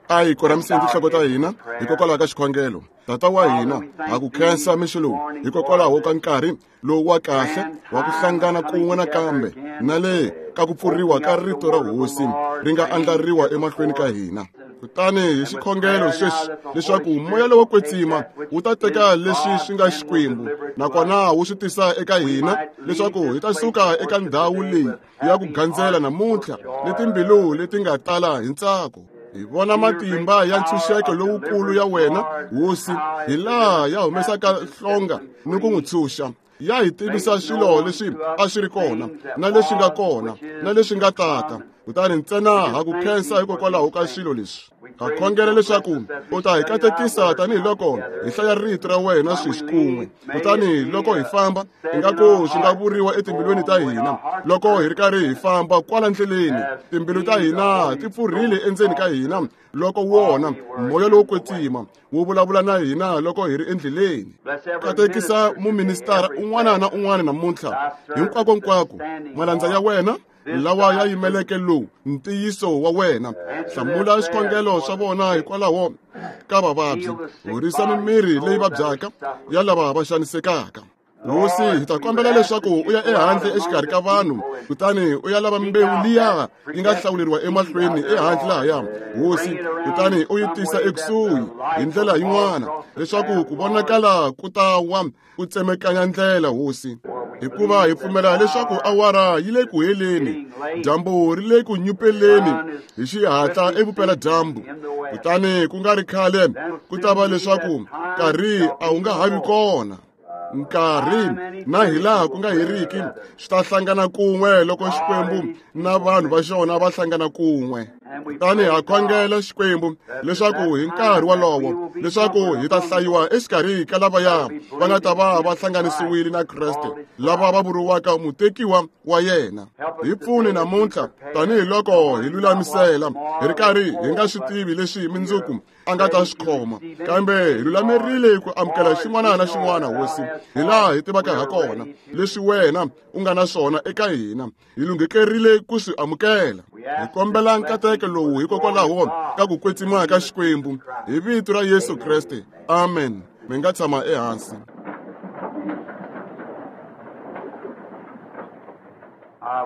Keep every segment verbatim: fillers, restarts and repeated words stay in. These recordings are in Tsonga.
A hi koramiseni tinhloko ta hina hikokwalaho ka xikhongelo. Tata wa hina, ha ku khensa mixo lowu hikokwalaho ka nkarhi lowu wa kahle wa ku hlangana kun'we nakambe na le ka ku pfuriwa ka rito ra hosi ri nga andlariwa emahlweni ka hina. Kutani hi xikhongelo sweswi leswaku moya lowo kwetsima wu ta teka leswi swi nga Xikwembu nakona wu swi tisa eka hina leswaku hi ta suka eka ndhawu leyi ya ku gandzela namuntlha ni timbilu leti nga tala hi ntsako. Hi vona matimba ya ntshunxeko lowukulu ya wena hosi, hi laha ya humesaka hlonga ni ku n'wi tshunxa. Ya hi tivisa swilo leswi a swi ri kona na leswi nga kona na leswi nga tata. Kutani ntsena ha ku khensa hikokwalaho ka swilo leswi. Ha khongela leswaku u ta hi katekisa tanihiloko hi hlaya rito ra wena sweswi kun'we. Kutani loko hi famba, ingaku swi nga vuriwa etimbilwini ta hina loko hi ri karhi hi famba kwala ndleleni, timbilu ta hina ti pfurhile endzeni ka hina loko wona moya lowo kwetsima wu vulavula na hina loko hi ri endleleni. Katekisa muministara un'wana na un'wana namuntlha hinkwakonkwako, malandza ya wena lawa ya yimeleke lowu ntiyiso wa wena. Hlamula swikhongelo swa vona hikwalaho ka vavabyi, horisa mimiri leyi vabyaka ya lava va xanisekaka. Hosi, hi ta kombela leswaku u ya ehandle exikarhi ka vanhu, kutani u ya lava mbewu liya yi nga hlawuleriwa emahlweni ehandle lahaya, hosi, kutani u yi tisa ekusuhi hi ndlela yin'wana leswaku ku vonakala ku ta wa ku tsemekanya ndlela, hosi. Hikuva hi pfumela leswaku awara yi le ku heleni, dyambu ri le ku nyupeleni hi xihatla evupeladyambu, kutani ku nga ri khale ku ta va leswaku nkarhi a wu nga ha vi kona. Nkarhi na hilaha ku nga heriki swi ta hlangana kun'we loko Xikwembu na vanhu va xona va hlangana kun'we. Kutani ha khongela Xikwembu leswaku hi nkarhi wolowo leswaku hi ta hlayiwa exikarhi ka lavaya va nga ta va va hlanganisiwile na Kreste, lava va vuriwaka mutekiwa wa yena. Hi pfuni namuntlha tanihiloko hi lulamisela hi ri karhi hi nga swi tivi leswi mundzuku a nga ta swi khoma, kambe hi lulamerile ku amukela xin'wana na xin'wana, hosi, hi laha hi tivaka ha kona leswi wena u nga na swona eka hina, hi lunghekerile ku swi amukela. Hi kombela nkateko lowu hikokwalaho ka ku kwetsima ka Xikwembu, hi vito ra Yesu Kreste, amen. Mi nga tshama ehansi.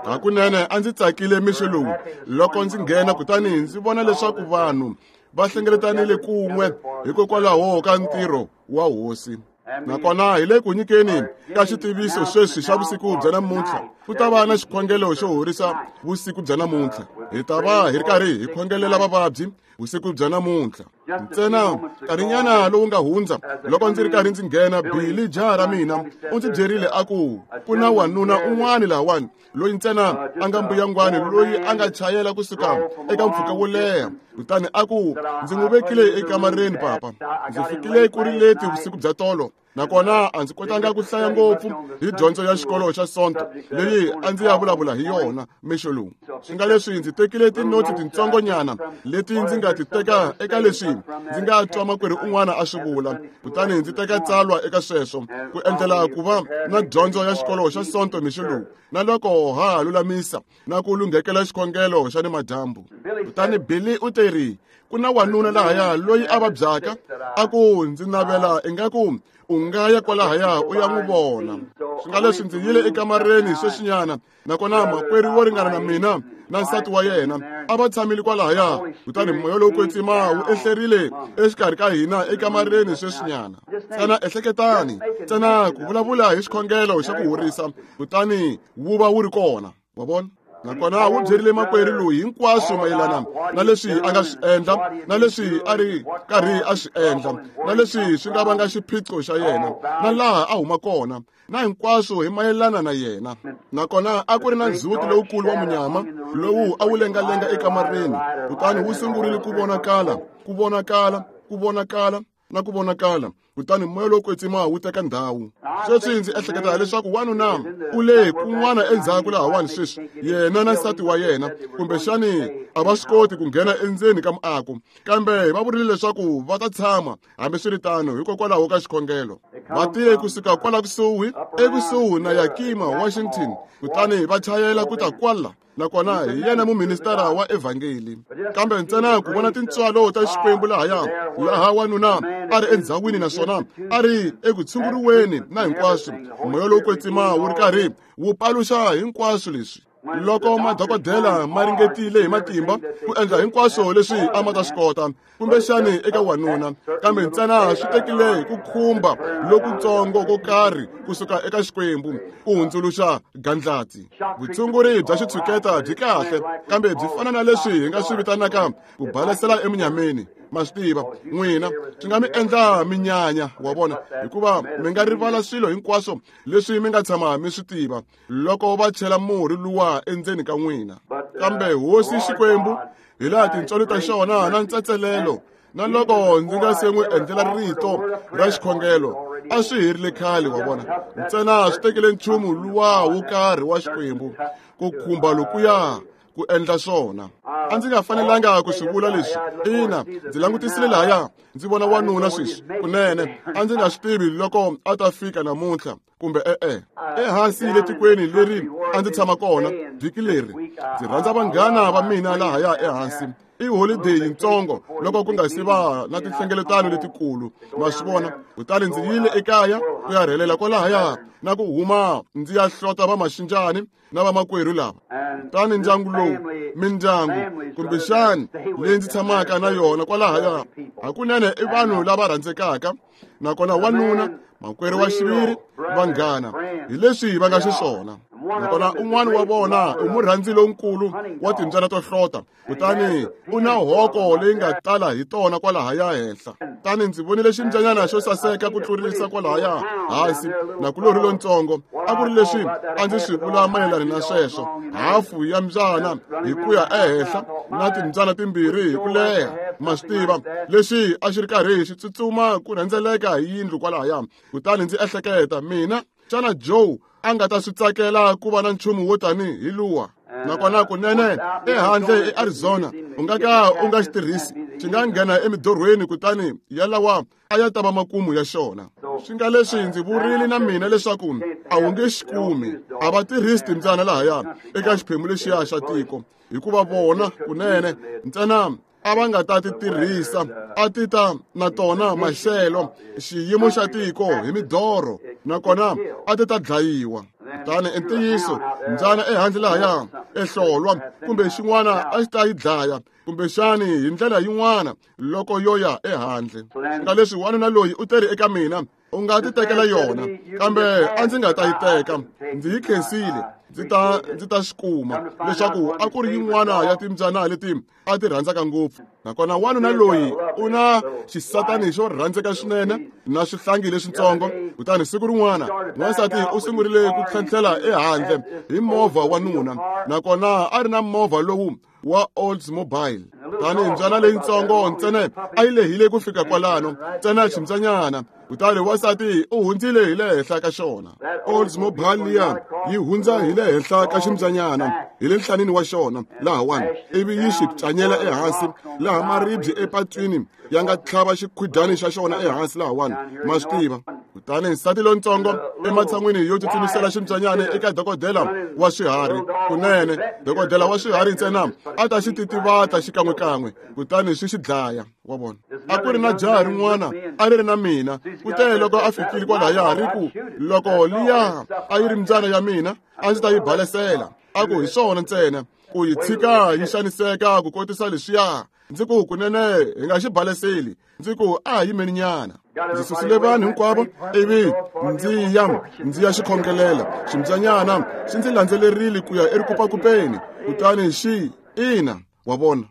Hakunene a ndzi tsakile mixo lowu loko ndzi nghena kutani ndzi vona leswaku vanhu va hlengeletanile kun'we hikokwalaho ka ntirho wa hosi. Nakona hi le ku nyikeni ka xitiviso sweswi xa vusiku bya namuntlha, ku ta va na xikhongelo xo horisa vusiku bya namuntlha. Hi ta va hi ri karhi hi khongelela vavabyi vusiku bya namuntlha. Ntsena nkarhinyana lowu nga hundza loko ndzi ri karhi ndzi nghena, Billy jaha ra mina u ndzi byerile a ku ku na wanuna un'wana lahawani loyi ntsena a nga mbuyangwani loyi a nga chayela kusuka eka mpfhuka wo leha. Kutani a ku ndzi n'wi vekile ekamareni papa, ndzi fikile ku ri leti vusiku bya tolo, nakona a ndzi kotanga ku hlaya ngopfu hi dyondzo ya xikolo xa Sonto leyi a ndzi ya vulavula hi yona mixo lowu. Swi nga leswi ndzi tekile tinotsi tintsongonyana leti ndzi nga ti teka eka leswi ndzi nga twa makwerhu un'wana a swi vula, kutani ndzi teka tsalwa eka sweswo ku endlela ku va na dyondzo ya xikolo xa Sonto mixo lowu, na loko ha ha lulamisa na ku lunghekela xikhongelo xa nimadyambu. Kutani Billy u teri ku na wanuna lahaya loyi a vabyaka, a ku ndzi navela ingaku u nga ya kwalahaya u ya n'wi vona. Swi nga leswi ndzi yile ekamareni sweswinyana, nakona makwerhu wo ringana na mina na nsati wa yena a va tshamile kwalahaya, kutani moya lowo kwetsima wu ehlerile exikarhi ka hina ekamareni sweswinyana. Ntsena ehleketani ntsena ku vulavula hi xikhongelo xa ku horisa, kutani wu va wu ri kona, wa vona. Nakona wu byerile makwerhu loyi hinkwaswo mayelana na leswi a nga swi endla na leswi a ri karhi a swi endla na leswi swi nga vanga xiphiqo xa yena na laha a huma kona na hinkwaswo hi mayelana na yena. Nakona a ku ri na ndzhuti lowukulu wa munyama lowu a wu lengalenga ekamareni, kutani wu sungurile ku vonakala, ku vonakala, ku vonakala na ku vonakala, kutani moya lowo kwetsima wu teka ndhawu. Sweswi ndzi ehleketa leswaku wanuna u le kun'wana endzhaku lahawani sweswi, yena na nsati wa yena kumbexani a va swi koti ku nghena endzeni ka muako, kambe va vurile leswaku va ta tshama hambiswiritano hikokwalaho ka xikhongelo. Va tile kusuka kwala kusuhi ekusuhi na Yakima, Washington, kutani va chayela ku ta kwala Nakona hi yena muministara wa evhangeli. Kambe ntsena ku vona tintswalo ta Xikwembu lahaya, laha wanuna a ri endzhawini naswona a ri eku tshunguriweni na hinkwaswo, moya lowo kwetsima wu ri karhi wu paluxa hinkwaswo leswi. Loko madokodela ma ringetile hi matimba ku endla hinkwaswo leswi a ma ta swi kota, kumbexani eka wanuna, kambe ntsena swi tekile hi ku khumba lokutsongo ko karhi kusuka eka Xikwembu ku hundzuluxa gandlati. Vutshunguri bya xitshuketa byi kahle, kambe byi fana na leswi hi nga swi vitanaka ku balesela emunyameni. Ma swi tiva n'wina, swi nga mi endla minyanya, wa vona, hikuva mi nga rivala swilo hinkwaswo leswi mi nga tshama mi swi tiva loko va chela murhi luwa endzeni ka n'wina. Kambe Hosi Xikwembu, hi laha tintswalo ta xona na ntsatselelo, na loko ndzi nga se n'wi endlela rito ra xikhongelo, a swi herile khale, wa vona. Ntsena swi tekile nchumu luwa wo karhi wa Xikwembu ku khumba lokuya ku endla swona. A ndzi nga fanelanga ku swi vula leswi. Ina, ndzi langutisile lahaya, ndzi vona wanuna sweswi. Kunene, a ndzi nga swi tivi loko a ta fika namuntlha kumbe e-e. Ehansi le tikweni leri a ndzi tshama kona vhiki leri, ndzi rhandza vanghana va mina lahaya ehansi. I holiday yitsongo loko ku nga si va na tinhlengeletano letikulu, ma swi vona. Kutani ndzi yile ekaya ku ya rhelela kwalahaya na ku huma ndzi ya hlota vamaxinjani na vamakwerhu lava. Kutani ndyangu lowu, mindyangu kumbexani leyi ndzi tshamaka na yona kwalahaya, hakunene i vanhu lava rhandzekaka, nakona wanuna, makwerhu wa xiviri, vanghana, hi leswi va nga xiswona. Nakona un'wana wa vona i murhandzi lonkulu wa timbyana to hlota, kutani u na hoko leyi nga tala hi tona kwalahaya henhla. Kutani ndzi vonile ximbyanyana xo saseka ku tlurisa kwalahaya hansi, nakulorhi lontsongo. A ku ri leswi a ndzi swi vula mayelana na sweswo, hafu ya mbyana hi ku ya ehenhla na timbyana timbirhi hi ku leha, ma swi tiva, leswi a xi ri karhi xi tsutsuma ku rhendzeleka hi yindlu kwalahaya. Kutani ndzi ehleketa, mina, xana Joe a nga ta swi tsakela ku va na nchumu wo tani hi luwa? Nakona kunene ehandle eArizona u nga ka u nga xi tirhisi, xi nga nghena emidorhweni kutani yalawa a ya ta va makumu ya xona. Swi nga leswi ndzi vurile na mina leswaku a wu nge xi kumi, a va tirhisi timbyana lahaya eka xiphemu lexiya xa tiko, hikuva vona kunene ntsena a va nga ta ti tirhisa, a ti ta na tona maxelo, xiyimo xa tiko hi midorho, nakona a ti ta dlayiwa. Kutani i ntiyiso, mbyana ehandle lahaya ehlolwa kumbe xin'wana a xi ta yi dlaya, kumbexani hi ndlela yin'wana loko yo ya ehandle. Nga leswi wanuna loyi u teri eka mina, u nga ti tekela yona, kambe a ndzi nga ta yi teka. Ndzi yi khensile, ndzi ta ndzi ta swi kuma leswaku a ku ri yin'wana ya timbyana leti a ti rhandzaka ngopfu. Nakona wanuna loyi u na xisatani xo rhandzeka swinene na swihlangi leswitsongo. Kutani siku rin'wana n'wansati u sungurile ku tlhentlhela ehandle hi movha wa nuna, nakona a ri na movha lowu wa Oldsmobile. Kutani mbyana leyitsongo ntsena a yi lehile ku fika kwalano, ntsena ximbyanyana. Kutani wansati u hundzile hi le henhla ka xona. Oldsmobile liya yi hundza hi le henhla ka ximbyanyana hi le nhlanini wa xona lahawani, ivi yi xi pyanyela ehansi laha maribye epatwini ya nga tlhava xikhwidyani xa xona ehansi lahawani, ma swi tiva. Kutani nsati lontsongo ematshan'wini yo tsutsumisela ximbyanyana eka dokodela wa swiharhi, kunene dokodela wa swiharhi ntsena a ta xi titivata xikan'wekan'we, kutani swi xi dlaya, wa vona. A ku ri na jaha rin'wana a ri ri na mina, kute loko a fikile kwalahaya ri ku, loko liya a yi ri mbyana ya mina a ndzi ta yi balesela. A ku hi swona ntsena ku yi tshika yi xaniseka ku kotisa leswiya. Ndzi ku kunene hi nga xi baleseli, ndzi ku a ha yimeni nyana. Ndzi susile vanhu hinkwavo ivi ndzi ya ndzi ya xi khongelela. Ximbyanyana xi ndzi landzelerile ku ya erikupakupeni, kutani xi ina, wa vona.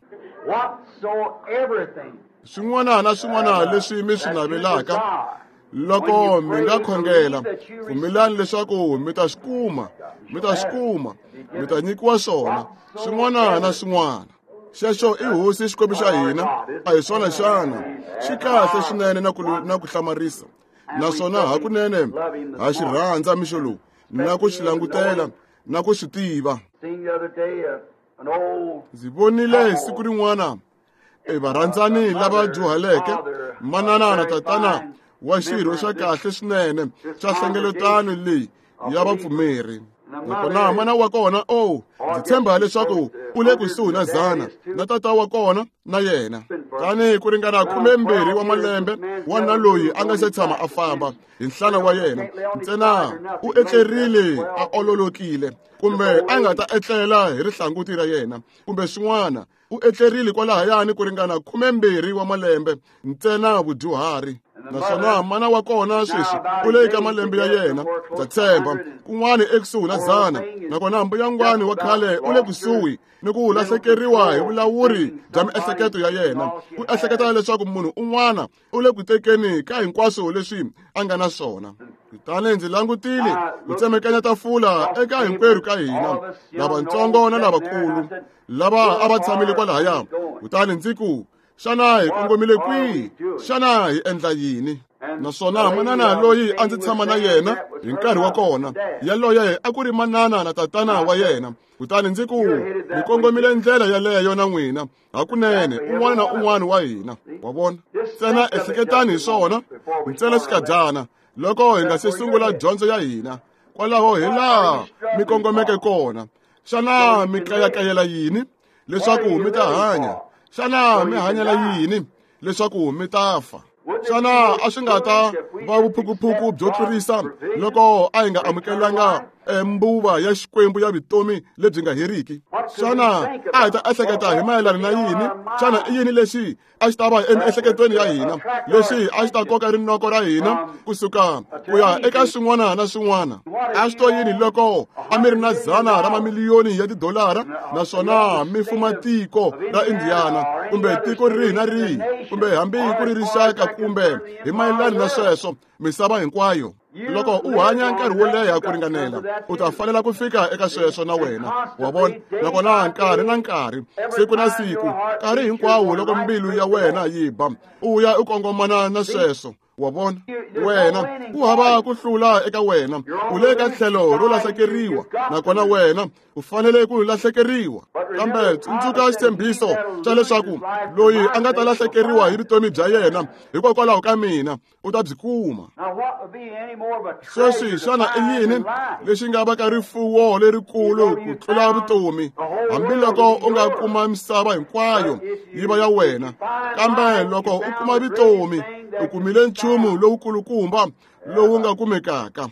Swin'wana na swin'wana leswi mi swi navelaka, loko mi nga khongela, pfumelani leswaku mi ta swi kuma, mi ta swi kuma, mi ta nyikiwa swona, swin'wana na swin'wana. Xexo i Hosi Xikwembu xa hina, a hi swona xana? Xi kahle swinene na ku na ku hlamarisa, naswona hakunene ha xi rhandza mixo lowu, na ku xi langutela na ku xi tiva. Ndzi vonile siku rin'wana e varhandzani lava dyuhaleke, manana na tatana wa xirho xa kahle swinene xa hlengeletano leyi ya vapfumeri. Nakona mana wa kona o ndzi tshemba leswaku u le kusuhi na zana na tata wa kona na yena. Tanihi ku ringana khumembirhi wa malembe wanuna loyi a nga se tshama a famba hi nhlana wa yena ntsena u etlerile a ololokile kumbe a nga ta etlela hi rihlanguti ra yena kumbe swin'wana u etlerile kwalahayani ku ringana khumembirhi wa malembe ntsena vudyuhari. Naswona mana wa kona sweswi u le ka malembe ya yena ndza tshemba kun'wana ekusuhi na zana. Nakona mbuyangwani wa khale u le kusuhi ni ku lahlekeriwa hi vulawuri bya miehleketo ya yena. U ehleketa leswaku munhu un'wana u le ku tekeni ka hinkwaswo leswi a nga na swona. Kutani ndzi langutile ku tsemekanya tafula eka hinkwerhu ka hina lavatsongo na lavakulu lava a va tshamile kwalahaya. Kutani ndzi ku, xana hi kongomile kwihi? Xana hi endla yini? Naswona manana loyi a ndzi tshama na yena hi nkarhi wa kona yaloye a ku ri manana na tatana wa yena. Kutani ndzi ku, mi kongomile ndlela yaleyo na n'wina hakunene un'wana na un'wana wa hina. Wa vona? Ntsena ehleketani hi swona ntsena xikadyana loko hi nga se sungula dyondzo ya hina. Kwalaho hi laha mi kongomeke kona. Xana mi kayakayela yini leswaku mi ta hanya? Xana mi hanyela yini leswaku mi ta fa? Xana a swi nga ta va vuphukuphuku byo tlurisa loko a hi nga amukelanga mbuva ya Xikwembu ya vutomi lebyi nga heriki? Xana a hi ta ehleketa hi mayelana na yini? Xana i yini lexi a xi ta va emiehleketweni ya hina lexi a xi ta koka rinoko ra hina kusuka ku ya eka swin'wana na swin'wana? A swi to yini loko a mi ri na zana ra mamiliyoni ya tidolara naswona mi fuma tiko ra Indiana kumbe tiko rihi na rihi kumbe hambi ku ri rixaka kumbe hi mayelana na sweswo misava hinkwayo? Loko u hanya nkarhi wo leha ku ringanela u ta fanela ku fika eka sweswo na wena. Wa vona? Nakona nkarhi na nkarhi, siku na siku, nkarhi hinkwawo loko mbilu ya wena yi ba u ya u kongomana na sweswo. Wa vona? Wena ku hava ku hlula eka wena, u le ka tlhelo ro lahlekeriwa nakona wena u fanele ku lahlekeriwa. Kambe tsundzuka xitshembiso xa leswaku loyi a nga ta lahlekeriwa hi vutomi bya yena hikokwalaho ka mina u ta byi kuma. Sweswi xana i yini lexi nga va ka rifuwo lerikulu ku tlula vutomi? Hambiloko u nga kuma misava hinkwayo yi va ya wena, kambe loko u kuma vutomi u kumile nchumu lowukulukumba lowu nga kumekaka.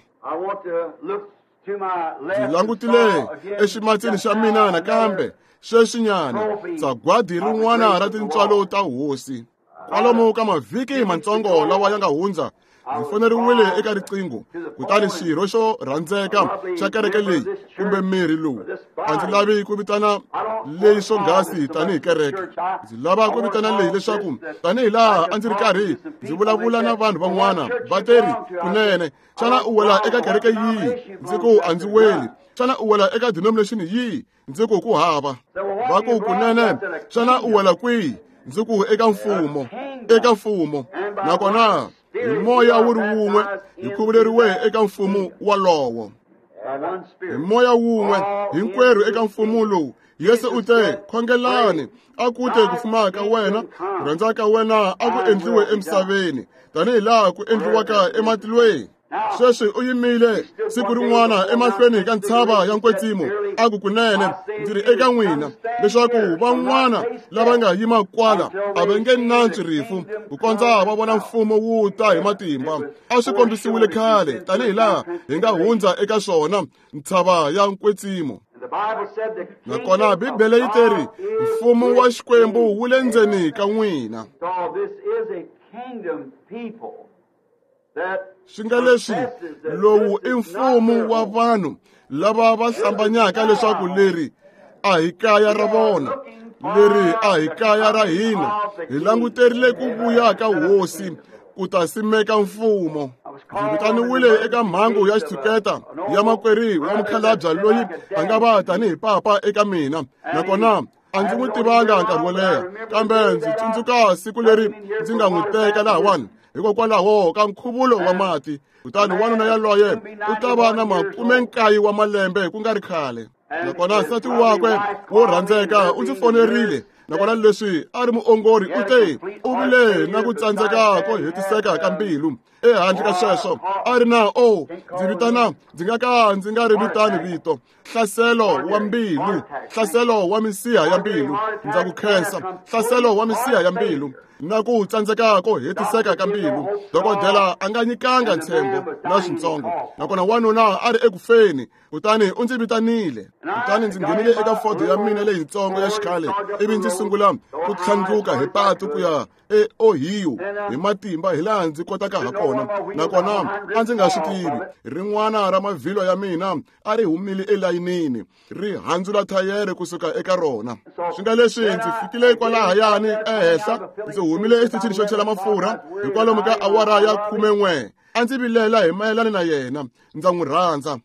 Ndzi langutile eximatsini xa mina nakambe sweswinyana sagwadi rin'wana ra tintswalo ta hosi. Kwalomu ka mavhiki matsongo lawa ya nga hundza ndzi foneriwile eka riqingho. Kutani xirho xo rhandzeka xa kereke leyi kumbe mirhi lowu a ndzi lavi ku vitana leyi swonghasi tanihi kereke. Ndzi lava ku vitana leyi leswaku tanihi laha a ndzi ri karhi ndzi vulavula na vanhu van'wana va teri kunene, xana u wela eka kereke yihi? Ndzi ku a ndzi weli. Xana u wela eka denomination yihi? Ndzi ku ku hava. Va ku kunene, xana u wela kwihi? Ndzi ku eka mfumo, eka mfumo. Nakona hi moya wu ri wun'we hi khuvuleriwe eka mfumo walowo. Hi moya wun'we hinkwerhu eka mfumo lowu. Yesu u te, khongelani a ku te ku fuma ka wena, ku rhandza ka wena a ku endliwe emisaveni tanihi laha ku endliwaka ematilweni. Sweswi u yimile siku rin'wana emahlweni ka ntshava ya nkwetsimo a ku kunene ndzi ri eka n'wina leswaku van'wana lava nga yima kwala a va nge nantswi rifu ku kondza va vona mfumo wu ta hi matimba. A swi kombisiwile khale tanihi laha hi nga hundza eka swona ntshava ya nkwetsimo. Nakona Bibele yi teri mfumo wa Xikwembu wu le ndzeni ka n'wina. Swi nga leswi lowu i mfumo wa vanhu lava va hlambanyaka leswaku leri a hi kaya ra vona, leri a hi kaya ra hina. Hi languterile ku vuya ka hosi ku ta simeka mfumo. Ndzi vitaniwile eka mhangu ya xitshuketa ya makwerhu wa mukhalabye loyi a nga va tanihi papa eka mina. Nakona a ndzi n'wi tivanga nkarhi wo leha, kambe ndzi tsundzuka siku leri ndzi nga n'wi teka lahawani hikokwalaho ka nkhuvulo wa mati. Kutani wanuna yaloye u ta va na makume nkaye wa malembe ku nga ri khale. Nakona nsati wakwe wo rhandzeka u ndzi fonerile Nakona leswi a ri muongori u te u vile na ku tsandzeka ko hetiseka ka mbilu. Ehandle ka sweswo a ri na o ndzi vitana ndzi nga ka ndzi nga ri vitani vito hlaselo wa mbilu, hlaselo wa misiha ya mbilu. Ndza ku khensa, hlaselo wa misiha ya mbilu na ku tsandzeka ko hetiseka ka mbilu. Dokodela a nga nyikanga ntshembo na swintsongo, nakona wanuna a ri ekufeni. Kutani u ndzi vitanile, kutani ndzi nghenile eka Ford ya mina leyitsongo ya xikhale, ivi ndzi sungula ku tlhandluka hi patu ku ya eOhio hi matimba hi laha ndzi kotaka ha kona. Nakona a ndzi nga swi tivi, rin'wana ra mavhilwa ya mina a ri humile elayinini, ri handzula thayere kusuka eka rona. Swi nga leswi ndzi fikile kwalahayani ehenhla, ndzi humile exitichini xo chela mafurha hi kwalomu ka awara ya khumen'we. A ndzi vilela hi mayelana na yena, ndza n'wi rhandza.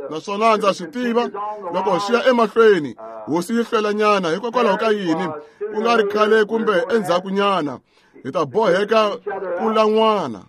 Naswona ndza swi tiva loko xi ya emahlweni hosi yi hlwelanyana hikokwalaho ka yini ku nga ri khale kumbe endzhakunyana hi ta boheka ku lan'wana.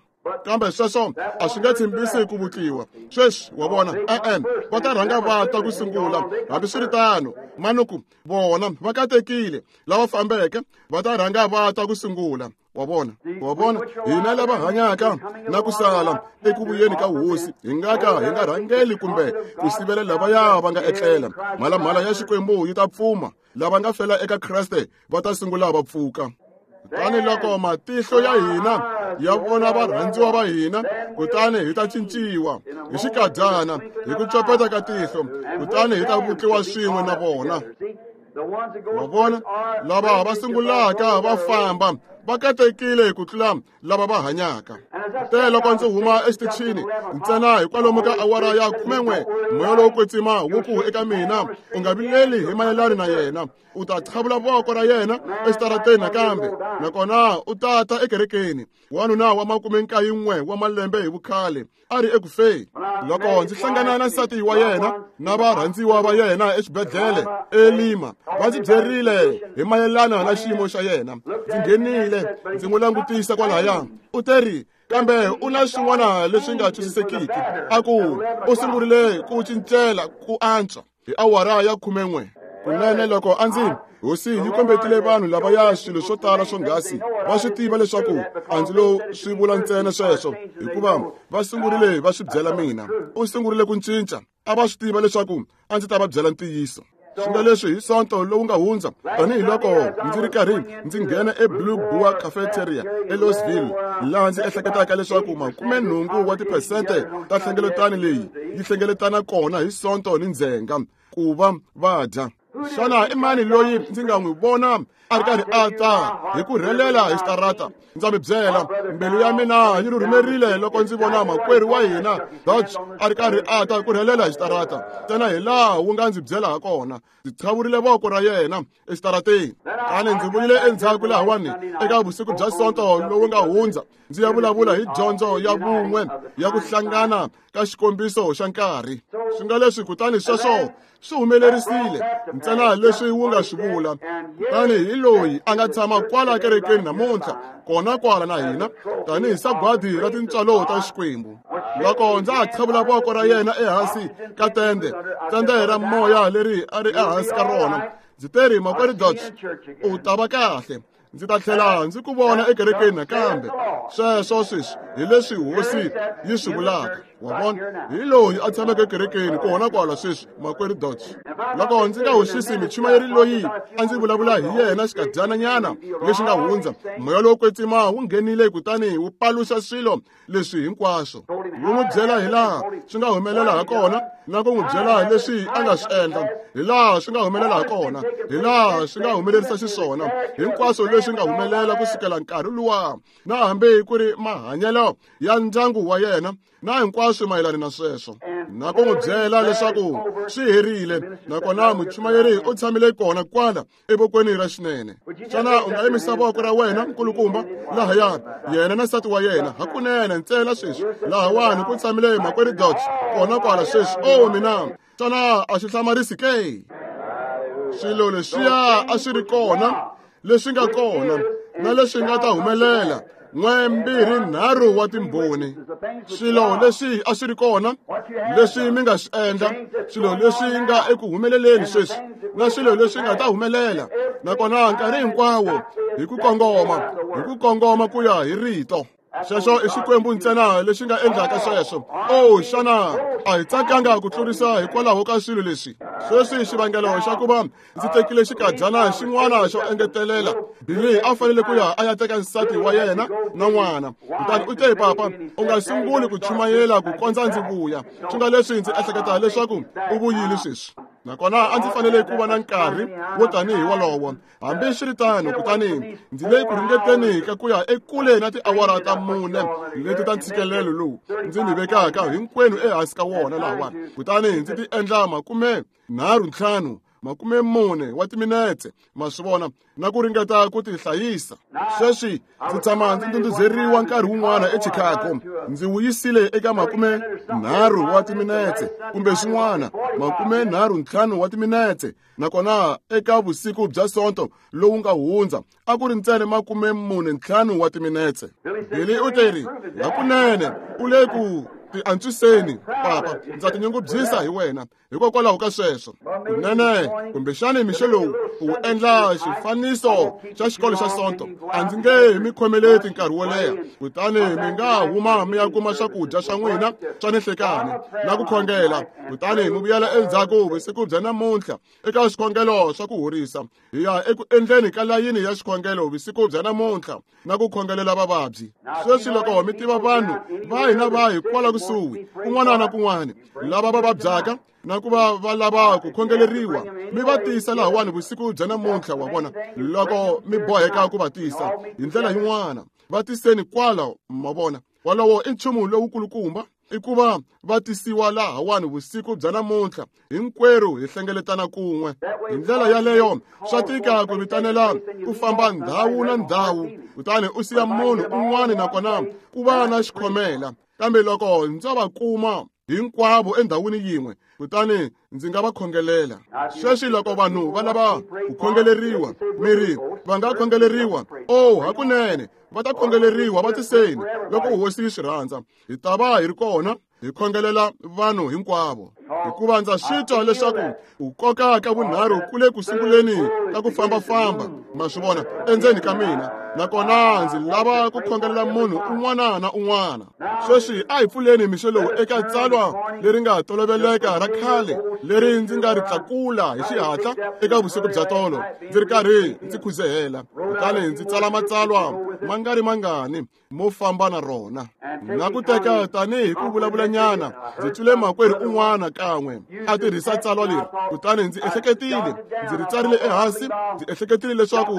Kambe sweswo a swi nga tshembisi ku vutliwa sweswi, wa vona. E-e, va ta rhanga va ta ku sungula. Hambiswiritano, manuku vona va katekile lava fambeke, va ta rhanga va ta ku sungula. Wa vona, wa vona, hina lava hanyaka na ku sala eku vuyeni ka hosi hi nga ka hi nga rhangeli kumbe ku sivela lavaya va nga etlela. Mhalamhala ya Xikwembu yi ta pfuma, lava nga fela eka Kreste va ta sungula va pfuka. Kutani loko matihlo ya hina ya vona varhandziwa va hina, kutani hi ta cinciwa hi xikadyana hi ku copeta ka tihlo, kutani hi ta vutliwa swin'we na vona. Wa vona, lava va sungulaka va famba va katekile ku tlula lava va hanyaka. Te loko ndzi huma exitichini ntsena hi kwalomu ka awara ya khumen'we, moya lowo kwetsima wu ku eka mina, u nga vileli hi mayelana na yena, u ta qhavula voko ra yena exitarateni nakambe, nakona u ta ta ekerekeni. Wanuna wa makume nkaye wa malembe hi vukhale a ri ekufeni. Loko ndzi hlangana na nsati wa yena na varhandziwa va yena exibedhlele eLima, va ndzi byerile hi mayelana na xiyimo xa yena. Ndzi nghenile ndzi n'wi langutisa kwalaya, u teri kambe u na swin'wana leswi nga twisisekiki. A ku u sungurile ku cincela ku antswa hi awara ya khumen'we. Kunene loko a ndzi hosi yi kombetile vanhu lavaya swilo swo tala swonghasi, va swi tiva leswaku a ndzi lo swi vula ntsena sweswo, hikuva va sungurile va swi byela mina. U sungurile ku cinca, a va swi tiva leswaku a ndzi ta va byela ntiyiso. Swi nga leswi hi Sonto lowu nga hundza, tanihiloko ndzi ri karhi ndzi nghena eBlue Boar Cafeteria eLouisville, laha ndzi ehleketaka leswaku makumenhungu wa tiphesente ta nhlengeletano leyi yi hlengeletana kona hi Sonto ni ndzhenga ku va va dya. Xana i mani loyi ndzi nga n'wi vona a ri karhi a ta hi ku rhelela hi xitarata? Ndza mi byela, mbilu ya mina yi rhurhumerile loko ndzi vona makwerhu wa hina Dodge a ri karhi a ta ku rhelela hi xitarata, ntsena hi laha wu nga ndzi byela ha kona. Ndzi qhavurile voko ra yena exitarateni. Kutani ndzi vuyile endzhaku lahawani eka vusiku bya Sonto lowu nga hundza, ndzi ya vulavula hi dyondzo ya vun'we ya ku hlangana ka xikombiso xa nkarhi. Swi nga leswi kutani sweswo swi humelerisile ntsena leswi wu nga swi vula. Kutani hi loyi a nga tshama kwala kerekeni namuntlha, kona kwala na hina, tanihi sagwadi ra tintswalo ta Xikwembu. Loko ndza ha qhavula voko ra yena ehansi ka tende, tende ra moya leri a ri ehansi ka rona, ndzi teri, makwerhu Dodge, u ta va kahle. Ndzi ta tlhela ndzi ku vona ekerekeni nakambe. Sweswo sweswi hi leswi hosi yi swi vulaka. Wa vona, hi loyi a tshameke ekerekeni kona kwala sweswi, makwerhu Dodge. Loko ndzi nga hoxisi muchumayeri loyi a ndzi vulavula hi yena xikadyananyana lexi nga hundza, moya lowo kwetsima wu nghenile kutani wu paluxa swilo leswi hinkwaswo. Wu n'wi byela hi laha swi nga humelela ha kona, na ku n'wi byela leswi a nga swi endla, hi laha swi nga humelela ha kona, hi laha swi nga humelerisa xiswona, hinkwaswo leswi nga humelela kusukela nkarhi luwa, na hambi ku ri mahanyelo ya ndyangu wa yena, na hinkwaswo mayelana na sweswo, na ku n'wi byela leswaku swi herile. Nakona muchumayeri u tshamile kona kwala evokweni ra xinene. Xana u nga yimisa voko ra wena, nkulukumba? Lahaya yena na nsati wa yena hakunene ntsena sweswi. Lahawani ku tshamile makwerhu Dodge kona kwala sweswi. O mina, xana a swi hlamarisi ke? Swilo leswiya a swi ri kona, leswi nga kona na leswi nga ta humelela, N'we mbirhi nharhu wa timbhoni. Swilo leswi a swi ri kona, leswi mi nga swi endla, swilo leswi nga eku humeleleni sweswi, na swilo leswi nga ta humelela, nakona nkarhi hinkwawo hi ku kongoma, hi ku kongoma ku ya hi rito. Sweswo i Xikwembu ntsena lexi nga endlaka sweswo. Oh, xana a hi tsakanga ku tlurisa hikwalaho ka swilo leswi? Sweswi xivangelo xa ku va ndzi tekile xikadyana xin'wana xo engetelela, Billy a fanele ku ya a ya teka nsati wa yena na n'wana. Kutani u te, papa, u nga sunguli ku chumayela ku kondza ndzi vuya. Swi nga leswi ndzi ehleketa leswaku u vuyile sweswi. Nakona a ndzi fanele ku va na nkarhi wo tanihi wolowo. Hambiswiritano, kutani ndzi le ku ringeteni ka ku ya ekule na tiawara ta mune leti ta ntshikelelo lowu ndzi mi vekaka hinkwenu ehansi ka wona lahawani. Kutani ndzi ti endla makume nharhu ntlhanu makume mune wa timinetse, ma swi vona, na ku ringeta ku ti hlayisa. Sweswi ndzi tshama ndzi ndhundhuzeriwa nkarhi wun'wana eChicago. Ndzi wu yisile eka makume nharhu wa timinetse kumbe swin'wana, makume nharhu ntlhanu wa timinetse. Nakona eka vusiku bya Sonto lowu nga hundza a ku ri ntsena makume mune ntlhanu wa timinetse. Billy u teri, hakunene u le ku ti antswiseni, papa, ndza tinyungubyisa hi wena hikokwalaho ka sweswo. Kunene kumbexani mixo lowu u endla xifaniso xa xikolo xa Sonto, a ndzi nge mi khomeleti nkarhi wo leha. Kutani mi nga huma mi ya kuma swakudya swa n'wina swa ninhlekani na ku khongela, kutani mi vuyela endzhaku vusiku bya namuntlha eka swikhongelo swa ku horisa. Hi ya eku endleni ka layini ya xikhongelo vusiku bya namuntlha na ku khongelela vavabyi. Sweswi loko mi tiva vanhu vahi na vahi kwala kusuhi, kun'wana na kun'wana, lava va vabyaka na ku va va lava ku khongeleriwa, mi va tisa lahawani vusiku bya namuntlha. Wa vona, loko mi boheka ku va tisa hi ndlela yin'wana, va tiseni kwala. Ma vona, wolowo i nchumu lowukulukumba, i ku va va tisiwa lahawani vusiku bya namuntlha, hinkwerhu hi hlengeletana kun'we. Hi ndlela yaleyo swa tika ku vitanela ku famba ndhawu na ndhawu, kutani u siya munhu un'wana nakona ku va na xikhomela. Kambe loko ndzo va kuma hinkwavo endhawini yin'we, kutani ndzi nga va khongelela. Sweswi loko vanhu va lava ku khongeleriwa, mi ri va nga khongeleriwa? Oh, hakunene va ta khongeleriwa, va tiseni loko hosi yi swi rhandza. Hi ta va hi ri kona hi khongelela vanhu hinkwavo, hikuva ndza swi twa leswaku ku koka ka vunharhu ku le ku sunguleni ka ku fambafamba, ma swi vona, endzeni ka mina. Nakona ndzi lava ku khongelela munhu un'wana na un'wana. Sweswi a hi pfuleni mixo lowu eka tsalwa leri nga toloveleka ra khale leri ndzi nga ri tlakula hi xihatla eka vusiku bya tolo, ndzi ri karhi ndzi khuzehela. Kutani ndzi tsala matsalwa ma nga ri mangani mo famba na rona, na ku teka tanihi ku vulavulanyana. Ndzi twile makwerhu un'wana kan'we a tirhisa tsalwa leri, kutani ndzi ehleketile, ndzi ri tsarile ehansi. Ndzi ehleketile leswaku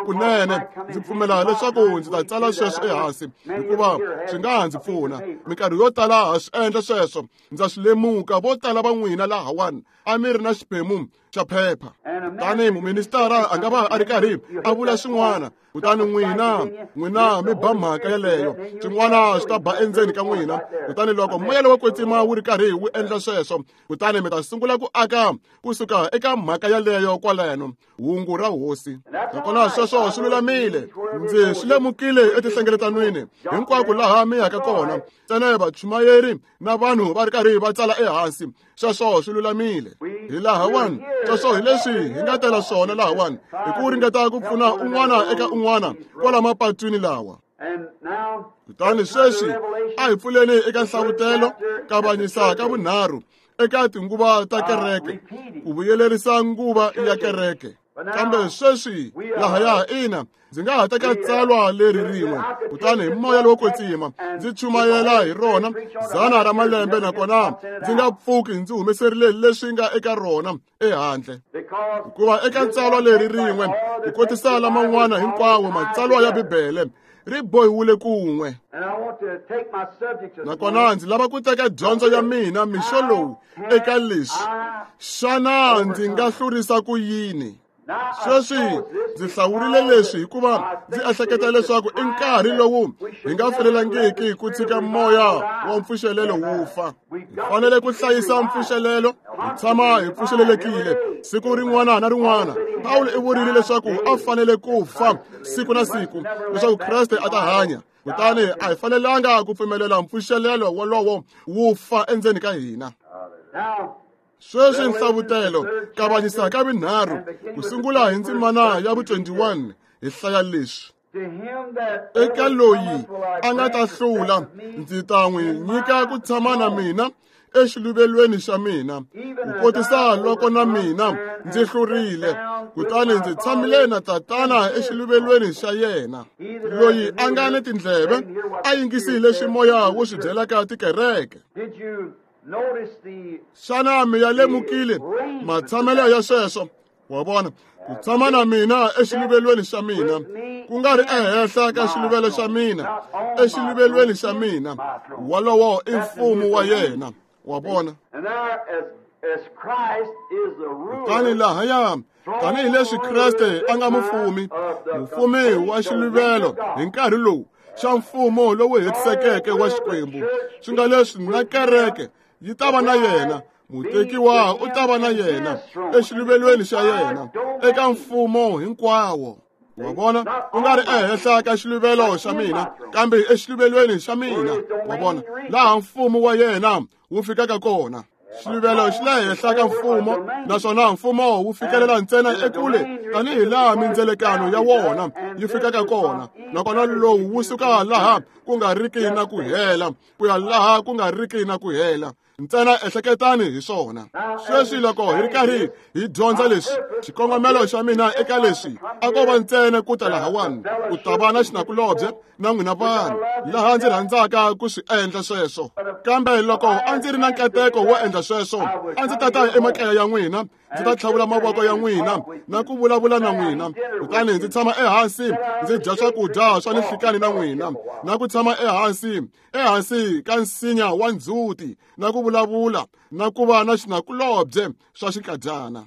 kunene ndzi pfumela leswaku ndzi ta tsala sweswo ehansi, hikuva swi nga ha ndzi pfuna. Minkarhi yo tala ha swi endla sweswo. Ndza swi lemuka vo tala va n'wina lahawani a mi ri na xiphemu xa phepha. Kutani muministara a nga va a ri karhi a vula swin'wana, kutani n'wina n'wina mi ba mhaka yeleyo, swin'wana swi ta ba endzeni ka n'wina. Kutani loko moya lowo kwetsima wu ri karhi wu endla sweswo, kutani mi ta sungula ku aka kusuka eka mhaka yaleyo kwaleno, hungu ra hosi. Nakona sweswo swi lulamile. Ndzi swi lemukile etihlengeletanweni hinkwako laha mi yaka kona, ntsena vachumayeri na vanhu va ri karhi va tsala ehansi. Sweswo swi lulamile. Hi lahawani, sweswo hi leswi hi nga tela swona lahawani, hi ku ringeta ku pfuna un'wana eka un'wana kwala mapatwini lawa. Kutani sweswi a hi pfuleni eka nhlavutelo, kavanyisa ka vunharhu eka tinguva ta kereke, ku vuyelerisa nguva ya kereke. Kambe sweswi lahaya, ina, ndzi nga ha teka tsalwa leri rin'we, kutani hi moya lowo kwetsima ndzi chumayela hi rona dzana ra malembe, nakona ndzi nga pfuki ndzi humeserile leswi nga eka rona ehandle. Hikuva eka tsalwa leri rin'we, ku kotisa laman'wana hinkwawo matsalwa ya Bibele ri bohiwile kun'we. Nakona ndzi lava ku teka dyondzo ya mina mixo lowu eka leswi: xana ndzi nga hlurisa ku yini? Sweswi ndzi hlawurile leswi hikuva ndzi ehleketa leswaku i nkarhi lowu hi nga fanelangiki ku tshika moya wa mpfuxelelo wu fa. Hi fanele ku hlayisa mpfuxelelo Hi tshama hi pfuxelelekile siku rin'wana na rin'wana. Pawulo i vurile leswaku a fanele ku fa siku na siku leswaku Kreste a ta hanya. Kutani a hi fanelanga ku pfumelela mpfuxelelo wolowo wu fa endzeni ka hina. Sweswi nhlavutelo kavanyisa ka vunharhu ku sungula hi ndzimana ya vu twenty-one hi hlaya leswi. Eka loyi a nga ta hlula ndzi ta n'wi nyika ku tshama na mina exiluvelweni xa mina, ku kotisa loko na mina ndzi hlurile kutani ndzi tshamile na Tatana exiluvelweni xa yena. Loyi a nga ni tindleve a yingisile leswi moya wu swi byelaka tikereke. Xana mi ya lemukile matshamelo ya sweswo? Wa vona, ku tshama na mina exiluvelweni xa mina, ku nga ri ehenhla ka xiluvelo xa mina, exiluvelweni xa mina, wolowo i mfumo wa yena. Wa vona? Kutani lahaya, tanihileswi Kreste a nga mufumi, mufumi wa xiluvelo hi nkarhi lowu xa mfumo lowu hetisekeke wa Xikwembu, swi nga leswi na kereke yi ta va na yena, mutekiwa u ta va na yena exiluvelweni xa yena eka mfumo hinkwawo. Wa vona, ku nga ri ehenhla ka xiluvelo xa mina, kambe exiluvelweni xa mina. Wa vona, laha mfumo wa yena wu fikaka kona. Xiluvelo xi le henhla ka mfumo, naswona mfumo wu fikelela ntsena ekule tanihi laha mindzelekano ya wona yi fikaka kona. Nakona lowu wu suka laha ku nga riki na ku hela ku ya laha ku nga riki na ku hela. Ntsena ehleketani hi swona. Sweswi loko hi ri karhi hi dyondza leswi, xikongomelo xa mina eka leswi a ko va ntsena ku ta lahawani ku ta va na xinakulobye na n'wina vanhu, laha ndzi rhandzaka ku swi endla sweswo. Kambe loko a ndzi ri na nkateko wo endla sweswo, a ndzi ta ta emakaya ya n'wina, ndzi ta tlhavula mavoko ya n'wina na ku vulavula na n'wina, kutani ndzi tshama ehansi ndzi dya swakudya swa ninhlikani na n'wina, na ku tshama ehansi ehansi ka nsinya wa ndzhuti na ku vulavula na ku va na xinakulobye swa xinkadyana.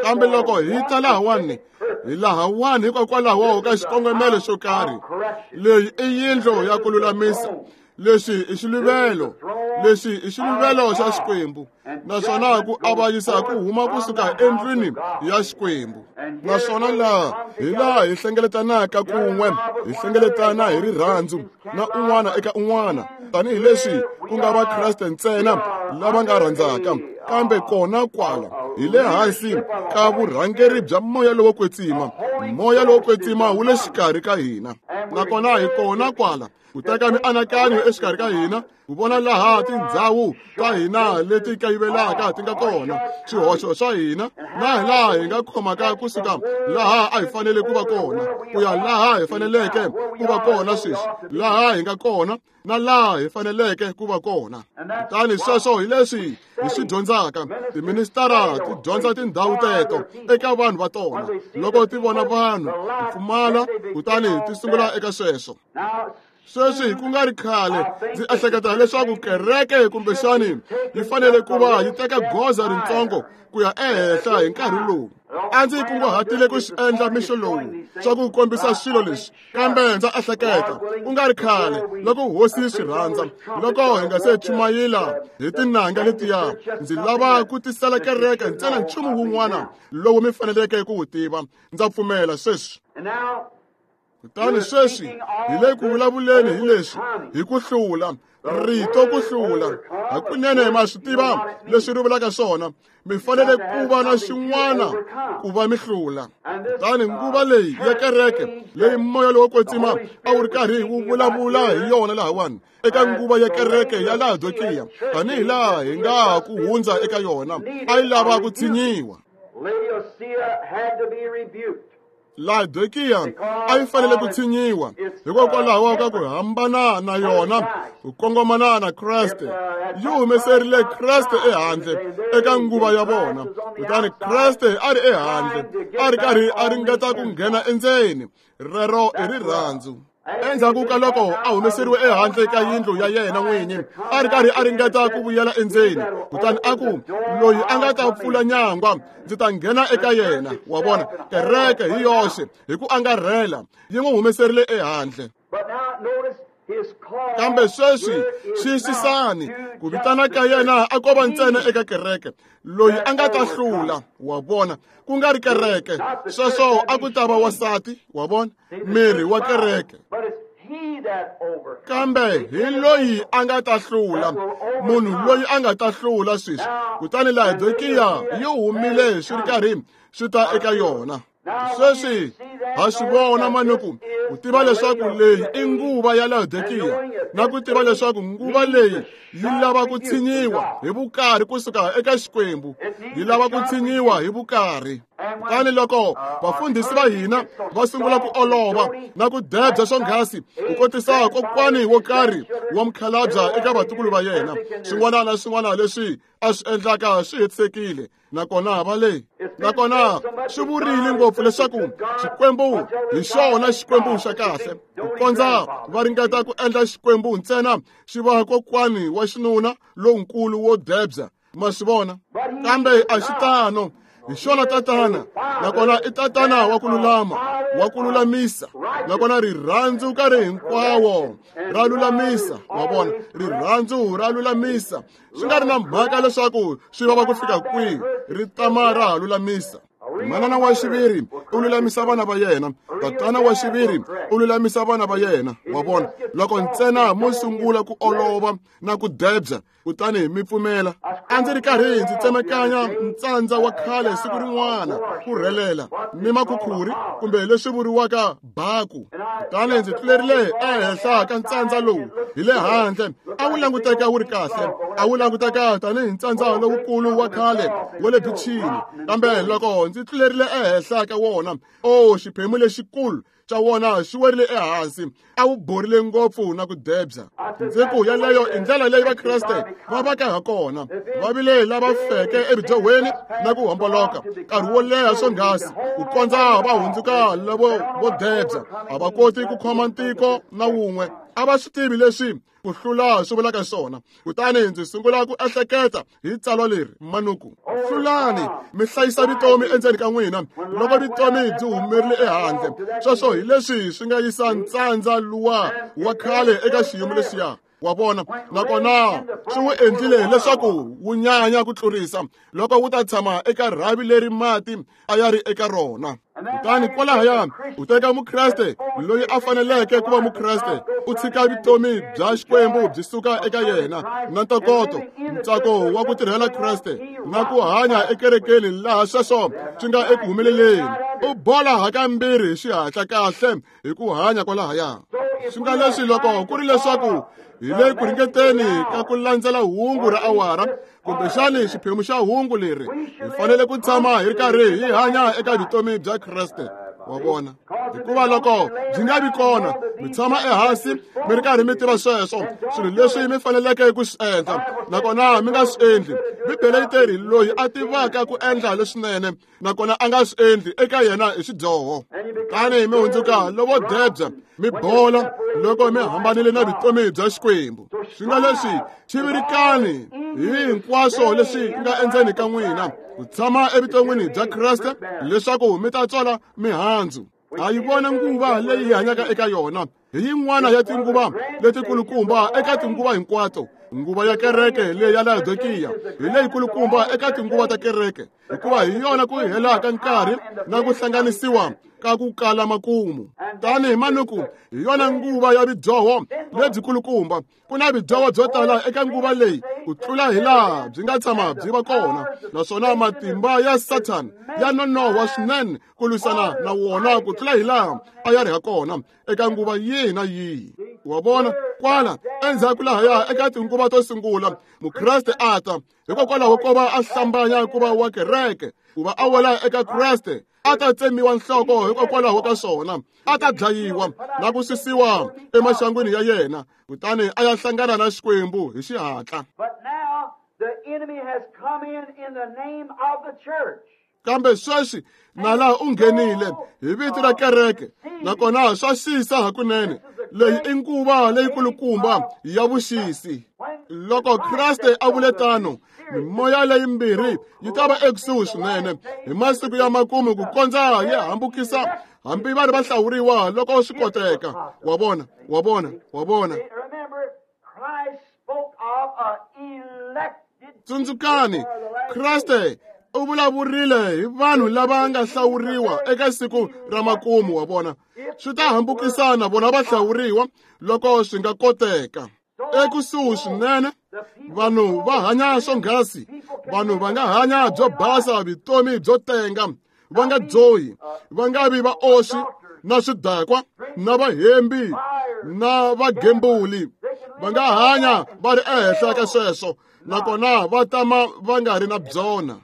Kambe loko hi ta lahawani, hi lahawani hikokwalaho ka xikongomelo xo karhi. Leyi i yindlu ya ku lulamisa. Lexi i xiluvelo, lexi i xiluvelo xa Xikwembu, naswona ku avanyisa ku huma kusuka endlwini ya Xikwembu. Naswona laha hi laha hi hlengeletanaka kun'we, hi hlengeletana hi rirhandzu na un'wana eka un'wana, tanihileswi ku nga Vakreste ntsena lava nga rhandzaka, kambe kona kwala hi le hansi ka vurhangeri bya moya lowo kwetsima. Moya lowo kwetsima wu le xikarhi ka hina, nakona hi kona kwala ku teka mianakanyo exikarhi ka hina, ku vona laha tindhawu ta hina leti kayivelaka ti nga kona, swihoxo swa hina, na hi laha hi nga khomaka kusuka laha a hi fanele ku va kona ku ya laha hi faneleke ku va kona sweswi, laha hi nga kona na laha hi faneleke ku va kona. Kutani sweswo hi leswi hi swi dyondzaka. Tiministara ti dyondza tindhawu teto eka vanhu va tona. Loko ti vona vanhu ku pfumala, kutani ti sungula eka sweswo. Sweswi ku nga ri khale ndzi ehleketa leswaku kereke kumbexani yi fanele ku va yi teka goza rintsongo ku ya ehenhla hi nkarhi lowu. A ndzi kunguhatile ku swi endla mixo lowu swa ku kombisa swilo leswi, kambe ndza ehleketa ku nga ri khale loko hosi yi swi rhandza, loko hi nga se chumayela hi tinanga letiya, ndzi lava ku tisela kereke ntsena nchumu wun'wana lowu mi faneleke ku wu tiva. Ndza pfumela sweswi. Kutani sweswi hi le ku vulavuleni hi leswi, hi ku hlula, rito ku hlula. Hakunene ma swi tiva leswi ri vulaka swona. Mi fanele ku va na xin'wana ku va mi hlula. Kutani nguva leyi ya kereke leyi moya lowo kwetsima a wu ri karhi wu vulavula hi yona lahawani, eka nguva ya kereke ya Laodikiya, tanihi laha hi nga ha ku hundza eka yona, a yi lava ku tshinyiwa. Laodikiya a yi fanele ku tshinyiwa hikokwalaho ka ku hambana na yona, ku kongomana na Kreste. Yi humeserile Kreste ehandle eka nguva ya vona, kutani Kreste a ri ehandle, a ri karhi a ringeta ku nghena endzeni. Rero i rirhandzu. Endzhaku ka loko a humeseriwe ehandle ka yindlu ya yena n'winyi, a ri karhi a ringeta ku vuyela endzeni, kutani a ku, loyi a nga ta pfula nyangwa, ndzi ta nghena eka yena. Wa vona, kereke hi yoxe hi ku angarhela yi n'wi humeserile ehandle. Kambe sweswi xiyisisani ku vitana ka yena a ko va ntsena eka kereke loyi a nga ta hlula, wa vona, ku nga ri kereke. Sweswo a ku ta va wasati, wa vona, miri wa kereke. Kambe hi loyi a nga ta hlula, munhu loyi a nga ta hlula sweswi. Kutani Laodikiya yi humile swi ri karhi swi ta eka yona. Sweswi ha swi vona manuku ku tiva leswaku leyi i nguva ya Laodikiya, na ku tiva leswaku nguva leyi yi lava ku tshinyiwa hi vukarhi kusuka eka Xikwembu, yi lava ku tshinyiwa hi vukarhi. Kutani loko vafundhisi va hina va sungula ku olova na ku debya swonghasi ku kotisa kokwani wo karhi wa mukhalabya eka vatukulu va yena, swin'wana na swin'wana leswi a swi endlaka swi hetisekile. Nakona va le nakona swi vurile ngopfu leswaku Xikwembu hi xona Xikwembu xa kahle, ku kondza va ringeta ku endla Xikwembu ntsena xi va kokwani wa xinuna lonkulu wo debya, ma swi vona. Kambe a xi tano. Hi xona tatana, nakona i tatana wa ku lulama, wa ku lulamisa, nakona rirhandzu nkarhi hinkwawo ra lulamisa, wa vona, rirhandzu ra lulamisa. Swi nga ri na mhaka leswaku swi vava ku fika kwihi, ri tama ra ha lulamisa. Manana wa xiviri u lulamisa vana va yena, tatana wa xiviri u lulamisa vana va yena, wa vona. Loko ntsena mo sungula ku olova na ku debya, kutani mi pfumela. A ndzi ri karhi ndzi tsemekanya ntsandza wa khale siku rin'wana ku rhelela ni makhukhuri kumbe leswi vuriwaka baku. Kutani ndzi tlulerile ehenhla ka ntsandza lowu hi le handle, a wu languteka wu ri kahle, a wu languteka tanihi ntsandza lowukulu wa khale wa le bichini. Kambe loko ndzi tlulerile ehenhla ka wona, o xiphemu lexikulu xa wona xi werile ehansi, a wu borile ngopfu na ku debya. Ndzi ku yaleyo i ndlela leyi Vakreste va vaka ha kona, va vile lava feke ebidyohweni na ku homboloka nkarhi wo leha swonghasi ku kondza va hundzuka lavo vo debya. A va koti ku khoma ntiko na wun'we, a va swi tivi leswi ku hlula swi vulaka swona. Kutani ndzi sungula ku ehleketa hi tsalwa leri manuku: hlulani mi hlayisa vutomi endzeni ka n'wina loko vutomi byi humerile ehandle. Sweswo hi leswi swi nga yisa ntsandza luwa wa khale eka xiyimo lexiya, wa vona. Nakona swi wu endlile leswaku wu nyanya ku tlurisa loko wu ta tshama eka rhavi leri mati a ya ri eka rona. Kutani kwalahaya u teka Mukreste loyi a faneleke ku va Mukreste, u tshika vutomi bya Xikwembu byi suka eka yena na ntokoto, ntsako wa ku tirhela Kreste na ku hanya ekerekeni laha sweswo swi nga eku humeleleni. U bola hakambirhi hi xihatla kahle hi ku hanya kwalahaya. Swi nga leswi loko ku ri leswaku hi le ku ringeteni ka ku landzela hungu ra awara kumbexani xiphemu xa hungu leri, hi fanele ku tshama hi ri karhi hi hanya eka vutomi bya Kreste, wa vona. Hikuva loko byi nga vi kona, mi tshama ehansi mi ri karhi mi tiva sweswo swilo leswi mi faneleke ku swi endla, nakona mi nga swi endli. Bibele yi teri loyi a tivaka ku endla leswinene nakona a nga swi endli, eka yena i xidyoho. Kutani mi hundzuka lovo debya, mi bola loko mi hambanile na vutomi bya Xikwembu. Swi nga leswi chivirikani hi hinkwaswo leswi nga endzeni ka n'wina ku tshama evuton'wini bya Kreste leswaku mi ta tswala mihandzu. Ha yi vona nguva leyi hi hanyaka eka yona, hi yin'wana ya tinguva letikulukumba eka tinguva hinkwato. Nguva ya kereke leyi ya Laodikiya hi leyikulukumba eka tinguva ta kereke, hikuva hi yona ku hela ka nkarhi na ku hlanganisiwa ka ku kala makumu. Tanihi manuku hi yona nguva ya vidyoho lebyikulukumba. Ku na vidyoho byo tala eka nguva leyi ku tlula hi laha byi nga tshama byi va kona, naswona matimba ya Sathana ya nonohwa swinene ku lwisana na wona ku tlula hi laha a ya ri ha kona eka nguva yihi na yihi. Wa vona, kwala endzhaku lahaya eka tinguva to sungula, Mukreste a ta hikokwalaho ko va a hlambanya ku va wa kereke, ku va a wela eka Kreste, a ta tsemiwa nhloko hikokwalaho ka swona, a ta dlayiwa na ku susiwa emaxangwini ya yena, kutani a ya hlangana na Xikwembu hi xihatla. Kambe sweswi nala u nghenile hi vito ra kereke, nakona swa xisa hakunene. Leyi i nguva leyikulukumba ya vuxisi. Loko Kreste a vule tano, Mimoya leyimbirhi yi ta va ekusuhi swinene hi masiku ya makumu ku kondza yi hambukisa hambi vanhu va hlawuriwa loko swi koteka. Wa vona, wa vona, wa vona. Tsundzukani, Kreste u vulavurile hi vanhu lava nga hlawuriwa eka siku ra makumu. Wa vona, swi ta hambukisana vona va hlawuriwa loko swi nga koteka. Ekusuhi swinene, vanhu va hanya swonghasi, vanhu va nga hanya byo basa vutomi byo tenga, va nga dyohi, va nga vi vaoswi na swidakwa na vahembi na vagembuli. Va nga hanya va ri ehenhla ka sweswo, nakona va tama va nga ri na byona.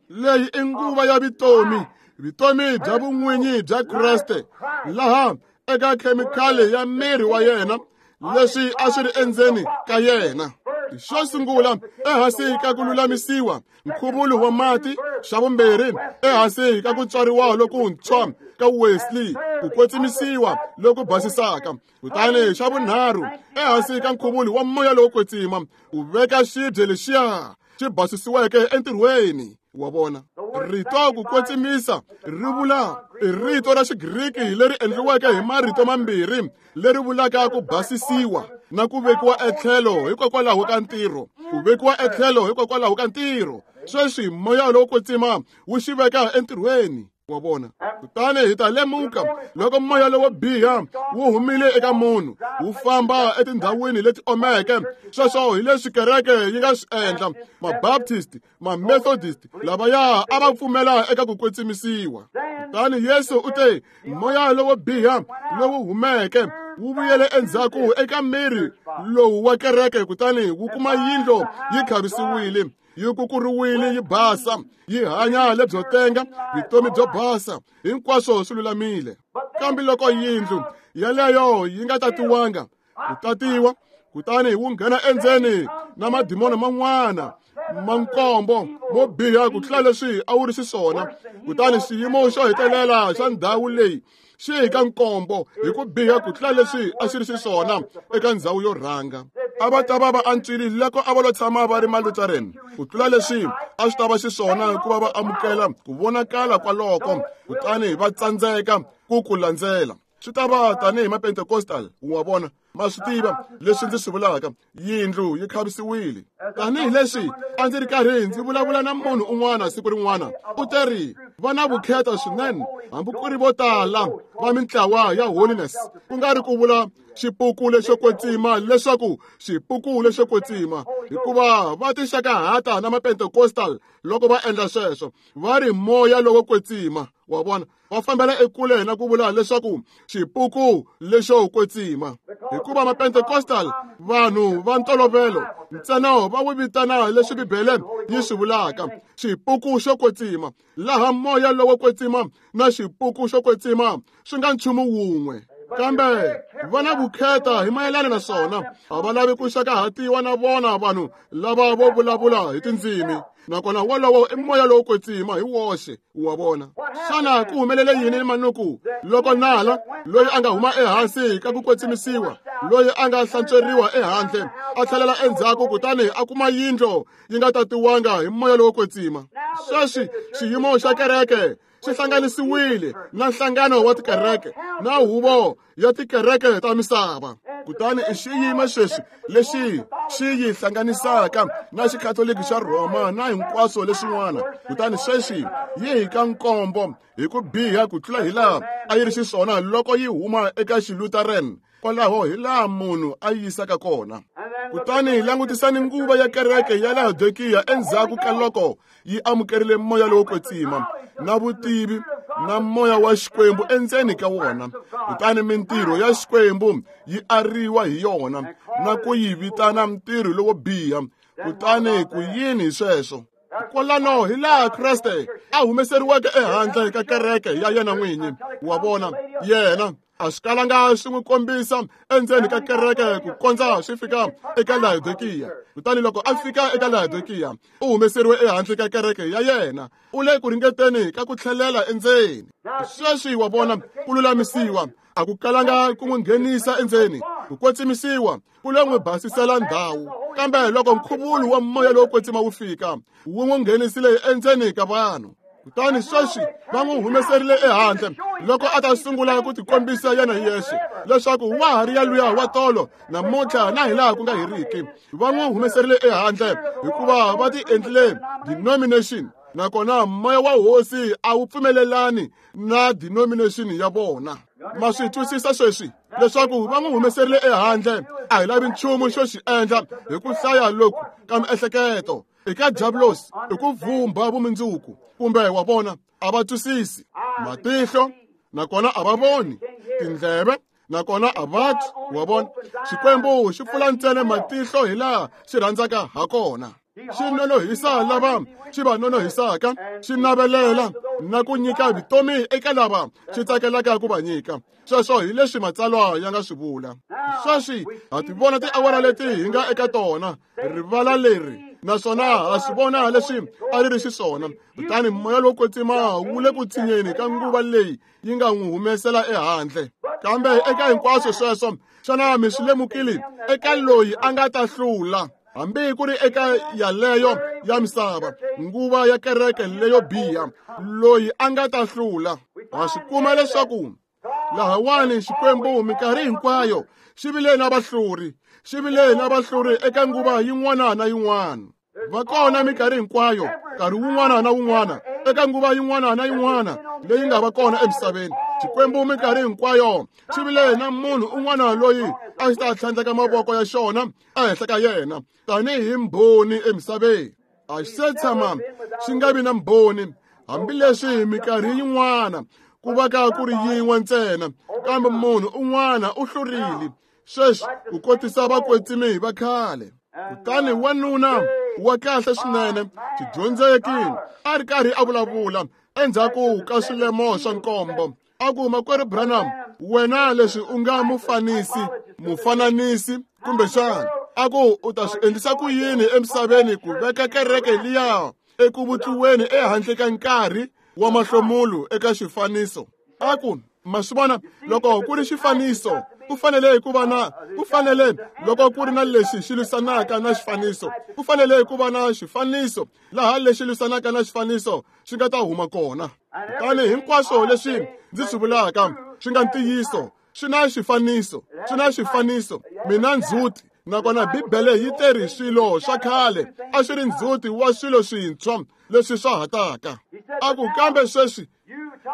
Leyi i nguva ya vutomi, vutomi bya vun'winyi bya Kreste, laha eka khemikhali ya miri wa yena, leswi a swi ri endzeni ka yena. Xo sungula, ehansi ka ku lulamisiwa, nkhuvulo wa mati. Xa vumbirhi, ehansi ka ku tswariwa lokuntshwa ka Wesley, ku kwetsimisiwa loku basisaka. Kutani xa vunharhu, ehansi ka nkhuvulo wa moya lowo kwetsima, u veka xibye lexiya xi basisiweke entirhweni. Wa vona, rito ku kwetsimisa ri vula i rito ra Xigriki leri endliweke hi marito mambirhi leri vulaka ku basisiwa na ku vekiwa etlhelo hikokwalaho ka ntirho. Ku vekiwa etlhelo hikokwalaho ka ntirho. Sweswi moya lowo kwetsima wu xi veka entirhweni. Wa vona, kutani hi ta lemuka loko moya lowo biha wu humile eka munhu, wu famba etindhawini leti omeke. Sweswo hi leswi kereke yi nga swi endla. Mabaptist, Mamethodist, lavaya a va pfumela eka ku kwetsimisiwa. Kutani Yesu u te, moya lowo biha lowu humeke wu vuyele endzhaku eka miri lowu wa kereke, kutani wu kuma yindlu yi khavisiwile, yi kukuriwile, yi basa, yi hanya lebyo tenga, vutomi byo basa, hinkwaswo swi lulamile. Kambe loko yindlu yaleyo yi nga tatiwanga, ku tatiwa, kutani wu nghena endzeni na madimoni man'wana ma nkombo mo biha ku tlula leswi a wu ri xiswona. Kutani xiyimo xo hetelela xa ndhawu leyi xi hi ka nkombo hi ku biha ku tlula leswi a xi ri xiswona eka ndhawu yo rhanga. A va ta va va antswile loko a va lo tshama va ri Malutheran ku tlula leswi a swi ta va xiswona hikuva va amukela ku vonakala kwaloko, kutani va tsandzeka ku ku landzela. Swi ta va tanihi Mapentecostal. Wa vona, ma swi tiva leswi ndzi swi vulaka. Yindlu yi khavisiwile. Tanihi leswi a ndzi ri karhi ndzi vulavula na munhu un'wana siku rin'wana, u te ri va na vukheta swinene, hambi ku ri vo tala va mintlawa ya holiness, ku nga ri ku vula xipuku lexo kwetsima leswaku xipuku lexo kwetsima, hikuva va tixakahata na Mapentecostal loko va endla sweswo, va ri moya lowo kwetsima. Wa vona, va fambela ekule na ku vula leswaku xipuku lexo kwetsima, hikuva Mapentecostal vanhu va ntolovelo ntsena va wu vitana leswi Bibele yi swi vulaka xipuku xo kwetsima, laha moya lowo kwetsima na xipuku xo kwetsima swi nga nchumu wun'we. Kambe va na vukheta hi mayelana na swona, a va lavi ku xakahatiwa na vona vanhu lava vo vulavula hi tindzimi, nakona wolowo i moya lowo kwetsima hi woxe. Wa vona, xana ku humelele yini manuku loko nala loyi a nga huma ehansi ka ku kwetsimisiwa, loyi a nga hlantsweriwa ehandle, a tlhelela endzhaku kutani a kuma yindlu yi nga tatiwanga hi moya lowo kwetsima? Sweswi xiyimo xa kereke xi hlanganisiwile na nhlangano wa tikereke na huvo ya tikereke ta misava. Kutani i xiyimo sweswi lexi xi yi hlanganisaka na xikatoliki xa Rhoma na hinkwaswo leswin'wana. Kutani sweswi yi hi ka nkombo hi ku biha ku tlula hi laha a yi ri xiswona loko yi huma eka Xilutheran, kwalaho hi laha munhu a yi yisaka kona. Kutani langutisani nguva ya kereke ya Laodikiya endzhaku ka loko yi amukerile moya lowo kwetsima na vutivi na moya wa Xikwembu endzeni ka wona, kutani mintirho ya Xikwembu yi ariwa hi yona na ku yi vitana ntirho lowo biha. Kutani ku yini hi sweswo? Kwalano hi laha Kreste a humeseriweke ehandle ka kereke ya yena n'winyi. Wa vona, yena a swi kalanga swi n'wi kombisa endzeni ka kereke ku kondza swi fika eka Laodikiya. Kutani loko a fika eka Laodikiya, u humeseriwe ehandle ka kereke ya yena, u le ku ringeteni ka ku tlhelela endzeni. Sweswi wa vona, ku lulamisiwa a ku kalanga ku n'wi nghenisa endzeni. Ku kwetsimisiwa ku lo n'wi basisela ndhawu, kambe loko nkhuvulo wa moya lowo kwetsima wu fika, wu n'wi nghenisile endzeni ka vanhu. Kutani sweswi va n'wi humeserile ehandle loko a ta sungula ku tikombisa yena hi yexe leswaku wa ha ri yaluya wa tolo namuntlha na hilaha ku nga heriki. Va n'wi humeserile ehandle hikuva va ti endlile denomination, nakona moya wa hosi a wu pfumelelani na denomination ya vona. Ma swi twisisa sweswi leswaku va n'wi humeserile ehandle? A hi lavi nchumu xo xi endla hi ku hlaya loku ka miehleketo eka diablos i ku vhumba vumundzuku, kumbe wa vona a va twisisi. Matihlo nakona a va voni, tindleve nakona a va twi. Wa vona, Xikwembu xi pfula ntsena matihlo hi laha xi rhandzaka ha kona. Xi nonohisa lava xi va nonohisaka, xi navelela na ku nyika vutomi eka lava xi tsakelaka ku va nyika. Sweswo hi leswi matsalwa ya nga swi vula. Sweswi ha ti vona tiawara leti hi nga eka tona, rivala leri, naswona ha swi vona leswi a ri ri xiswona. Kutani moya lowo kwetsima wu le ku tsinyeni ka nguva leyi yi nga n'wi humesela ehandle. Kambe eka hinkwaswo sweswo, xana mi swi lemukile eka loyi a nga ta hlula, hambi ku ri eka yaleyo ya misava, nguva ya kereke leyo biha, loyi a nga ta hlula? Ha swi kuma leswaku lahawani Xikwembu minkarhi hinkwayo xi vile na vahluri, xi vile na vahluri eka nguva yin'wana na yin'wana. Va kona minkarhi hinkwayo, nkarhi wun'wana na wun'wana, eka nguva yin'wana na yin'wana leyi nga va kona emisaveni. Xikwembu minkarhi hinkwayo xi vile na munhu un'wana loyi a xi ta tlhandleka mavoko ya xona ehenhla ka yena tanihi mbhoni emisaveni. A xi se tshama xi nga vi na mbhoni, hambileswi minkarhi yin'wana ku va ka ku ri yin'we ntsena, kambe munhu un'wana u hlurile sweswi ku kotisa vakwetsimi va khale. Kutani wanuna wa kahle swinene, xidyondzeki, a ri karhi a vulavula endzhaku ka swilemo swa nkombo, a ku, Makwerhu Branham, wena leswi u nga mufanisi mufananisi kumbexana, a ku u ta swi endlisa ku yini emisaveni ku veka kereke liya eku vutliweni ehandle ka nkarhi wa mahlomulo eka xifaniso? A ku, ma swi vona, loko ku ri xifaniso ku fanele ku va na ku fanele loko ku ri na lexi xi lwisanaka na xifaniso, ku fanele ku va na xifaniso laha lexi lwisanaka na xifaniso xi nga ta huma kona. Kutani hinkwaswo leswi ndzi swi vulaka swi nga ntiyiso, swi na xifaniso, swi na xifaniso. Mina ndzhuti, nakona Bibele yi teri swilo swa khale a swi ri ndzhuti wa swilo swintshwa leswi swa ha taka. A ku, kambe sweswi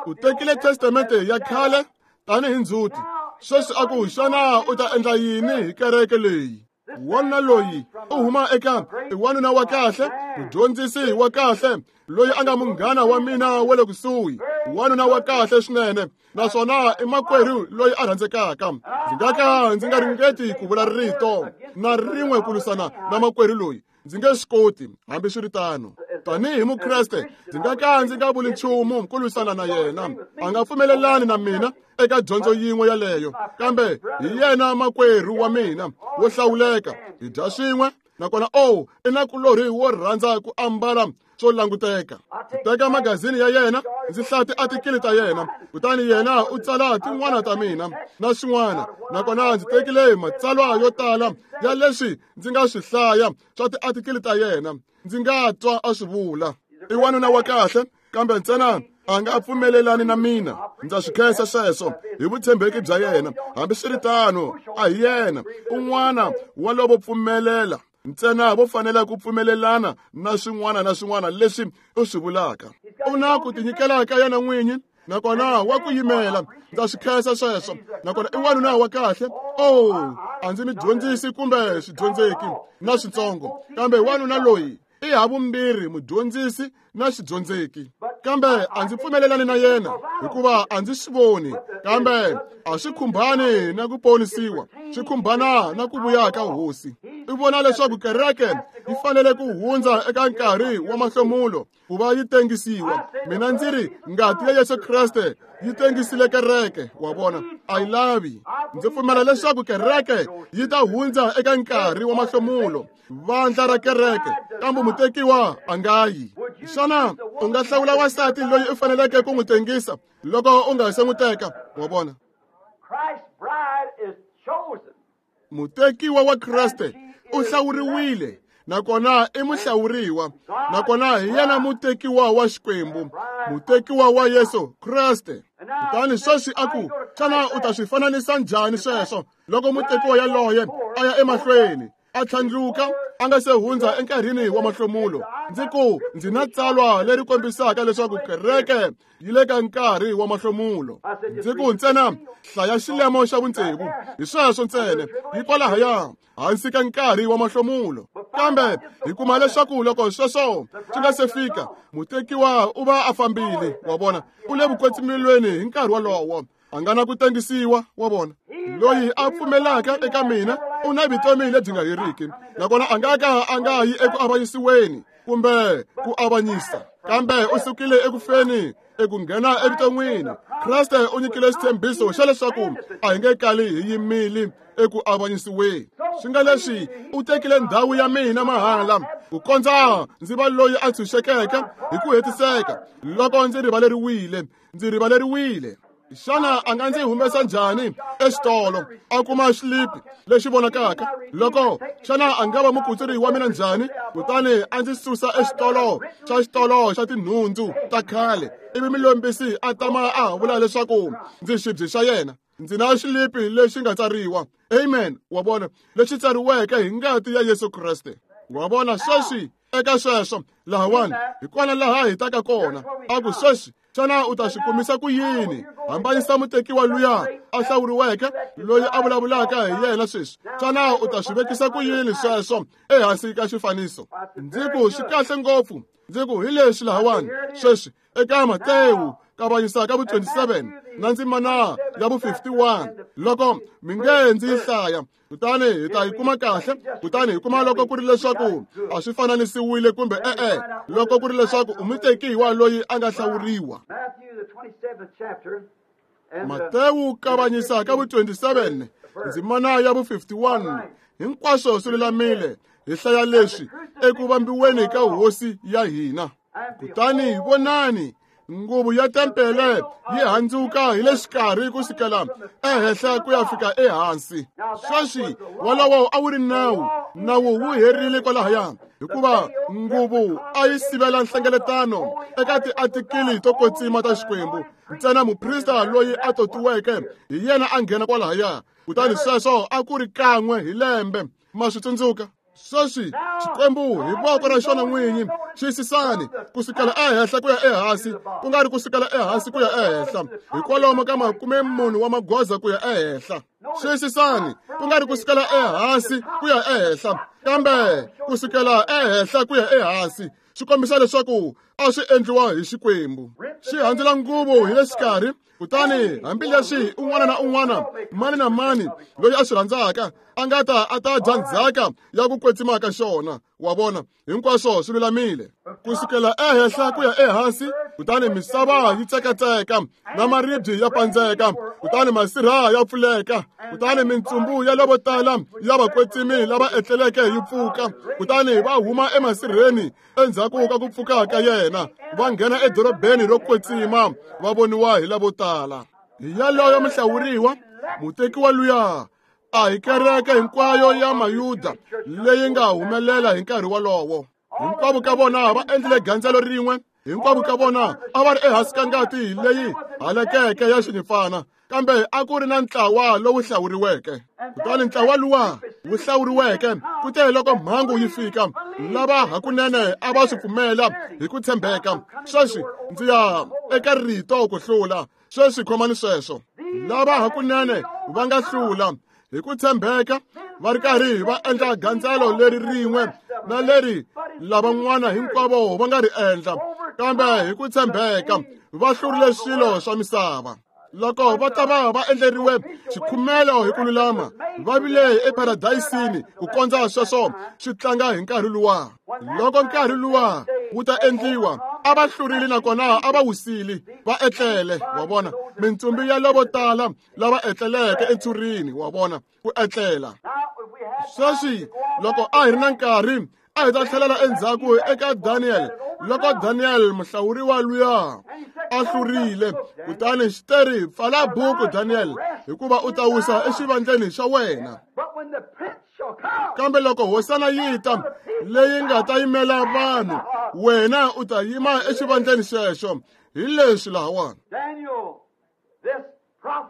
u tekile testamente ya khale tanihi ndzhuti, sweswi a ku, xana u ta endla yini hi kereke leyi? Wanuna loyi u huma eka i wanuna wa kahle, mudyondzisi wa kahle, loyi a nga munghana wa mina wa le kusuhi, wanuna wa kahle swinene, naswona i makwerhu loyi a rhandzekaka. Ndzi nga ka ndzi nga ringeti ku vula rito na rin'we ku lwisana na makwerhu loyi, ndzi nge swi koti. Hambiswiritano, tanihi Mukreste, ndzi nga ka ndzi nga vuli nchumu ku lwisana na yena. A nga pfumelelani na mina eka dyondzo yin'we yaleyo, kambe hi yena makwerhu wa mina wo hlawuleka. Hi dya swin'we, nakona o i nakulorhi wo rhandza ku ambala swo languteka. Ndzi teka magazini ya yena, ndzi hlaya tiatikili ta yena, kutani yena u tsala tin'wana ta mina na swin'wana. Nakona ndzi tekile matsalwa yo tala ya leswi ndzi nga swi hlaya swa tiatikili ta yena, ndzi nga twa a swi vula. I wanuna wa kahle, kambe ntsena a nga pfumelelani na mina. Ndza swi khensa sweswo hi vutshembeki bya yena. Hambiswiritano, a hi yena un'wana wa lovo pfumelela ntsena vo fanela ku pfumelelana na swin'wana na swin'wana leswi u swi vulaka. U na ku tinyikela ka yena n'winyi, nakona wa ku yimela. Ndza swi khensa sweswo, nakona i wanuna wa kahle. Oh, a ndzi mi dyondzisi kumbe swidyondzeki na switsongo, kambe wanuna loyi i havumbirhi mudyondzisi na xidyondzeki. Kambe a ndzi pfumelelani na yena hikuva a ndzi swi voni, kambe a swi khumbani na ku ponisiwa, swi khumbana na ku vuya ka hosi. I vona leswaku kereke yi fanele ku hundza eka nkarhi wa mahlomulo ku va yi tengisiwa. Mina ndzi ri ngati ya Yesu Kreste yi tengisile kereke, wa vona, a yi lavi. Ndzi pfumela leswaku kereke yi ta hundza eka nkarhi wa mahlomulo, vandla ra kereke, kambe mutekiwa a nga yi. Xana u nga hlawula wansati loyi u faneleke ku n'wi tengisa loko u nga se n'wi teka? Wa vona, Christ's bride is chosen. Mutekiwa wa Kreste u hlawuriwile, nakona i muhlawuriwa, nakona hi yena mutekiwa wa Xikwembu, mutekiwa wa Yesu Kreste. Kutani sweswi a ku, xana u ta swi fananisa njhani sweswo loko mutekiwa yaloye a ya emahlweni a tlhandluka a nga se hundza enkarhini wa mahlomulo? Ndzi ku ndzi na tsalwa leri kombisaka leswaku kereke yi le ka nkarhi wa mahlomulo. Ndzi ku ntsena hlaya xilemo xa vutsevu, hi sweswo ntsena, yi kwalahaya hansi ka nkarhi wa mahlomulo. Kambe hi kuma leswaku loko sweswo swi nga se fika, mutekiwa u va a fambile, wa vona, u le vukwetsimilweni hi nkarhi wolowo. A nga na ku tengisiwa, wa vona. Loyi a pfumelaka eka mina u na vutomi lebyi nga heriki, nakona a nga ka a nga yi eku avanyisiweni kumbe ku avanyisa, kambe u sukile eku feni eku nghena evuton'wini. Kreste u nyikile xitshembiso xa leswaku a hi nge kali hi yimile eku avanyisiweni. Swi nga leswi u tekile ndhawu ya mina mahala ku kondza ndzi va loyi a tshunxekeke hi ku hetiseka loko ndzi rivaleriwile, ndzi rivaleriwile. Xana a nga ndzi humesa njhani exitolo a kuma xilipi lexi vonakaka? Loko xana a nga va mukutsuri wa mina njhani kutani a ndzi susa exitolo xa xitolo xa tinhundzu ta khale, ivi mulombisi a tama a vula leswaku ndzi xibye xa yena? Ndzi na xilipi lexi nga tsariwa, amen, wa vona, lexi tsariweke hi ngati ya Yesu Kreste. Wa vona, sweswi eka sweswo lahawani hi kona laha hi taka kona. A ku sweswi, xana u ta swi kumisa ku yini? Hambanyisa mutekiwa luya a hlawuriweke loyi a vulavulaka hi yena sweswi. Xana u ta swi vekisa ku yini sweswo ehansi ka xifaniso? Ndzi ku swi kahle ngopfu. Ndzi ku hi leswi lahawani sweswi eka Matewu kavanyisa ka vu twenty-seven na ndzimana ya vu fifty-one, loko mi nge ndzi yi hlaya, kutani hi ta yi kuma kahle. Kutani hi kuma loko ku ri leswaku a swi fananisiwile kumbe e-e, loko ku ri leswaku u mutekiwa loyi a nga hlawuriwa. Matewu kavanyisa ka vu twenty-seven ndzimana ya vu fifty-one, hinkwaswo swi lulamile. Hi hlaya leswi eku vambiweni ka hosi ya hina. Kutani vonani, nguvu ya tempele yi handzuka hi le xikarhi ku sukela ehenhla ku ya fika ehansi. Sweswi wolowo a wu ri nawu, nawu wu herile kwalahaya, hikuva nguvu a yi sivela nhlengeletano eka tiatikili to kwetsima ta Xikwembu. Ntsena muprista loyi a totiweke hi yena a nghena kwalahaya, kutani sweswo a ku ri kan'we hi lembe. Ma swi tsundzuka? Sweswi Xikwembu hi voko ra xona n'winyi xiyisisani ku sukela ehenhla ku ya ehansi, ku nga ri ku sukela ehansi ku ya ehenhla, hikwalomu ka makume mune wa magoza ku ya ehenhla. Xiyisisani ku nga ri ku sukela ehansi ku ya ehenhla, kambe ku sukela ehenhla ku ya ehansi, swi kombisa leswaku a swi endliwa hi Xikwembu. Xi handzula nguvu hi le xikarhi, kutani hambileswi un'wana na un'wana, mani na mani loyi a swi rhandzaka a nga ta a ta dya ndzhaka ya ku kwetsima ka xona. Wa vona, hinkwaswo swi lulamile ku sukela ehenhla ku ya ehansi. Kutani misava yi tsekatseka na maribye ya pandzeka, kutani masirha ya pfuleka, kutani mintsumbu ya lavo tala ya vakwetsimi lava etleleke yi pfuka, kutani va huma emasirheni endzhaku ka ku pfuka ka yena, va nghena edorobeni ro kwetsima, va voniwa hi lavo tala. Hi yaloyo muhlawuriwa, mutekiwa luya a hi kereke hinkwayo ya Mayuda leyi nga humelela hi nkarhi wolowo. Hinkwavo ka vona va endlile gandzelo rin'we, hinkwavo ka vona a va ri ehansi ka ngati leyi halakeke ya xinyimpfana, kambe a ku ri na ntlawa lowu hlawuriweke. Kutani ntlawa luwa wu hlawuriweke, kute loko mhangu yi fika, lava hakunene a va swi pfumela hi ku tshembeka. Sweswi ndzi ya eka rito ku hlula. Sweswi khomani sweswo. Lava hakunene va nga hlula hi ku tshembeka, va ri karhi va endla gandzelo leri rin'we na leri lavan'wana hinkwavo va nga ri endla, kambe hi ku tshembeka va hlurile swilo swa misava. Loko va ta va va endleriwe xikhumelo hi ku lulama, va vile eparadayisini ku kondza sweswo swi tlanga hi nkarhi luwa. Loko nkarhi luwa wu ta endliwa, a va hlurile nakona a va wisile, va etlele. Wa vona, mintsumbu ya lavo tala lava etleleke entshurini, wa vona, ku etlela. Sweswi loko a hi ri na nkarhi, a hi ta tlhelela endzhaku eka Daniel. Loko Daniel muhlawuriwa luya a hlurile, kutani xiteri pfala buku Daniel, hikuva u ta wisa exivandleni xa wena. Kambe loko hosana yi ta leyi nga ta yimela vanhu, wena u ta yima exivandleni xexo. Hi leswi lahawani.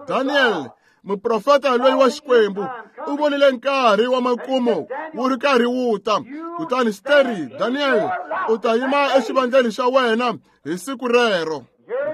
Daniel, muprofeta loyi wa Xikwembu, u vonile nkarhi wa makumu wu ri karhi wu ta. Kutani Steri, Daniel, u ta yima exivandleni xa wena hi siku rero.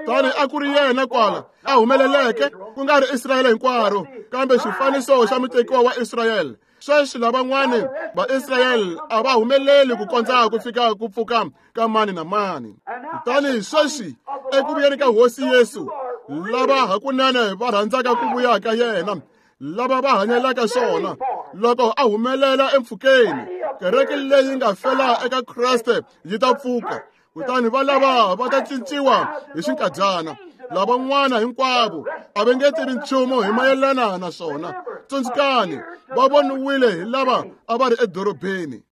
Kutani a ku ri yena kwala a humeleleke, ku nga ri Israyele hinkwaro, kambe xifaniso xa mutekiwa wa Israyele. Sweswi lavan'wani va Israyele a va humeleli ku kondza ku fika ku pfuka ka mani na mani. Kutani sweswi eku vuyeni ka Hosi Yesu, lava hakunene va rhandzaka ku vuya ka yena, lava va hanyelaka swona, loko a humelela empfhukeni, kereke leyi nga fela eka Kreste yi ta pfuka. Kutani va lava va ta cinciwa hi xinkadyana. Lavan'wana hinkwavo a va nge tivi nchumu hi mayelana na swona. Tsundzukani, va voniwile hi lava a va ri edorobeni.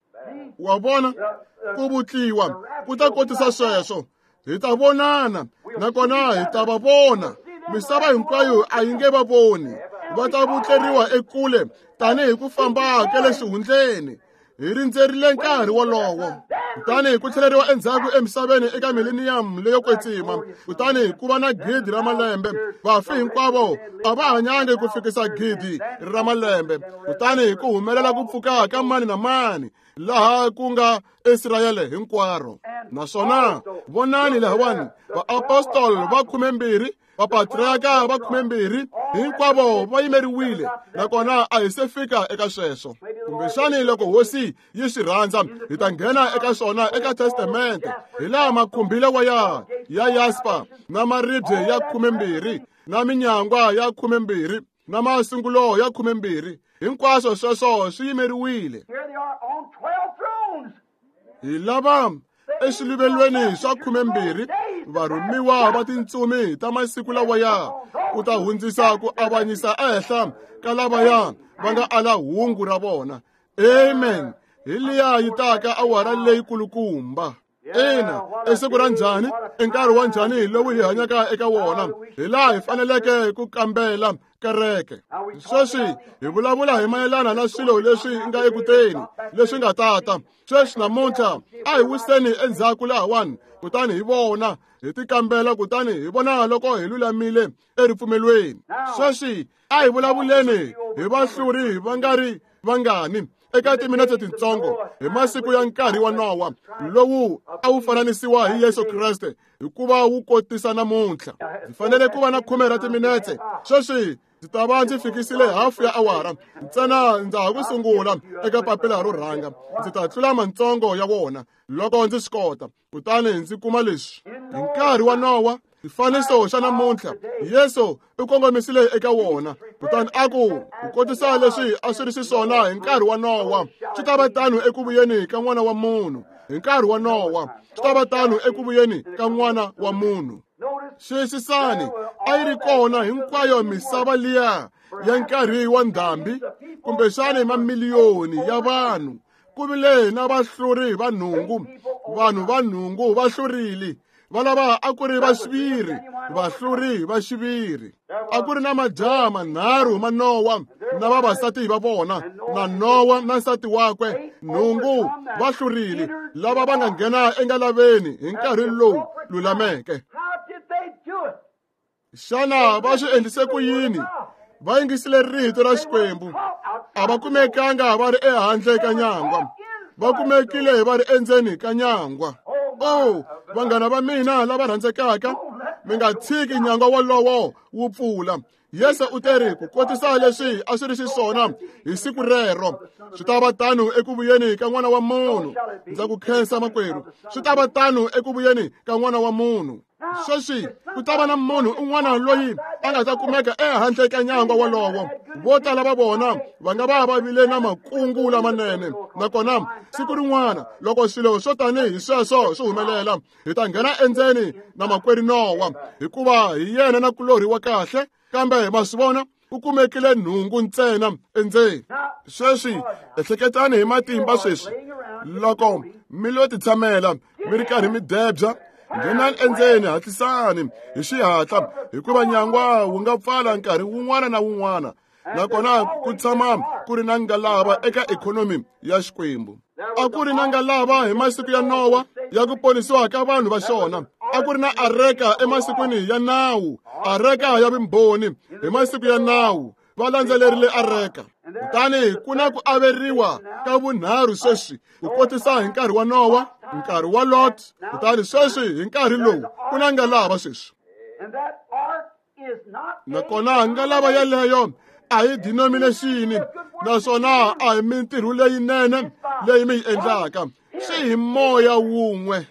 Wa vona, ku vutliwa ku ta kotisa sweswo. Hi ta vonana, nakona hi ta va vona. Misava hinkwayo a yi nge va voni. Va ta vutleriwa ekule tanihi ku famba ka le xihundleni. Hi rindzerile nkarhi wolowo. Kutani ku tlheleriwa endzhaku emisaveni eka millennium leyo kwetsima. Kutani ku va na gidi ra malembe. Vafi hinkwavo a va hanyangi ku fikisa gidi ra malembe. Kutani ku humelela ku pfuka ka mani na mani, laha ku nga Israyele hinkwaro. Naswona vonani lahawani, vaapostoli va khumembirhi, vapatriarka va khumembirhi, hinkwavo va yimeriwile, nakona a hi se fika eka sweswo. Kumbexani loko Hosi yi swi rhandza, hi ta nghena eka swona eka Testamente, hi laha makhumbi lawa ya ya yaspa na maribye ya khumembirhi na minyangwa ya khumembirhi na masungulo ya khumembirhi, hinkwaswo sweswo swi yimeriwile. Hi lava exiluvelweni swa khumembirhi varhumiwa va tintsumi ta masiku lawaya ku ta hundzisa ku avanyisa ehenhla ka lavaya va nga ala hungu ra vona. Amen. Hi liya yi taka awara leyi kulukumba. Ina, i siku ra njhani, i nkarhi wa njhani lowu hi hanyaka eka wona, hi laha hi faneleke ku kambela kereke. Sweswi hi vulavula hi mayelana na swilo leswi nga ekuteni, leswi nga tata. Sweswi namuntlha a hi wiseni endzhaku lahawani, kutani hi vona, hi tikambela, kutani hi vona loko hi lulamile eripfumelweni. Sweswi a hi vulavuleni hi vahluri va nga ri vangani eka timinete tintsongo hi masiku ya nkarhi wa Nowa, lowu a wu fananisiwa hi Yesu Kreste hikuva wu kotisa namuntlha. Ndzi fanele ku va na khume ra timinete. Sweswi ndzi ta va ndzi fikisile hafu ya awara ntsena, ndza ha ku sungula eka papila ro rhanga. Ndzi ta tlula mantsongo ya wona loko ndzi swi kota, kutani ndzi kuma leswi. Hi nkarhi wa Nowa, xifaniso xa namuntlha, Yesu u kongomisile eka wona, kutani a ku ku kotisa leswi a swi ri xiswona hi nkarhi wa Nowa, swi ta va tano eku vuyeni ka N'wana wa Munhu. Hi nkarhi wa Nowa, swi ta va tano eku vuyeni ka N'wana wa Munhu. Xiyisisani, a yi ri kona hinkwayo misava liya ya nkarhi wa ndhambi, kumbexani mamiliyoni ya vanhu. Ku vile na vahluri va nhungu, vanhu va nhungu va hlurile. Va lava a ku ri va xiviri, vahluri va xiviri. A ku ri na majaha manharhu ma Nowa na vavasati va vona, na Nowa na nsati wakwe. Nhungu va hlurile, lava va nga nghena engalaveni hi nkarhi lowu lulameke. Xana va swi endlise ku yini? Va yingisile rito ra Xikwembu. A va kumekanga va ri ehandle ka nyangwa, va kumekile va ri endzeni ka nyangwa. Oh, vanghana va mina lava rhandzekaka, mi nga tshiki nyangwa wolowo wu pfula. Yesu u teri ku kotisa leswi a swi ri xiswona hi siku rero, swi ta va tano eku vuyeni ka N'wana wa Munhu. Ndza ku khensa makwerhu, swi ta va tano eku vuyeni ka N'wana wa Munhu. Sweswi ku ta va na munhu un'wana loyi a nga ta kumeka ehandle ka nyangwa wolowo. Vo tala va vona va nga va va vile na makungu lamanene, nakona siku rin'wana loko swilo swo tanihi sweswo swi humelela, hi ta nghena endzeni na makwerhu Nowa, hikuva hi yena na kulorhi wa kahle. Kambe ma swi vona, ku kumekile nhungu ntsena endzeni. Sweswi ehleketani hi matimba sweswi, loko mi lo titshamela mi ri karhi mi debya, nghenani endzeni, hatlisani hi xihatla, hikuva nyangwa wu nga pfala nkarhi wun'wana na wun'wana. Nakona ku tshama ku ri na ngalava eka ikhonomi ya Xikwembu. A ku ri na ngalava hi masiku ya Nowa ya ku ponisiwa ka vanhu va xona. A ku ri na areka emasikwini ya nawu, areka ya vumbhoni hi masiku ya nawu. Va landzelerile areka. Kutani ku na ku averiwa ka vunharhu sweswi, ku kotisa hi nkarhi wa Nowa, nkarhi wa Lot, kutani sweswi hi nkarhi lowu ku na ngalava sweswi. Nakona ngalava yeleyo a hi denomination, naswona a hi mintirho leyinene leyi mi yi endlaka. Swi hi moya wun'we.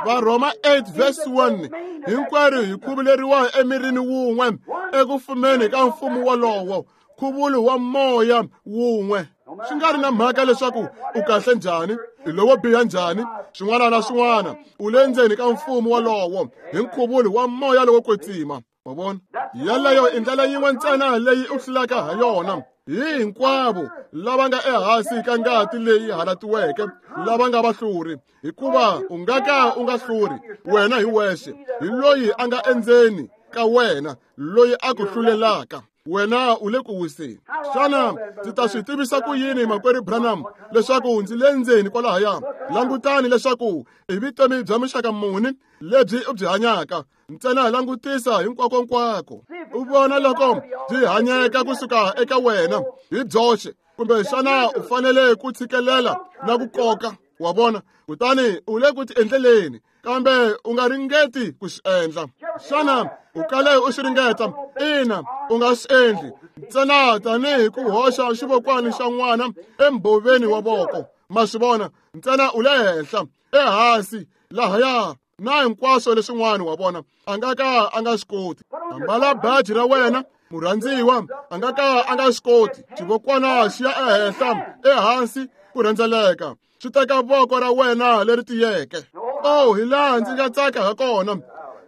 Varhoma eight verse one, hinkwerhu hi khuvuleriwa emirini wun'we eku fumeni ka mfumo wolowo, nkhuvulo wa moya wun'we. Swi nga ri na mhaka leswaku u kahle njhani, i lowo biha njhani, swin'wana na swin'wana, u le ndzeni ka mfumo wolowo hi nkhuvulo wa moya lowo kwetsima. Wa vona? Yeleyo i ndlela yin'we ntsena leyi u hlulaka ha yona. Hi hinkwavo lava nga ehansi ka ngati leyi halatiweke, lava nga vahluri, hikuva u nga ka u nga hluri wena hi wexe, hi loyi a nga endzeni ka wena, loyi a ku hlulelaka. Wena u le ku wiseni. Xana ndzi ta swi tivisa ku yini, makwerhu Branham, leswaku ndzi le ndzeni kwalahaya? Langutani leswaku i vutomi bya muxaka muni lebyi u byi hanyaka. Ntsena langutisa hinkwakonkwako, u vona loko byi hanyeka kusuka eka wena hi byoxe, kumbe xana u fanele ku tshikelela na ku koka. Wa vona? Kutani u le ku tiendleleni, kambe u nga ringeti ku swi endla. Xana u kale u swi ringeta? Ina, u nga swi endli. Ntsena tanihi ku hoxa xivokwani xa n'wana embhoveni wa voko. Ma swi vona? Ntsena u le henhla, ehansi, lahaya, na hinkwaswo leswin'wana. Wa vona? A nga ka a nga swi koti. Ambala baji ra wena, murhandziwa, a nga ka a nga swi koti. Xivokwana xi ya ehenhla, ehansi, ku rhendzeleka. Swi teka voko ra wena leri tiyeke. Oh, hi laha ndzi nga tsaka ha kona.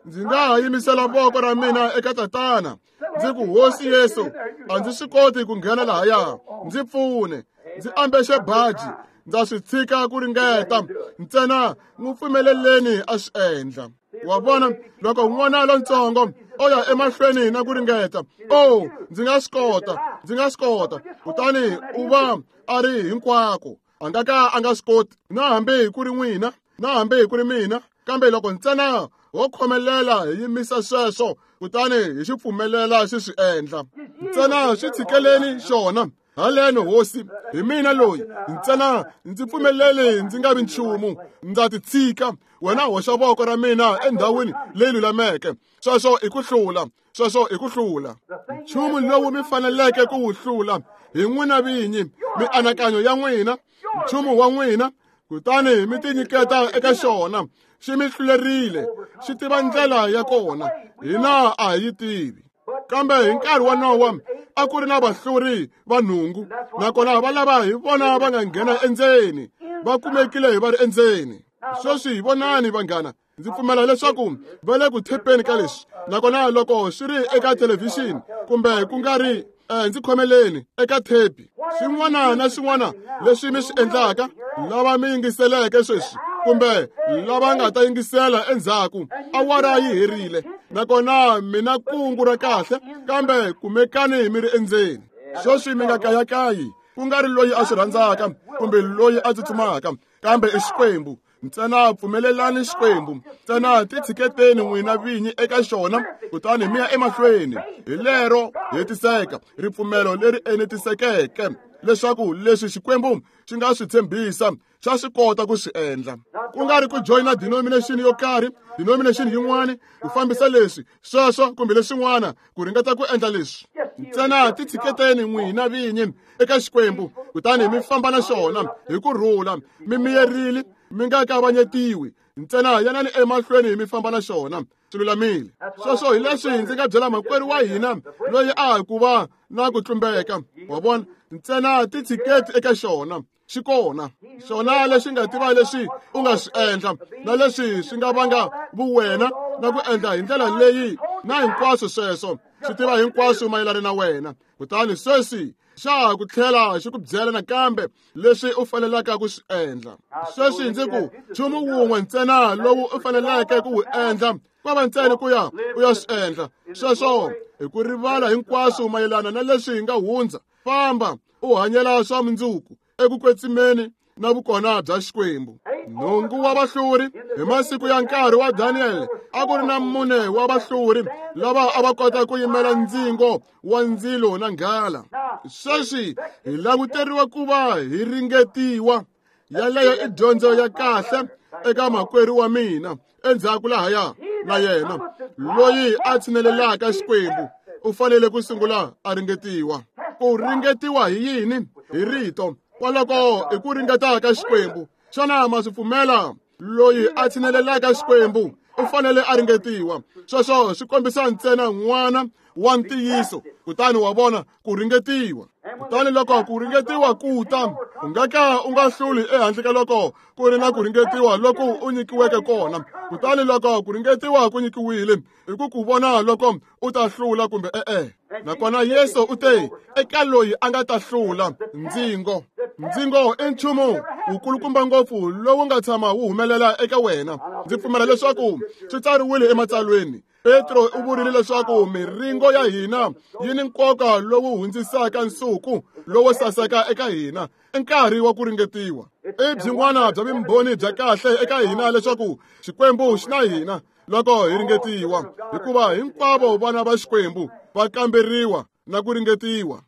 Ndzi nga ha yimisela voko ra mina eka Tatana. Ndzi ku, Hosi Yesu, a ndzi swi koti ku nghena lahaya. Ndzi pfune. Ndzi ambexe baji. Ndza swi tshika ku ringeta. Ntsena n'wi pfumeleleni a swi endla. Wa vona, loko n'wana lontsongo o ya emahlweni na ku ringeta, oh, ndzi nga swi kota, ndzi nga swi kota. Kutani u va a ri hinkwako. A nga ka a nga swi koti, na hambi ku ri n'wina, na hambi ku ri mina. Kambe loko ntsena ho khomelela hi yimisa sweswo, kutani hi xi pfumelela xi swi endla. Ntsena swi tshikeleni xona. Haleno Hosi, hi mina loyi. Ntsena ndzi pfumeleli ndzi nga vi nchumu. Ndza ti tshika. Wena hoxa voko ra mina endhawini leyi lulameke. Sweswo i ku hlula. Sweswo i ku hlula. Nchumu lowu mi faneleke ku wu hlula hi n'wina vinyi, mianakanyo ya n'wina, nchumu wa n'wina, kutani mi tinyiketa eka xona. Xi mi hlulerile, xi tiva ndlela ya kona, hina a hi yi tivi. Kambe hi nkarhi wa Nowa a ku ri na vahluri va nhungu, nakona va lava hi vona va nga nghena endzeni, va kumekile hi va ri endzeni. Sweswi vonani vanghana, ndzi pfumela leswaku va le ku thepeni ka leswi. Nakona loko swi ri eka thelevhixini kumbe ku nga ri eh, ndzi khomeleni eka thepi, swin'wana na swin'wana leswi mi swi endlaka, lava mi yingiseleke sweswi kumbe lava nga ta yingisela endzhaku, awara yi herile. Nakona mina kungu ra kahle, kambe kumekani mi ri endzeni. Sweswi mi nga kayakayi, ku nga ri loyi a swi rhandzaka kumbe loyi a tsutsumaka, kambe i Xikwembu. Ntsena pfumelelani Xikwembu, ntsena titshiketeni n'wina vinyi eka xona, kutani mi ya emahlweni. Hi lero hetiseka ripfumelo leri enetisekeke leswaku leswi Xikwembu xi nga swi tshembisa xa swi kota ku swi endla. Ku nga ri ku joyina denomination yo karhi, denomination yin'wana, ku fambisa leswi, sweswo kumbe leswin'wana, ku ringeta ku endla leswi. Ntsena titshiketeni n'wina vinyi eka Xikwembu, kutani mi famba na xona hi ku rhula, mi miyerile, mi nga kavanyetiwi. Ntsena yanani emahlweni mi famba na xona. Swi lulamile. Sweswo hi leswi ndzi nga byela makwerhu wa hina loyi a ha ku va na ku tlumbeka. Wa vona? Ntsena titshiketi eka xona. Xi kona. Xona lexi nga tiva leswi u nga swi endla, na leswi swi nga vanga vuwena na ku endla hi ndlela leyi, na hinkwaswo sweswo. Swi tiva hinkwaswo mayelana na wena. Kutani sweswi xa ha ku tlhela xi ku byela nakambe leswi u fanelaka ku swi endla. Sweswi ndzi ku nchumu wun'we ntsena lowu u faneleke ku wu endla Ko va ntsena ku ya u ya swi endla. Sweswo hi ku rivala hinkwaswo mayelana na leswi hi nga hundza. Famba u hanyela swa mundzuku eku kwetsimeni na vukona bya Xikwembu. Nhungu wa vahluri hi masiku ya nkarhi wa Daniel a ku ri na mune wa vahluri lava a va kota ku yimela ndzingo wa ndzilo na nghala. Sweswi hi languteriwa ku va hi ringetiwa. Yaleyo i dyondzo ya kahle eka makwerhu wa mina endzhaku lahaya na yena loyi a tshinelelaka Xikwembu u fanele ku sungula a ringetiwa. Ku ringetiwa hi yini? Hi rito. Kwaloko i ku ringeta ka Xikwembu. Xana ma swi pfumela? Loyi a tshinelelaka Xikwembu u fanele a ringetiwa. Sweswo swi kombisa ntsena n'wana wa ntiyiso, kutani wa vona ku ringetiwa. Kutani loko ku ringetiwa ku ta, u nga ka u nga hluli ehandle ka loko ku ri na ku ringetiwa loko u nyikiweke kona. Kutani loko ku ringetiwa ku nyikiwile, i ku ku vona loko u ta hlula kumbe e-e. Nakona Yesu u te eka loyi a nga ta hlula ndzingo. Ndzingo i nchumu wukulukumba ngopfu lowu nga tshama wu humelela eka wena. Ndzi pfumela leswaku swi tsariwile ematsalweni. Petro u vurile leswaku miringo ya hina yi ni nkoka lowu hundzisaka nsuku lowo saseka eka hina i nkarhi wa ku ringetiwa. I byin'wana bya vumbhoni bya kahle eka hina leswaku Xikwembu xi na hina loko hi ringetiwa, hikuva hinkwavo vana va Xikwembu va kamberiwa na ku ringetiwa.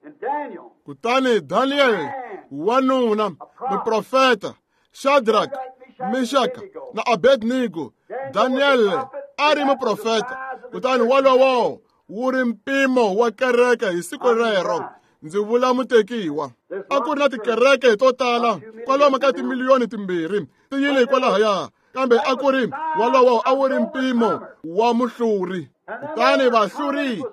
Kutani Daniel wanuna muprofeta Shadrach, Meshach na Abednego, Daniel a ri muprofeta. Kutani wolowo wu ri mpimo wa kereke hi siku rero. Ndzi vula mutekiwa. A ku ri na tikereke to tala kwalomu ka timiliyoni timbirhi ti yile kwalahaya, kambe a ku ri wolowo a wu ri mpimo wa muhluri. Kutani vahluri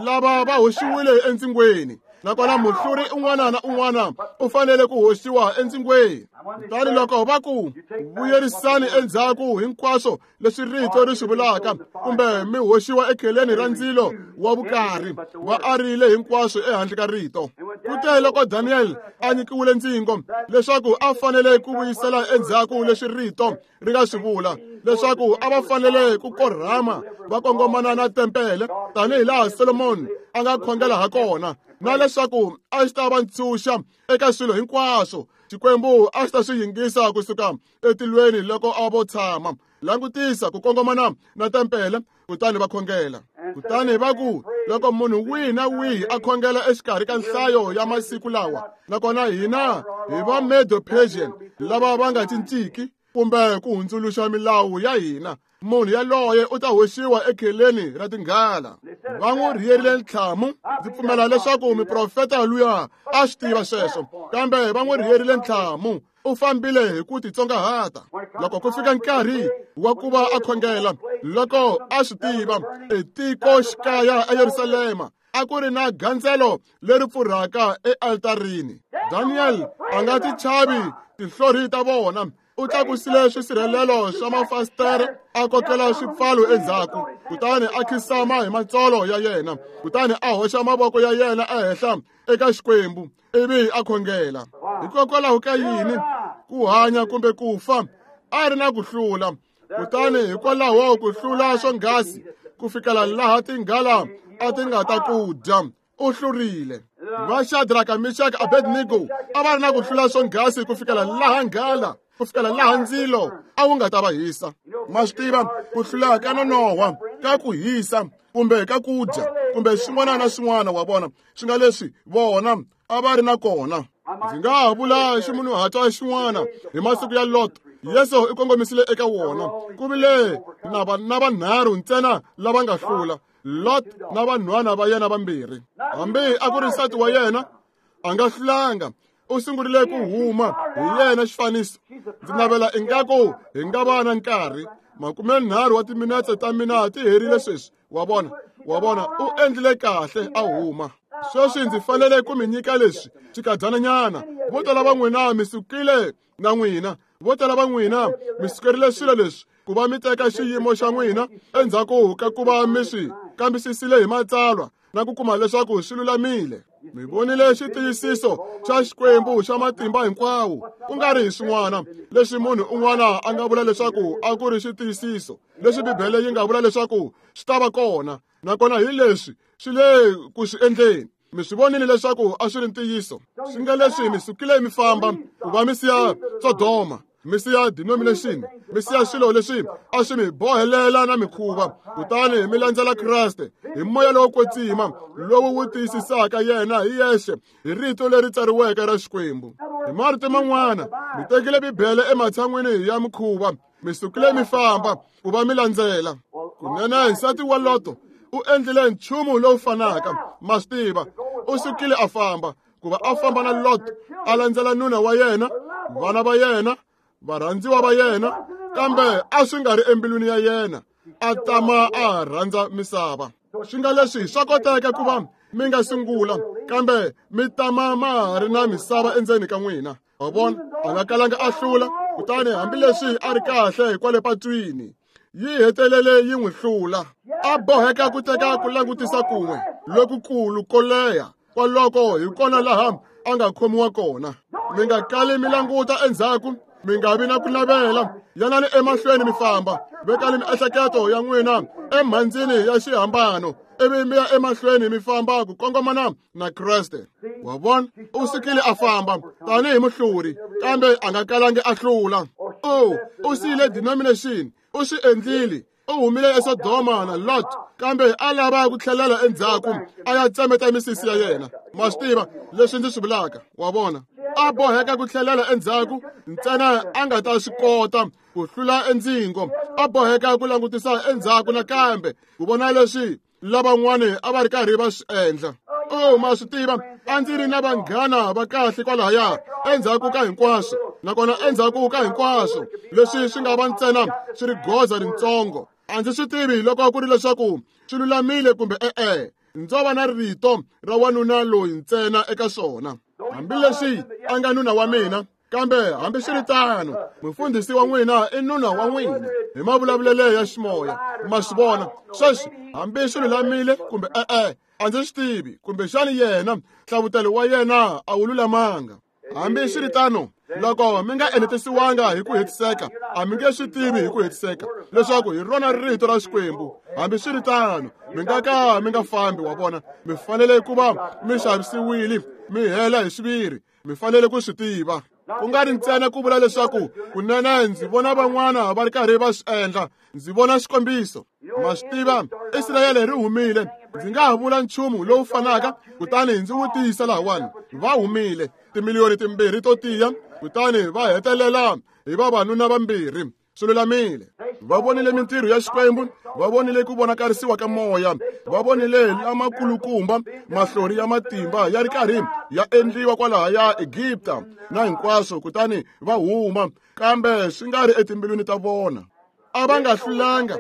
lava va hoxiwile endzingweni, nakona muhluri un'wana na un'wana u fanele ku hoxiwa endzingweni. Kutani loko va ku vuyerisani endzhaku hinkwaswo leswi rito ri swi vulaka, kumbe mi hoxiwa ekheleni ra ndzilo wa vukarhi, va arile hinkwaswo ehandle ka rito. Kute loko Daniel a nyikiwile ndzingo leswaku a fanele ku vuyisela endzhaku leswi rito ri nga swi vula, leswaku a va fanele ku korhama va kongomana na tempele tanihi laha Solomon a nga khongela ha kona, na leswaku a xi ta va ntshunxa eka swilo hinkwaswo Xikwembu a xi ta swi yingisa kusuka etilweni loko a vo tshama langutisa ku kongomana na tempele. Kutani va khongela. Kutani va ku loko munhu wihi na wihi a khongela exikarhi ka nhlayo ya masiku lawa, nakona hina hi va Medo-Persian lava va nga cinciki kumbe ku hundzuluxa milawu ya hina, munhu yaloye u ta hoxiwa ekheleni ra tinghala. Va n'wi rhiyerile ntlhamu. Ndzi pfumela leswaku muprofeta luya a swi tiva sweswo, kambe va n'wi rhiyerile ntlhamu. U fambile hi ku titsongahata. Loko ku fika nkarhi wa ku va a khongela, loko a swi tiva etikoxikaya eYerusalema a ku ri na gandzelo leri pfurhaka ealtarini. Daniel a nga ti chavi tinhlori ta vona. U tlakusile swisirhelelo swa mafasitere, a kokela swipfalo endzhaku, kutani a khinsama hi matsolo ya yena, kutani a hoxa mavoko ya yena ehenhla eka Xikwembu ivi a khongela. Hikokwalaho ka yini? Ku hanya kumbe ku fa, a ri na ku hlula. Kutani hikwalaho ku hlula swonghasi ku fikela laha tinghala a ti nga ta ku dya, u hlurile. Va Shadrach, Meshach, Abednego a va ri na ku hlula swonghasi ku fikela laha nghala, ku fikela laha ndzilo a wu nga ta va hisa. Ma swi tiva ku hlula ka nonohwa ka ku hisa kumbe ka ku dya kumbe xin'wana na xin'wana wa vona swi nga leswi vona a va ri na kona. Ndzi nga ha vula ximunhuhatwa xin'wana hi masiku ya Lot. Yesu i kongomisile eka wona. Ku vile na va na vanharhu ntsena lava nga hlula, Lot na vanhwana va yena vambirhi. Hambi a ku ri nsati wa yena a nga hlulanga, u sungurile ku huma hi yena xifaniso. Ndzi navela ingaku hi nga va na nkarhi. Makumenharhu wa timinetse ta mina ti herile sweswi. Wa vona, wa vona, u endlile kahle a huma. Sweswi ndzi fanele ku mi nyika leswi xikadyananyana. Vo tala va n'wina mi sukile na n'wina, vo tala va n'wina mi sukerile swilo leswi ku va mi teka xiyimo xa n'wina endzhaku ka ku va mi swi kambisisile hi matsalwa na ku kuma leswaku swi lulamile. Mi vonile xitiyisiso xa Xikwembu xa matimba hinkwawo, ku nga ri hi swin'wana leswi munhu un'wana a nga vula leswaku a ku ri xitiyisiso, leswi Bibele yi nga vula leswaku swi ta va kona, nakona hi leswi swi le ku swi endleni. Mi swi vonile leswaku a swi ri ntiyiso. Swi nga leswi mi sukile mi famba ku va mi siya Sodoma, mi siya denomination, mi siya swilo leswi a swi mi bohelela na mikhuva, kutani mi landzela Kreste hi moya lowo kwetsima lowu wu tiyisisaka yena hi yexe hi rito leri tsariweke ra Xikwembu. Hi marito man'wana, mi tekile Bibele ematshan'wini ya mikhuva, mi sukile mi famba ku va mi landzela. Kunene nsati wa Loto u endlile nchumu lowu fanaka, ma swi tiva, u sukile a famba ku va a famba na Lot, a landzela nuna wa yena, vana va yena, varhandziwa va yena, kambe a swi nga ri embilwini ya yena, a tama a rhandza misava. Swi nga leswi swa koteka ku va mi nga sungula, kambe mi tama ma ha ri na misava endzeni ka n'wina. Wa vona, a nga kalanga a hlula, kutani hambileswi a ri kahle hikwale patwini, yi hetelele yi n'wi hlula. A boheka ku teka ku langutisa kun'we lokukulu ko leha, kwaloko hi kona laha a nga khomiwa kona. Mi nga kali mi languta endzhaku, mi nga vi na ku navela, yanani emahlweni mi famba, vekani miehleketo ya n'wina emhandzini ya xihambano, ivi mi ya emahlweni mi famba ku kongomana na Kreste. Wa vona, u sukile a famba tanihi muhluri, kambe a nga kalangi a hlula. O u siyile denomination, u swi endlile, u humile eSodoma na Lot, kambe a lava ku tlhelela endzhaku a ya tsemeta misisi ya yena. Ma swi tiva leswi ndzi swi vulaka, wa vona. A boheka ku tlhelela endzhaku ntsena a nga ta swi kota ku hlula endzingo. A boheka ku langutisa endzhaku nakambe ku vona leswi lavan'wani a va ri karhi va swi endla. O ma swi tiva, a ndzi ri na vanghana va kahle kwalahaya endzhaku ka hinkwaswo, nakona endzhaku ka hinkwaswo leswi swi nga va ntsena swi ri goza rintsongo. A ndzi swi tivi loko ku ri leswaku swi lulamile kumbe e-e, ndzo va na rito ra wanuna loyi ntsena eka swona. Hambileswi a nga nuna wa mina, kambe hambiswiritano mufundhisi wa n'wina i nuna wa n'wina hi mavulavulelo ya ximoya. Ma swi vona sweswi, hambi swi lulamile kumbe e-e, a ndzi swi tivi, kumbexani yena nhlavutelo wa yena a wu lulamanga. Hambiswiritano, loko mi nga enetisiwanga hi ku hetiseka, a mi nge swi tivi hi ku hetiseka leswaku hi rona rito ra Xikwembu. Hambiswiritano, mi nga ka mi nga fambi, wa vona, mi fanele ku va mi xavisiwile, mi hela hi xiviri, mi fanele ku swi tiva. Ku nga ri ntsena ku vula leswaku kunene ndzi vona van'wana va ri karhi va swi endla, ndzi vona xikombiso. Ma swi tiva, Israyele ri humile, ndzi nga ha vula nchumu lowu fanaka, kutani ndzi wu tiyisa lahawani. Va humile timiliyoni timbirhi to tiya, kutani va hetelela hi vavanuna vambirhi. Swi lulamile. Va vonile mintirho ya Xikwembu, va vonile ku vonakarisiwa ka moya, va vonile lamakulukumba mahlori ya matimba ya ri karhi ya endliwa kwalahaya Egipta na hinkwaswo, kutani va huma, kambe swi nga ri etimbilwini ta vona. A va nga hlulanga,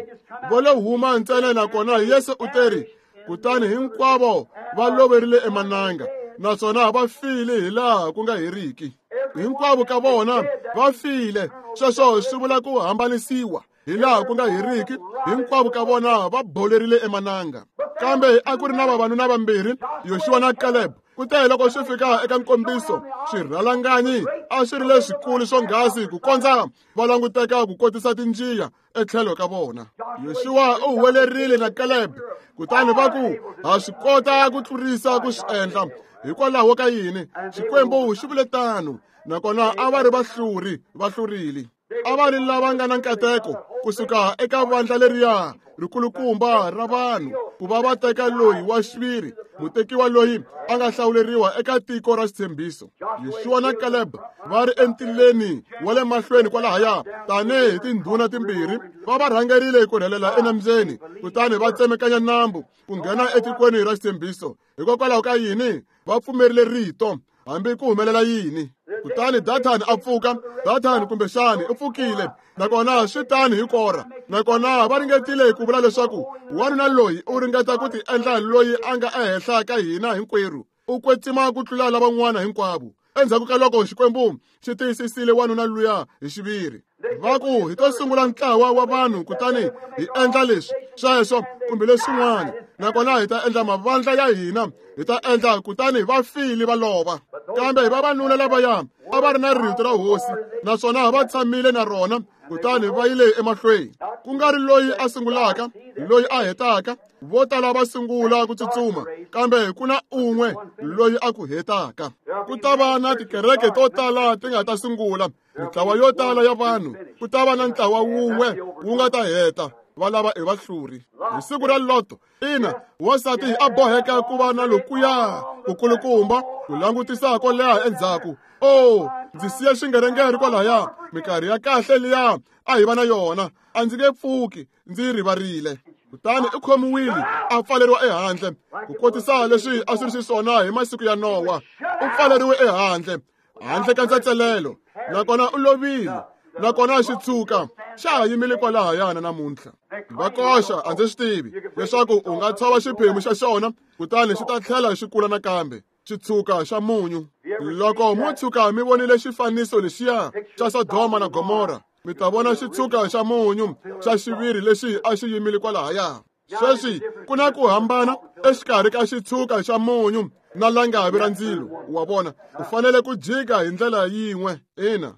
vo lo huma ntsena. Nakona Yesu u teri, kutani hinkwavo va loverile emananga, naswona va file hilaha ku nga heriki. Hinkwavo ka vona va file. Sweswo swi vula ku hambanisiwa hilaha ku nga heriki. Hinkwavo ka vona va bolerile emananga. Kambe a ku ri na vavanuna vambirhi, Yoxuwa na Caleb. Kute loko swi fika eka nkombiso, swirhalanganyi a swi ri leswikulu swonghasi ku kondza va languteka ku kotisa tinjiya etlhelo ka vona. Yoxuwa u huwelerile na Caleb, kutani va ku, ha swi kota ku tlurisa ku swi endla. Hikwalaho ka yini? Xikwembu xi vule tano. Nakona a va ri vahluri, va hlurile. A va ri lava nga na nkateko kusuka eka vandla leriya rikulukumba ra vanhu ku va va teka loyi wa xiviri, mutekiwa loyi a nga hlawuleriwa eka tiko ra xitshembiso. Yoxuwa na Caleb va ri entileni wa le mahlweni kwalahaya tanihi tindhuna timbirhi, va va rhangerile ku rhelela enambyeni, kutani va tsemekanya nambu ku nghena etikweni ra xitshembiso. Hikokwalaho ka yini? Va pfumerile rito, hambi ku humelela yini. Kutani Dathani a pfuka, Dathani kumbexani u pfukile, nakona swi tani hi Kora. Nakona va ringetile ku vula leswaku wanuna loyi u ringeta ku ti endla loyi a nga ehenhla ka hina hinkwerhu, u kwetsima ku tlula lavan'wana hinkwavo. Endzhaku ka loko Xikwembu xi tiyisisile wanuna luya hi xiviri. Va ku hi to sungula ntlawa wa vanhu kutani hi endla leswi, sweswo kumbe leswin'wana, nakona hi ta endla mavandla ya hina, hi ta endla kutani va file va lova. Kambe vavanuna lavaya a va ri na rito ra hosi, naswona va tshamile na rona, kutani va yile emahlweni. Ku nga ri loyi a sungulaka, loyi a hetaka, vo tala va sungula ku tsutsuma, kambe ku na un'we loyi a ku hetaka. Ku ta va na tikereke to tala ti nga ta sungula, mintlawa yo tala ya vanhu, ku ta va na ntlawa wun'we wu nga ta heta, va lava i vahluri. Hi siku ra Loto, ina, wansati a boheka ku va na lokuya kukulukumba ku langutisa ko leha endzhaku. Oh, ndzi siya xingerengere kwalaya, minkarhi ya kahle liya a hi va na yona, a ndzi nge pfuki ndzi yi rivarile. Kutani u khomiwile a pfaleriwa ehandle, ku kotisa leswi a swi ri xiswona hi masiku ya Nowa. U pfaleriwe ehandle, handle ka ntsetselelo, nakona u lovile, nakona xi tshuka xa ha yimile kwalahayana namuntlha. Va koxa a ndzi swi tivi leswaku u nga tshova xiphemu xa xona kutani xi ta tlhela xi kula nakambe, xitshuka xa munyu. Loko mo tshuka mi vonile xifaniso lexiya xa Sodoma na Gomora, mi ta vona xitshuka xa munyu xa xiviri lexi a xi yimile kwalahaya. Sweswi ku na ku hambana exikarhi ka xitshuka xa munyu na langavi ra ndzilo. Wa vona, u fanele ku jika hi ndlela yin'we. Ina.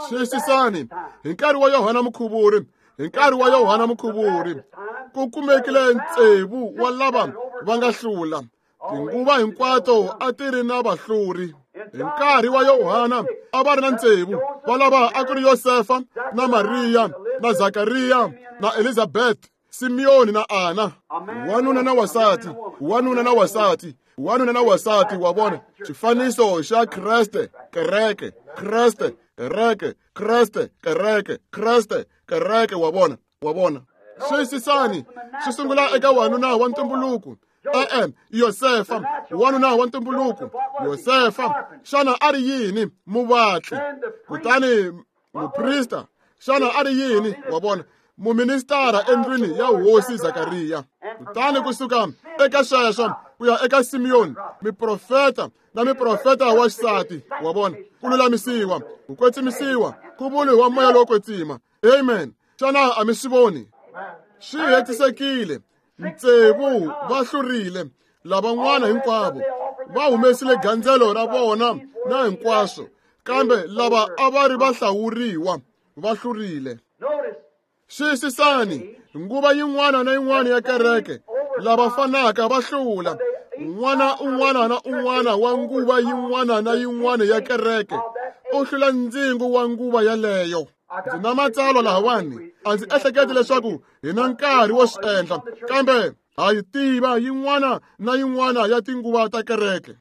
Xiyisisani, hi nkarhi wa Yohana Mukhuvuri, hi nkarhi wa Yohana Mukhuvuri, ku kumekile ntsevu wa lava va nga hlula. Tinguva hinkwato a ti ri na vahluri. Hi nkarhi wa Yohana a va ri na ntsevu, va lava a ku ri Yosefa na Mariya na Zakariya na Elizabeth, Simeoni na Ana. Wanuna na wasati, wanuna na wasati, wanuna na wasati. Wa vona xifaniso xa Kreste, kereke, Kreste, kereke, Kreste, kereke, Kreste, kereke. Wa vona, wa vona. Xiyisisani, xi sungula eka wanuna wa ntumbuluko. E-e, Yosefa, wanuna wa ntumbuluko. Yosefa, xana a ri yini? Muvatli. Kutani muprista, xana a ri yini? Wa vona, muministara endlwini ya hosi Zakariya. Kutani kusuka eka sweswo ku ya eka Simeoni, miprofeta na miprofeta wa xisati. Wa vona, ku lulamisiwa, ku kwetsimisiwa, ku vuriwa moya lowo kwetsima. Amen. Xana a mi swi voni? Swi hetisekile. Ntsevu va hlurile, lavan'wana hinkwavo va humesile gandzelo ra vona na hinkwaswo, kambe lava a va ri vahlawuriwa va hlurile. Xiyisisani, nguva yin'wana na yin'wana ya kereke, lava fanaka va hlula. N'wana un'wana na un'wana wa nguva yin'wana na yin'wana ya kereke u hlula ndzingo wa nguva yaleyo. Ndzi na matsalwa lahawani, a ndzi ehleketi leswaku hi na nkarhi wo swi endla, kambe ha yi tiva yin'wana na yin'wana ya tinguva ta kereke.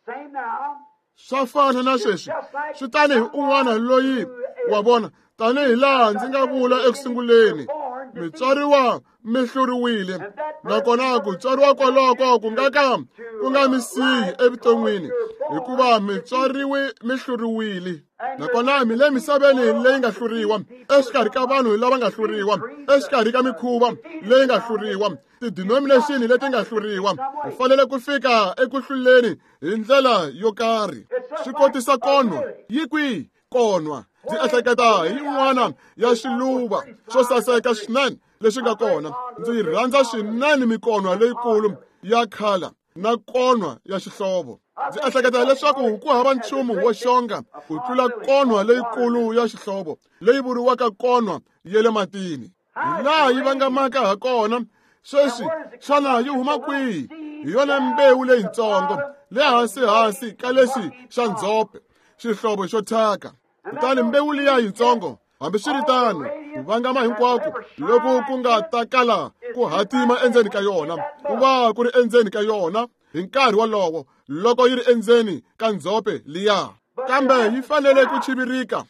Swa fana na sweswi, swi tanihi un'wana loyi, wa vona, tanihi laha ndzi nga vula ekusunguleni, mi tswariwa mi hluriwile, nakona ku tswariwa kwaloko ku nga ka ku nga mi siyi evuton'wini, hikuva mi tswariwe mi hluriwile. Nakona mi le misaveni leyi nga hluriwa, exikarhi ka vanhu lava nga hluriwa, exikarhi ka mikhuva leyi nga hluriwa, tidenomination leti nga hluriwa. U fanele ku fika eku hluleni hi ndlela yo karhi. Swi kotisa konwa yi kwihi konwa? Ndzi ehleketa hi yin'wana ya xiluva xo saseka swinene lexi nga kona. Ndzi rhandza swinene mikonwa leyikulu ya khala na konwa ya xihlovo. Ndzi ehleketa leswaku ku hava nchumu wo xonga ku tlula konwa leyikulu ya xihlovo leyi vuriwaka konwa ya le matini. Hi laha yi vangamaka ha kona. Sweswi xana yi huma kwihi? Hi yona mbewu leyitsongo le hansi-hansi ka lexi xa ndzhope, xihlovo xo thyaka. Kutani mbewu liya yitsongo, hambiswiritano, ku vangama hinkwako loku ku nga ta kala ku hatima endzeni ka yona, ku va ku ri endzeni ka yona hi nkarhi wolowo loko yi ri endzeni ka ndzhope liya. Kambe yi fanele ku chivirika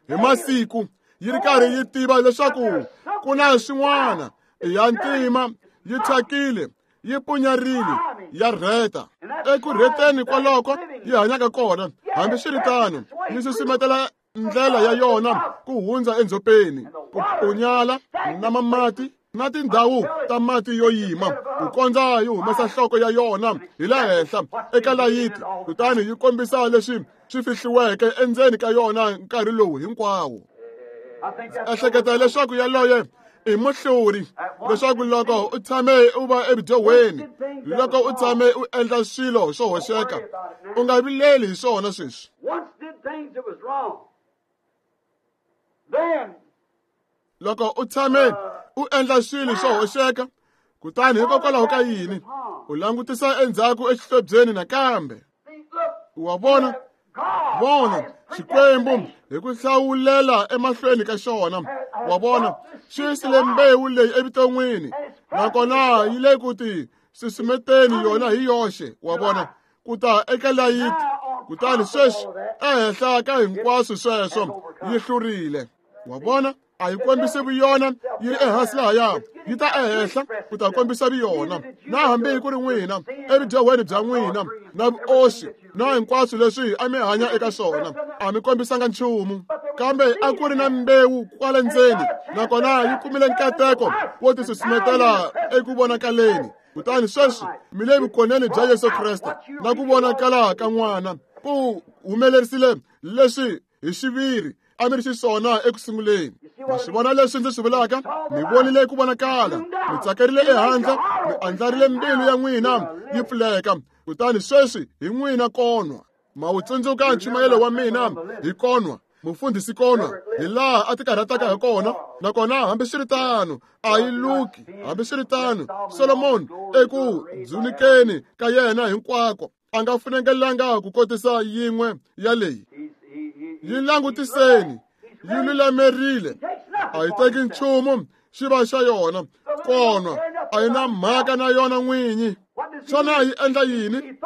hi masiku, yi ri karhi yi tiva leswaku ku na swin'wana. I ya ntima, yi thyakile, yi punyarile, ya rheta. Eku rheteni kwaloko yi hanyaka kona, hambiswiritano, yi susumetela ndlela ya yona ku hundza endzhopeni, ku punyala na mamati na tindhawu ta mati yo yima ku kondza yi humesa nhloko ya yona hi le henhla eka layiti kutani yi kombisa leswi swi fihliweke endzeni ka yona nkarhi lowu hinkwawo. Ehleketa leswaku yaloye i muhluri, leswaku loko u tshame u va evudyehweni, loko u tshame u endla swilo swo hoxeka, u nga vileli hi swona sweswi. Loko u tshame u endla swilo swo hoxeka, kutani hikokwalaho ka yini u langutisa endzhaku exihlobyeni nakambe? Wa vona, vona Xikwembu hi ku hlawulela emahlweni ka xona. Wa vona, xi yisile mbewu leyi evuton'wini, nakona yi le ku ti susumeteni yona hi yoxe. Wa vona, ku ta eka layiti, kutani sweswi ehenhla ka hinkwaswo sweswo yi hlurile. Wa vona, a yi kombisi vuyona yi ri ehansi lahaya, yi ta ehenhla ku ta kombisa vuyona. Na hambi ku ri n'wina evudyehweni bya n'wina na vuoxi na hinkwaswo leswi a mi hanya eka swona, a mi kombisanga nchumu, kambe a ku ri na mbewu kwale ndzeni, nakona yi kumile nkateko wo ti susumetela eku vonakaleni. Kutani sweswi mi le vukoneni bya Yesu Kreste na ku vonakala ka n'wana ku humelerisile leswi hi xiviri a mi ri xiswona eku sunguleni. Ma swi vona leswi ndzi swi vulaka? Mi vonile ku vonakala, mi tsakerile ehandle, mi andlarile mbilu ya n'wina yi pfuleka, kutani sweswi hi n'wina konwa. Ma wu tsundzuka nchumayelo wa mina hi konwa, mufundhisi konwa, hi laha a ti karhataka hi kona. Nakona hambiswiritano a yi luki, hambiswiritano Solomon eku dzunikeni ka yena hinkwako a nga funengelanga ku kotisa yin'we ya leyi. Yi langutiseni, yi lulamerile, a yi teki nchumu xi va xa yona konwa, a yi na mhaka na yona n'winyi. Xana yi endla yini?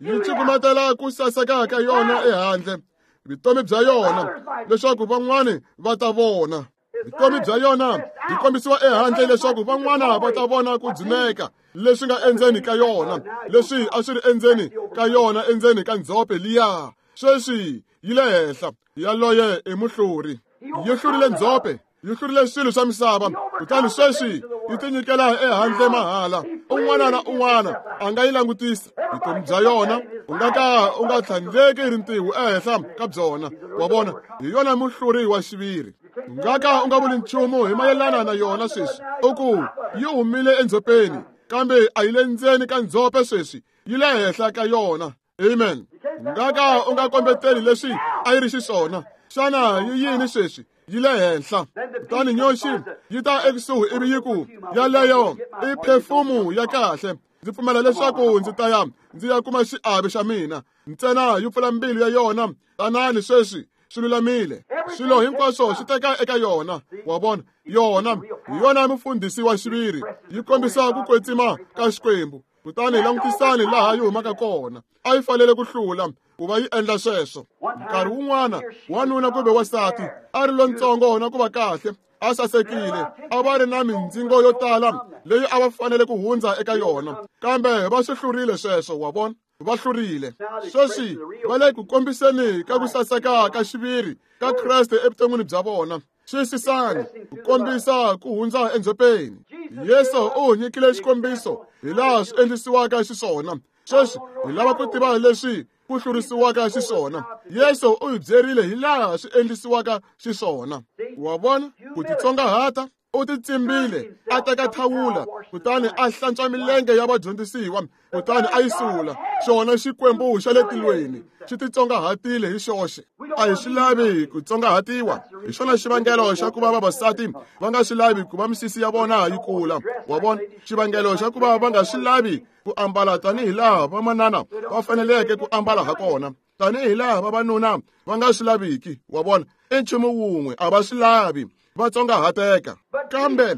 Yi cukumetela ku saseka ka yona ehandle, vutomi bya yona, leswaku van'wani va ta vona. Vutomi bya yona byi kombisiwa ehandle leswaku van'wana va ta vona ku dzuneka leswi nga endzeni ka yona, leswi a swi ri endzeni ka yona endzeni ka ndzhope liya. Sweswi yi le henhla, yaloye i muhluri. Yi hlurile ndzhope, yi hlurile swilo swa misava, kutani sweswi yi tinyikela ehandle mahala. Un'wana na un'wana a nga yi langutisa vutomi bya yona, u nga ka u nga tlhandleki rintiho ehenhla ka byona. Wa vona, hi yona muhluri wa xiviri. U nga ka u nga vuli nchumu hi mayelana na yona sweswi, u ku yi humile endzhopeni, kambe a yi le ndzeni ka ndzhope sweswi, yi le henhla ka yona. Amen. U nga ka u nga kombeteli leswi a yi ri xiswona. Xana yi yini sweswi? Yi le henhla. Kutani nyoxi yi ta ekusuhi ivi yi ku, yaleyo i phefumu ya kahle, ndzi pfumela leswaku ndzi ta ya ndzi ya kuma xiave xa mina. Ntsena yi pfula mbilu ya yona, tanani sweswi swi lulamile. Swilo hinkwaswo swi teka eka yona. Wa vona, yona hi yona mufundhisi wa xiviri, yi kombisa ku kwetsima ka Xikwembu. Kutani langutisani laha yi humaka kona. A yi fanele ku hlula ku va yi endla sweswo. Nkarhi wun'wana wanuna kumbe wansati a ri lontsongo na ku va kahle, a sasekile, a va ri na mindzingo yo tala leyi a va fanele ku hundza eka yona, kambe va swi hlurile sweswo. Wa vona, va hlurile. Sweswi va le ku kombiseni ka ku saseka ka xiviri ka Kreste evuton'wini bya vona. Xiyisisani ku kombisa ku hundza endzhopeni. Yesu u nyikile xikombiso hi laha swi endlisiwaka xiswona. Sweswi hi lava ku tiva leswi ku hlurisiwaka xiswona. Yesu u hi byerile hi laha swi endlisiwaka xiswona. Wa vona, ku titsongahata, u titsimbile, a teka thawula, kutani a hlantswa milenge ya vadyondzisiwa, kutani a yi sula. Xona Xikwembu xa le tilweni xi titsongahatile hi xoxe. A hi swi lavi ku tsongahatiwa. Hi xona xivangelo xa ku va vavasati va nga swi lavi ku va misisi ya vona yi kula. Wa vona, xivangelo xa ku va va nga swi lavi ku ambala tanihi laha vamanana va faneleke ku ambala ha kona, tanihi laha vavanuna va nga swi laviki. Wa vona, i nchumu wun'we, a va swi lavi, va tsongahateka. Kambe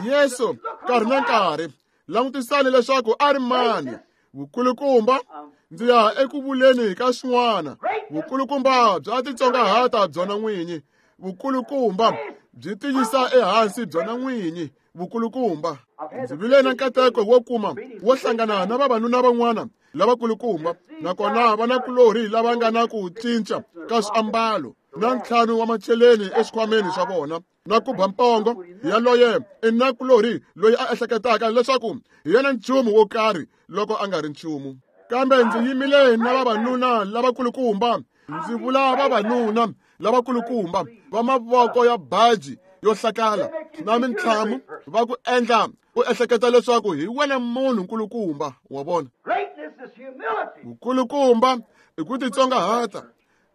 Yesu nkarhi na nkarhi, langutisani leswaku a ri mani. Vukulukumba, ndzi ya eku vuleni ka swin'wana. Vukulukumba bya titsongahata byona n'winyi. Vukulukumba byi tiyisa ehansi byona n'winyi. Vukulukumba. Ndzi vile na nkateko wo kuma wo hlangana na vavanuna van'wana lavakulukumba, nakona vanakulorhi lava nga na ku cinca ka swiambalo. na ntlhanu wa macheleni exikhwameni xa vona na ku ba mpongo yaloye i nakulorhi loyi a ehleketaka leswaku hi yena nchumu wo karhi loko a nga ri nchumu. Kambe ndzi yimile na vavanuna lavakulukumba, ndzi vula vavanuna lavakulukumba va mavoko ya baji yo hlakala na mintlhamu va ku endla u ehleketa leswaku hi wena munhu nkulukumba wa vona. Vukulukumba i ku titsongahata.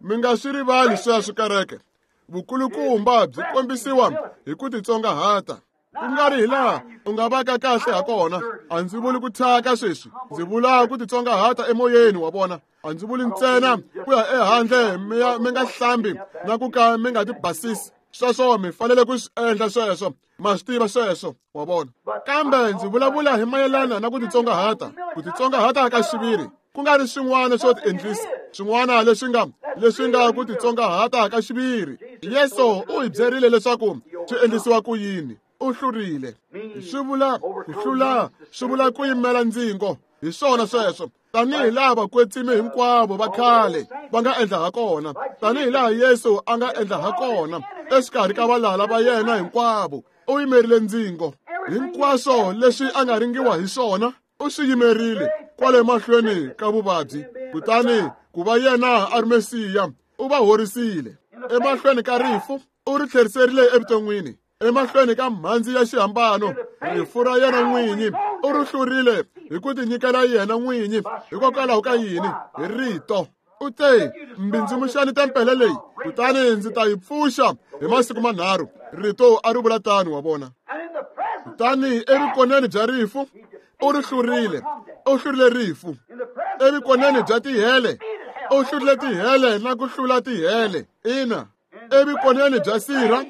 Mi nga swi rivali sweswo kereke. Vukulukumba byi kombisiwa hi ku titsongahata. Ku nga ri hi laha u nga vaka kahle ha kona. A ndzi vuli ku thyaka sweswi, ndzi vula ku titsongahata emoyeni wa vona. A ndzi vuli ntsena ku ya ehandle mi ya mi nga hlambi na ku ka mi nga tibasisi. Sweswo mi fanele ku swi endla sweswo, ma swi tiva sweswo wa vona. Kambe ndzi vulavula hi mayelana na ku titsongahata, ku titsongahata ka xiviri, ku nga ri swin'wana swo tiendlisa, swin'wana leswi nga leswi nga ku titsongahata ka xiviri. Yesu u hi byerile leswaku swi endlisiwa ku yini. U hlurile. Swi vula ku hlula, swi vula ku yimela ndzingo. Hi swona sweswo, tanihi laha vakwetsimi hinkwavo va khale va nga endla ha kona, tanihi laha Yesu a nga endla ha kona exikarhi ka valala va yena hinkwavo. U yimerile ndzingo. Hinkwaswo leswi a nga ringiwa hi swona u swi yimerile kwale mahlweni ka vuvabyi. Kutani ku va yena a ri Mesiya, u va horisile. Emahlweni ka rifu u ri tlheriserile evuton'wini. Emahlweni ka mhandzi ya xihambano, rifu ra yena n'winyi u ri hlurile hi ku tinyikela yena n'winyi. Hikokwalaho ka yini? Hi rito. U te, mbindzimuxani tempele leyi, kutani ndzi ta yi pfuxa hi masiku manharhu. Rito a ri vula tano wa vona. Kutani evukoneni bya rifu u ri hlurile, u hlurile rifu. Evukoneni bya tihele u hlurile tihele na ku hlula tihele. Ina, evukoneni bya sirha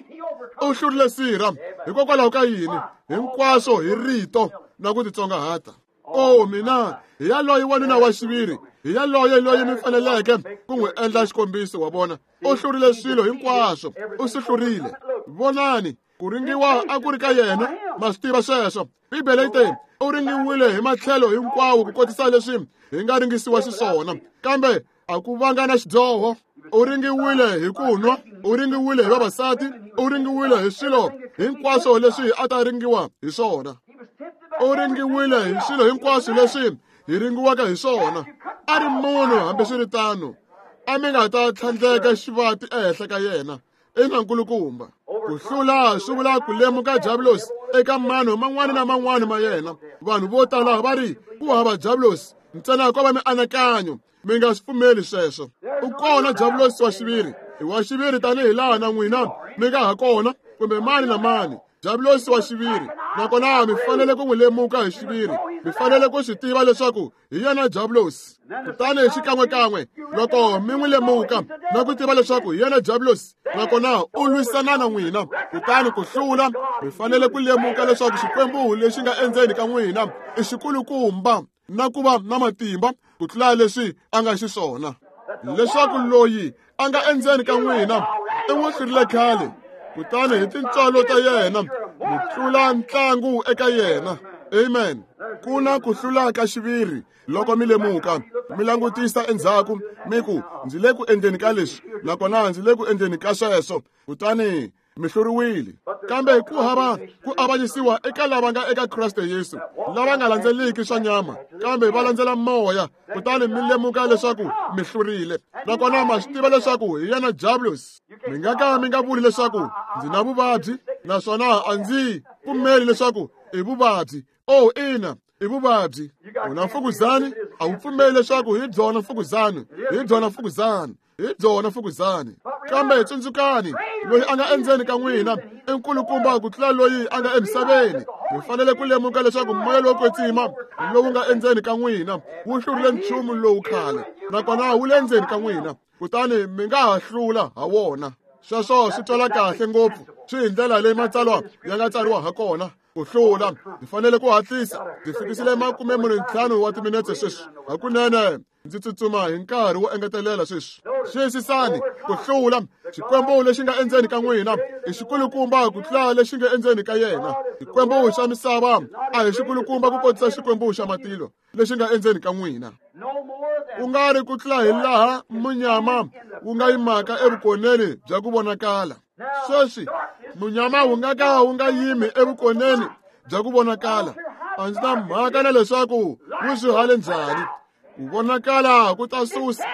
u hlurile sirha. Hikokwalaho ka yini? Hinkwaswo hi rito na ku titsongahata. O mina, hi yaloye wanuna wa xiviri, hi yaloye loyi mi faneleke ku n'wi endla xikombiso wa vona. U hlurile swilo hinkwaswo, u swi hlurile. Vonani, ku ringiwa a ku ri ka yena, ma swi tiva sweswo. Bibele yi te u ringiwile hi matlhelo hinkwawo ku kotisa leswi hi nga ringisiwa xiswona, kambe a ku vanga na xidyoho. U ringiwile hi ku nwa, u ringiwile hi vavasati, u ringiwile hi swilo hinkwaswo leswi a ta ringiwa hi swona. U ringiwile hi swilo hinkwaswo leswi hi ringiwaka hi swona. A ri munhu hambiswiritano, a mi nga ta tlhandleka xivati ehenhla ka yena. Ina nkulukumba. Ku hlula swi vula ku lemuka diabulosi eka mano man'wana na man'wana ma yena. Vanhu vo tala va ri ku hava diabulosi, ntsena ko va mianakanyo. Mi nga swi pfumeli sweswo. U kona diabulosi wa xiviri, i wa xiviri tanihi laha na n'wina mi nga ha kona, kumbe mani na mani. Diabulosi wa xiviri, nakona mi fanele ku n'wi lemuka hi xiviri. Mi fanele ku swi tiva leswaku hi yena diabulosi. Kutani xikan'wekan'we loko mi n'wi lemuka na ku tiva leswaku hi yena diabulosi, nakona u lwisana na n'wina, kutani ku hlula, mi fanele ku lemuka leswaku Xikwembu lexi nga endzeni ka n'wina i xikulukumba na ku va na matimba ku tlula leswi a nga xiswona. Leswaku loyi a nga endzeni ka n'wina i n'wi hlurile khale, kutani hi tintswalo ta yena mi tlula ntlangu eka yena. Amen. Ku na ku hlula ka xiviri loko mi lemuka, mi langutisa endzhaku mi ku ndzi le ku endleni ka leswi, nakona ndzi le ku endleni ka sweswo, kutani mi hluriwile. Kambe ku hava ku avanyisiwa eka lava nga eka Kreste Yesu, lava nga landzeliki swa nyama, kambe va landzela moya. Kutani mi lemuka leswaku mi hlurile, nakona ma swi tiva leswaku hi yena diabulosi. Mi nga ka mi nga vuli leswaku ndzi na vuvabyi, naswona a ndzi pfumeli leswaku i vuvabyi. O ina, i vuvabyi. U na mfukuzani, a wu pfumeli leswaku hi byona mfukuzani, hi byona mfukuzani, hi byona mfukuzani. Kambe tsundzukani, loyi a nga endzeni ka n'wina i nkulukumba ku tlula loyi a nga emisaveni. Mi fanele ku lemuka leswaku moya lowo kwetsima lowu nga endzeni ka n'wina wu hlurile nchumu lowu khale, nakona wu le ndzeni ka n'wina, kutani mi nga ha hlula ha wona. Sweswo swi twala kahle ngopfu, swi hi ndlela leyi matsalwa ya nga tsariwa ha kona. Ku hlula, ndzi fanele ku hatlisa. Ndzi fikisile makume mune ntlhanu wa timinetse sweswi. Hakunene ndzi tsutsuma hi nkarhi wo engetelela sweswi. Xiyisisani, ku hlula, Xikwembu lexi nga endzeni ka n'wina i xikulukumba ku tlula lexi nga endzeni ka yena. Xikwembu xa misava a hi xikulukumba ku kotisa Xikwembu xa matilo lexi nga endzeni ka n'wina. Ku nga ri ku tlula hi laha munyama wu nga yimaka evukoneni bya ku vonakala. Sweswi munyama wu nga ka wu nga yimi evukoneni bya ku vonakala. A ndzi na mhaka na leswaku wu swi hale njhani. Ku vonakala ku ta susa,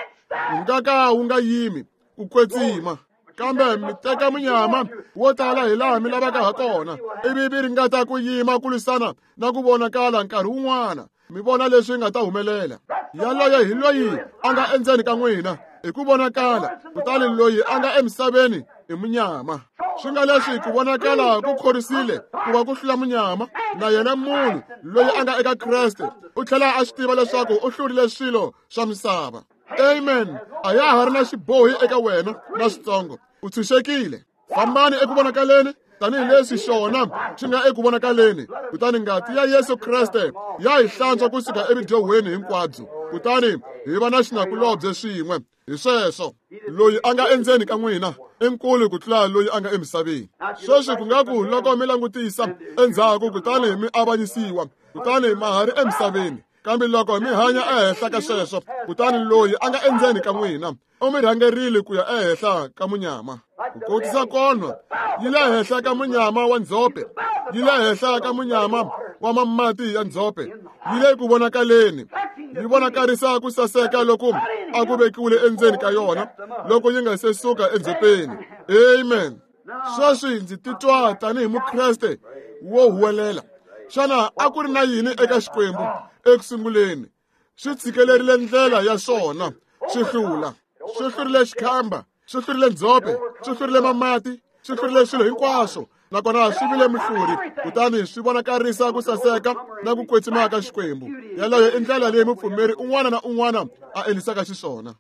wu nga ka wu nga yimi ku kwetsima. Kambe mi teka munyama wo tala hi laha mi lavaka ha kona, ivi mi ringeta ku yima ku lwisana na ku vonakala nkarhi wun'wana. Mi vona leswi nga ta humelela. Yaloye hi loyi a nga endzeni ka n'wina hi ku vonakala, kutani loyi a nga emisaveni i munyama. Swi nga leswi ku vonakala ku khorisile ku va ku hlula munyama, na yena munhu loyi a nga eka Kreste u tlhela a swi tiva leswaku u hlurile swilo swa misava. Amen. A ya ha ri na xibohi eka wena na switsongo. U tshunxekile. Fambani eku vonakaleni tanihileswi xona xi nga eku vonakaleni. Kutani ngati ya Yesu Kreste ya hi hlantswa kusuka evidyohweni hinkwabyo, kutani hi va na xinakulobye swin'we. Hi sweswo, loyi a nga endzeni ka n'wina i nkulu ku tlula loyi a nga emisaveni. Sweswi ku nga ku loko mi langutisa endzhaku kutani mi avanyisiwa, kutani ma ha ri emisaveni. Kambe loko mi hanya ehenhla ka sweswo, kutani loyi a nga endzeni ka n'wina u mi rhangerile ku ya ehenhla ka munyama. Ku kotisa konwa yi le henhla ka munyama wa ndzhope, yi le henhla ka munyama wa mamati ya ndzhope, yi le ku vonakaleni, yi vonakarisa ku saseka loku a ku vekiwile endzeni ka yona loko yi nga se suka endzhopeni. Amen. Sweswi ndzi titwa tanihi Mukreste wo huwelela. Xana a ku ri na yini eka Xikwembu eku sunguleni? Swi tshikelerile ndlela ya swona, swi hlula. Swi hlurile xikhamba, swi hlurile ndzhope, swi hlurile mamati, swi hlurile swilo hinkwaswo, nakona swi vile muhluri, kutani swi vonakarisa ku saseka na ku kwetsima ka Xikwembu. Yaleyo i ndlela leyi mupfumeri un'wana na un'wana a endlisaka xiswona.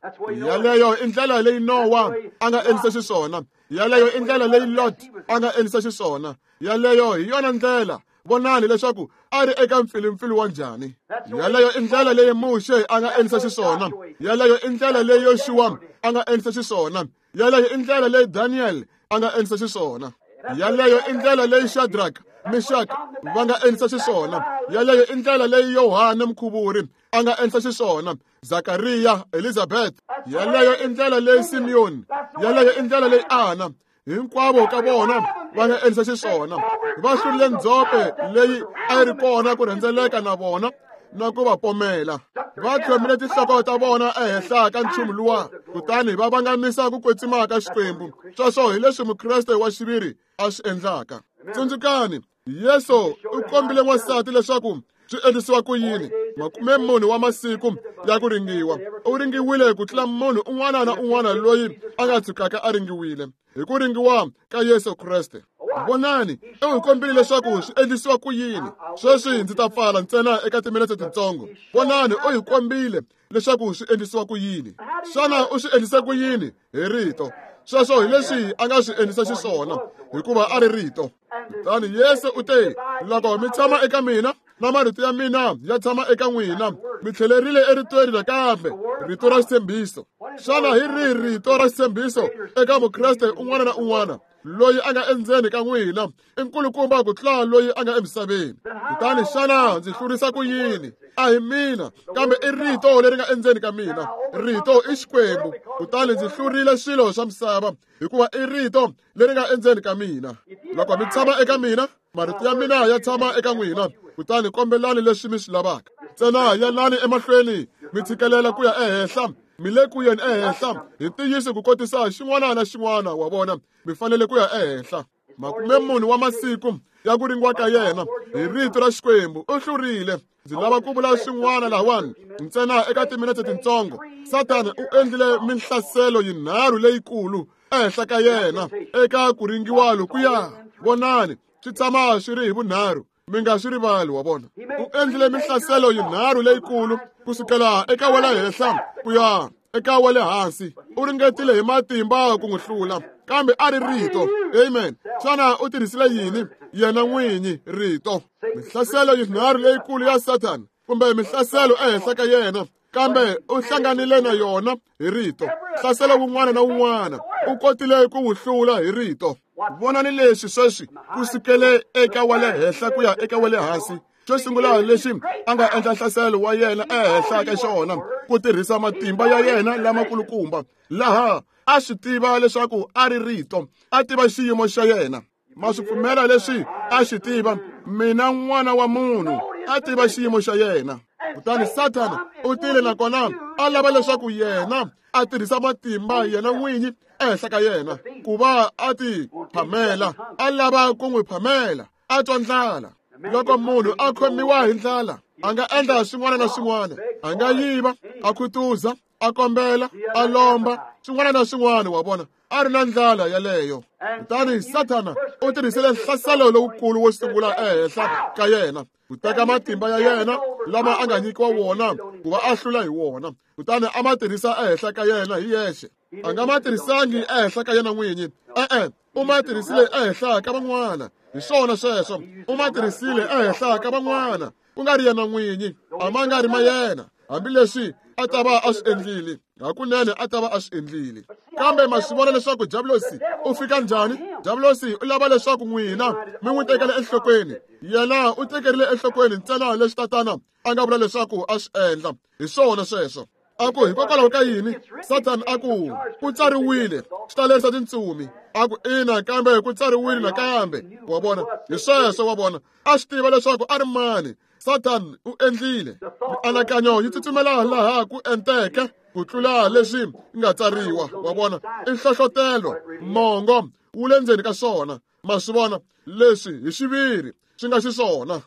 Yaleyo i ndlela leyi Nowa a nga endlisa xiswona. Yaleyo i ndlela leyi Lot a nga endlisa xiswona. Yaleyo hi yona ndlela. Vonani leswaku a ri eka mpfilumpfilu wa njhani. Yaleyo i ndlela leyi Muxe a nga endlisa xiswona. Yaleyo i ndlela leyi Yoxuwa a nga endlisa xiswona. Yaleyo i ndlela leyi Daniel a nga endlisa xiswona. Yaleyo i ndlela leyi Shadrach, Meshach va nga endlisa xiswona. Yaleyo i ndlela leyi Yohane Mukhuvuri a nga endlisa xiswona. Zakariya, Elizabeth. Yaleyo i ndlela leyi Simeon. Yaleyo i ndlela leyi Ana. Hinkwavo ka vona va nga endlisa xiswona. Va hlurile ndzhope leyi a yi ri kona ku rhendzeleka na vona na ku va pomela. Va tlhomile tinhloko ta vona ehenhla ka nchumu luwa, kutani va vangamisa ku kwetsima ka Xikwembu. Sweswo hi leswi Mukreste wa xiviri a swi endlaka. Tsundzukani, Yesu u kombile n'wansati leswaku swi endlisiwa ku yini makume mune wa masiku ya ku ringiwa. U ringiwile ku tlula munhu un'wana na un'wana loyi a nga tshukaka a ringiwile hi ku ringiwa ka Yesu Kreste. Vonani, u hi kombile leswaku swi endlisiwa ku yini. Sweswi ndzi ta pfala ntsena eka timinetse tintsongo. Vonani, u hi kombile leswaku swi endlisiwa ku yini. Xana u swi endlise ku yini? Hi rito. Sweswo hi leswi a nga swi endlisa xiswona, hikuva a ri rito. Kutani Yesu u te, loko mi tshama eka mina na marito ya mina ya tshama eka n'wina, mi tlhelerile eritweni nakambe, rito ra xitshembiso. Xana hi rihi rito ra xitshembiso eka Mukreste un'wana na un'wana? Loyi a nga endzeni ka n'wina i nkulukumba ku tlula loyi a nga emisaveni. Kutani xana ndzi hlurisa ku yini? A hi mina, kambe i rito leri nga endzeni ka mina. Rito i Xikwembu. Kutani ndzi hlurile swilo swa misava hikuva i rito leri nga endzeni ka mina. Loko mi tshama eka mina, marito ya mina ya tshama eka n'wina, kutani kombelani leswi mi swi lavaka. Ntsena yalani emahlweni mi tshikelela ku ya ehenhla, mi le ku yeni ehenhla hi ntiyiso ku kotisa xin'wana na xin'wana wa vona. Mi fanele ku ya ehenhla. Makume mune wa masiku ya ku ringiwa ka yena hi rito ra Xikwembu u hlurile. Ndzi lava ku vula swin'wana lahawani ntsena eka timinetse tintsongo. Satani u endlile minhlaselo yinharhu leyikulu ehenhla ka yena eka ku ringiwa lokuya. Vonani, swi tshama swi ri hi vunharhu. Mi nga swi rivali, wa vona. U endlile minhlaselo yinharhu leyikulu kusukela eka wa le henhla ku ya eka wa le hansi. U ringetile hi matimba ku n'wi hlula, kambe a ri rito. Amen. Xana u tirhisile yini? Yena n'winyi, rito. Minhlaselo yinharhu leyikulu ya Satani, kumbe minhlaselo ehenhla ka yena, kambe u hlanganile na yona hi rito. Hlaselo wun'wana na wun'wana u kotile ku wu hlula hi rito. Vonani leswi sweswi kusukele eka wa le henhla ku ya eka wa le hansi. Xo sungula lexi a nga endla nhlaselo wa yena ehenhla ka xona ku tirhisa matimba ya yena lamakulukumba, laha a swi tiva leswaku a ri rito, a tiva xiyimo xa yena. Ma swi pfumela leswi a xi tiva, mina n'wana wa munhu, a tiva xiyimo xa yena. Kutani Sathana u tile nakona a lava leswaku yena a tirhisa matimba yena n'winyi ehenhla ka yena ku va a ti phamela, a lava ku n'wi phamela, a twa ndlala. Loko munhu a khomiwa hi ndlala, a nga endla swin'wana na swin'wana, a nga yiva, a khutuza, a kombela, a lomba, swin'wana na swin'wana, wa vona, a ri na ndlala yaleyo. Kutani Sathana u tirhisile nhlaselo lowukulu wo sungula ehenhla ka yena, ku teka matimba ya yena lama a nga nyikiwa wona ku va a hlula hi wona, kutani a ma tirhisa ehenhla ka yena hi yexe. A nga ma tirhisangi ehenhla ka yena n'winyi, e-e, u ma tirhisile ehenhla ka van'wana. Hi swona sweswo, u ma tirhisile ehenhla ka van'wana, ku nga ri yena n'winyi, a ma nga ri ma yena, hambileswi a ta va a swi endlile, hakunene a ta va a swi endlile. Kambe ma swi vona leswaku Diablosi u fika njhani? Diablosi u lava leswaku n'wina mi n'wi tekela enhlokweni. Yena u tekerile enhlokweni ntsena leswi tatana a nga vula leswaku a swi endla. Hi swona sweswo. A ku hikokwalaho ka yini? Sathana a ku ku tsariwile, swi ta lerisa tintsumi. A ku ina, kambe ku tsariwile nakambe. Wa vona, hi sweswo, wa vona, a swi tiva leswaku a ri mani. Satan u endlile mianakanyo yi tsutsumela laha ku enteke ku tlula leswi nga tsariwa. Wa vona, i nhlohlotelo, mongo wu le ndzeni ka swona. Ma swi vona leswi hi xiviri swi nga xiswona.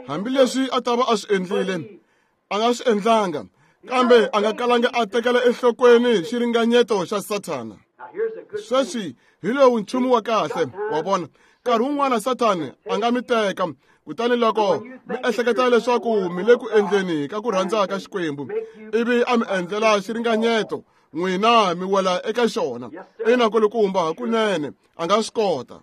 Hambileswi a ta va a swi endlile, a nga swi endlanga, kambe a nga kalanga a tekela enhlokweni xiringanyeto xa Sathana. Sweswi hi lowu nchumu wa kahle, wa vona. Nkarhi wun'wana Sathana a nga mi teka, kutani loko mi ehleketa leswaku mi le ku endleni ka ku rhandza ka Xikwembu, ivi a mi endlela xiringanyeto, n'wina mi wela eka xona. Ina kulukumba, hakunene a nga swi kota.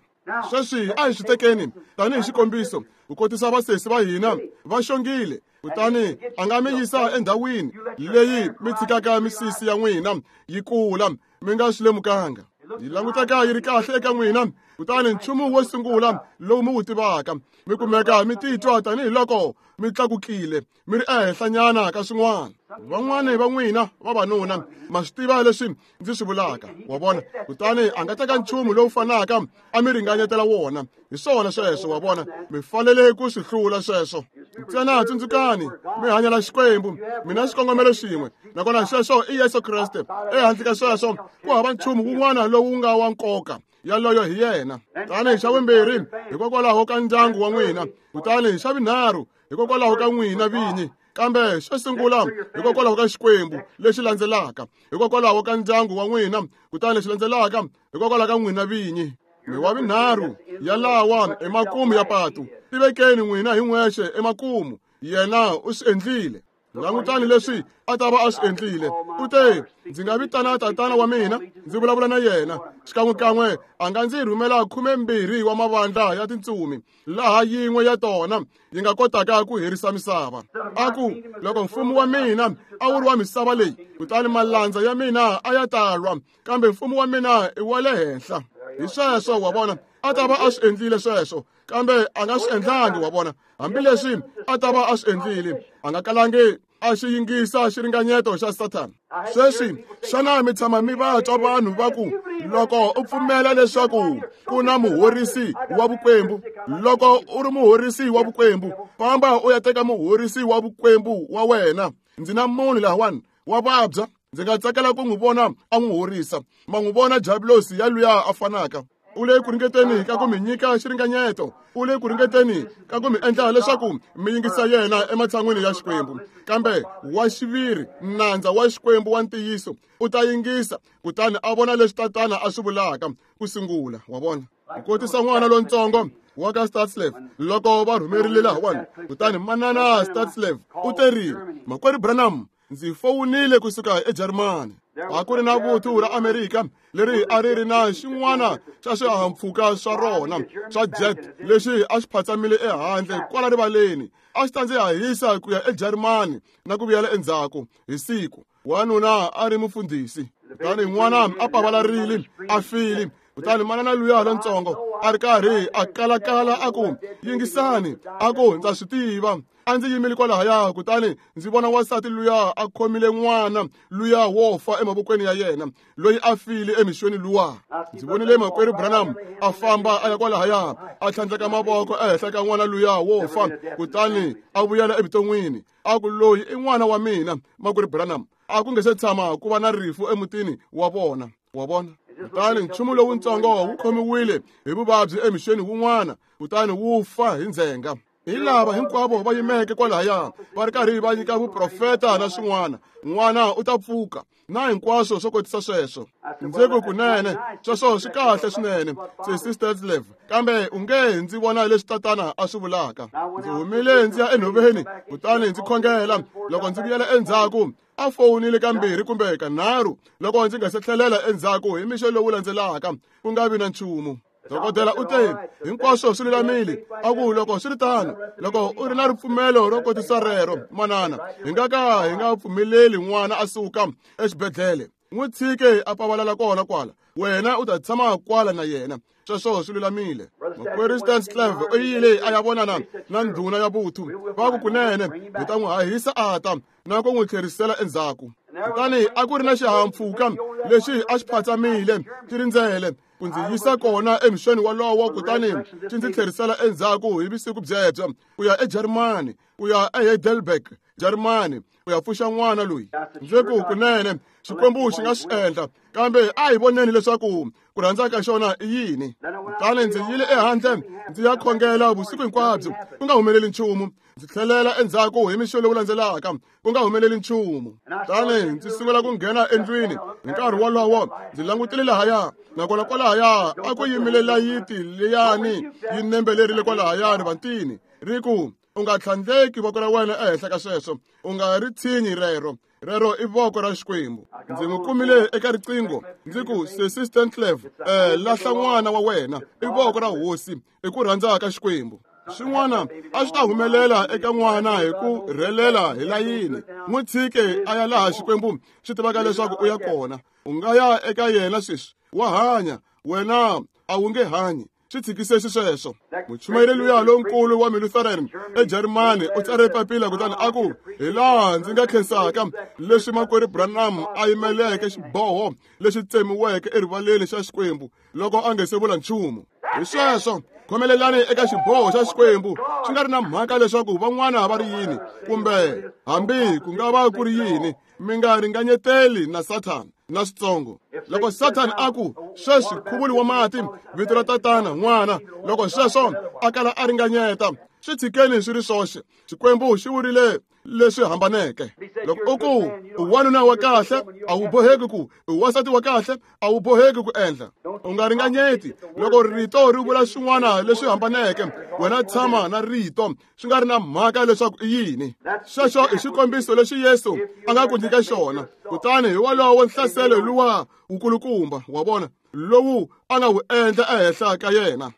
Sweswi a hi swi tekeni tanihi xikombiso, ku kotisa vasesi va hina va xongile, kutani a nga mi yisa endhawini leyi mi tshikaka misisi ya n'wina yi kula mi nga swi lemukanga, yi languteka yi ri kahle eka n'wina, kutani nchumu wo sungula lowu mi wu tivaka, mi kumeka mi titwa tanihiloko mi tlakukile, mi ri ehenhlanyana ka swin'wana. Van'wani va n'wina vavanuna ma swi tiva leswi ndzi swi vulaka, wa vona. Kutani a nga teka nchumu lowu fanaka a mi ringanyetela wona. Hi swona sweswo, wa vona, mi fanele ku swi hlula sweswo. Ntsena tsundzukani, mi hanyela Xikwembu, mi na xikongomelo xin'we, nakona xexo i Yesu Kreste. Ehandle ka sweswo ku hava nchumu wun'wana lowu nga wa nkoka, yaloyo hi yena. Tani xa vumbirhi, hikokwalaho ka ndyangu wa n'wina, kutani xa vunharhu, hikokwalaho ka n'wina vinyi. Kambe xo sungula, hikokwalaho ka Xikwembu, lexi landzelaka, hikokwalaho ka ndyangu wa n'wina, kutani lexi landzelaka, hikokwalaho ka n'wina vinyi. Mi wa vunharhu yalawa emakumu ya patu, tivekeni n'wina hi n'wexe emakumu. Yena u swi endlile. Langutani leswi a ta va a swi endlile. U te, ndzi nga vitana tatana wa mina, ndzi vulavula na yena. Xikan'wekan'we a nga ndzi rhumela khumembirhi wa mavandla ya tintsumi, laha yin'we ya tona yi nga kotaka ku herisa misava. A ku, loko mfumo wa mina a wu ri wa misava leyi, kutani malandza ya mina a ya ta lwa, kambe mfumo wa mina i wa le henhla. Hi sweswo, wa vona, a ta va a swi endlile sweswo, kambe a nga swi endlangi, wa vona. Hambileswi a ta va a swi endlile, a nga kalangi a xi yingisa xiringanyeto xa Sathana. Sweswi, xana mi tshama mi va twa vanhu va ku, loko u pfumela leswaku ku na muhorisi wa vukwembu, loko u ri muhorisi wa vukwembu, famba u ya teka muhorisi wa vukwembu wa wena. Ndzi na munhu lahawani wa vabya, ndzi nga tsakela ku n'wi vona a n'wi horisa. Ma n'wi vona Diablosi ya luya a fanaka. U le ku ringeteni ka ku mi nyika xiringanyeto, u le ku ringeteni ka ku mi endla leswaku mi yingisa yena ematshan'wini ya Xikwembu. Kambe wa xiviri, nandza wa Xikwembu wa ntiyiso, u ta yingisa, kutani a vona leswi tatana a swi vulaka ku sungula, wa vona. Ku kotisa n'wana lontsongo wa ka Statslev loko va rhumerile lahawani, kutani manana Statslev u terile, Makwerhu Branham, ndzi fowunile kusuka eJarimani. A ku ri na vuthu ra Amerika leri a ri ri na xin'wana xa swihahampfhuka swa rona swa jet lexi a xi phatsamile ehandle kwala rivaleni, a xi ta ndzi hahisa ku ya eJarimani na ku vuyela endzhaku hi siku. Wanuna a ri mufundhisi, kutani n'wana a pavalarile a file. Kutani manana luya lontsongo a ri karhi a kalakala a ku, yingisani, a ku ndza swi tiva. A ndzi yimile kwalahaya, kutani ndzi vona wansati luya a khomile n'wana luya wo fa emavokweni ya yena, loyi a file emixweni luwa. Ndzi vonile makwerhu Branham a famba a ya kwalahaya, a tlhandleka mavoko ehenhla ka n'wana luya wo fa, kutani a vuyela evuton'wini. A ku, loyi i n'wana wa mina, makwerhu Branham. A ku nge se tshama ku va na rifu emutini wa vona. Wa vona? Kutani nchumu lowuntsongo wu khomiwile hi vuvabyi emixweni wun'wana, kutani wu fa hi ndzhenga. Hi lava hinkwavo va yimeke kwalahaya va ri karhi va nyika vuprofeta na swin'wana, n'wana u ta pfuka na hinkwaswo swo kotisa sweswo. Ndzi ku, kunene sweswo swi kahle swinene, Sesi Stetslev, kambe u nge ndzi vona leswi tatana a swi vulaka. Ndzi humile ndzi ya enhoveni, kutani ndzi khongela. Loko ndzi vuyela endzhaku, a fowunile kambirhi kumbe kanharhu loko ndzi nga se tlhelela endzhaku hi mixo lowu landzelaka, ku nga vi na nchumu. Dokodela u te, hinkwaswo swi lulamile. A ku, loko swi ri tano, loko u ri na ripfumelo ro kotisa rero, manana, hi nga ka hi nga pfumeleli n'wana a suka exibedhlele. N'wi tshike a pavalala kona kwala, wena u ta tshama kwala na yena. Sweswo swi lulamile. Makwerhu Stanslev u yile a ya vonana na ndhuna ya vuthu. Va ku, kunene hi ta n'wi hahisa a ta na ku n'wi tlherisela endzhaku. Kutani a ku ri na xihahampfhuka lexi a xi phatsamile xi rindzele ku ndzi yisa kona emixweni wolowo, kutani xi ndzi tlherisela endzhaku hi vusiku byebyo ku ya eJarimani, ku ya eHeidelberg, Jarimani, ku ya pfuxa n'wana loyi. Ndzi ku, kunene Xikwembu xi nga swi endla, kambe a hi voneni leswaku ku rhandza ka xona i yini. Kutani ndzi yile ehandle ndzi ya khongela vusiku hinkwabyo, ku nga humeleli nchumu. Ndzi tlhelela endzhaku hi mixo lowu landzelaka, ku nga humeleli nchumu. Kutani ndzi sungula ku nghena endlwini. Hi nkarhi wolowo ndzi langutile lahaya, nakona kwalahaya a ku yimile layiti leyani yi nembelerile kwalahaya rivantini, ri ku, u nga tlhandleki voko ra wena ehenhla ka sweswo, u nga ri tshinyi rero. Rero i voko ra Xikwembu. Ndzi n'wi kumile eka riqingho, ndzi ku, Sesi Stantlev, eh, lahla n'wana wa wena, i voko ra hosi, i ku rhandza ka Xikwembu. Swin'wana a swi ta humelela eka n'wana hi ku rhelela hi layini. N'wi tshike a ya laha Xikwembu xi tivaka leswaku u ya kona. U nga ya eka yena sweswi, wa hanya, wena a wu nge hanyi. Swi tshikise xisweswo. Muchumayeri luya lonkulu wa Lutheran eJarimani u tsare papila kutani a ku, hi laha ndzi nga khensaka leswi makwerhu Branham a yimeleke xiboho lexi tsemiweke erivaleni xa Xikwembu loko a nge se vula nchumu. Hi sweswo, khomelelani eka xiboho xa Xikwembu, swi nga ri na mhaka leswaku van'wana va ri yini kumbe hambi ku nga va ku ri yini, mi nga ringanyeteli na Sathana na switsongo. Loko Sathana a ku, sweswi khuvuli wa mati, vito ra tatana, n'wana, loko sweswo a kala a ringanyeta, swi tshikeni swi ri swoxe. Xikwembu xi vurile leswi hambaneke. Loko u ku u wanuna wa kahle, a wu boheki ku u wansati wa kahle, a wu boheki ku endla. U nga ringanyeti. Loko rito ri vula swin'wana leswi hambaneke, wena tshama na rito, swi nga ri na mhaka leswaku i yini. Sweswo i xikombiso lexi Yesu a nga ku nyika xona. Kutani hi wolowo nhlaselo luwa wukulukumba, wa vona, lowu a nga wu endla ehenhla ka yena.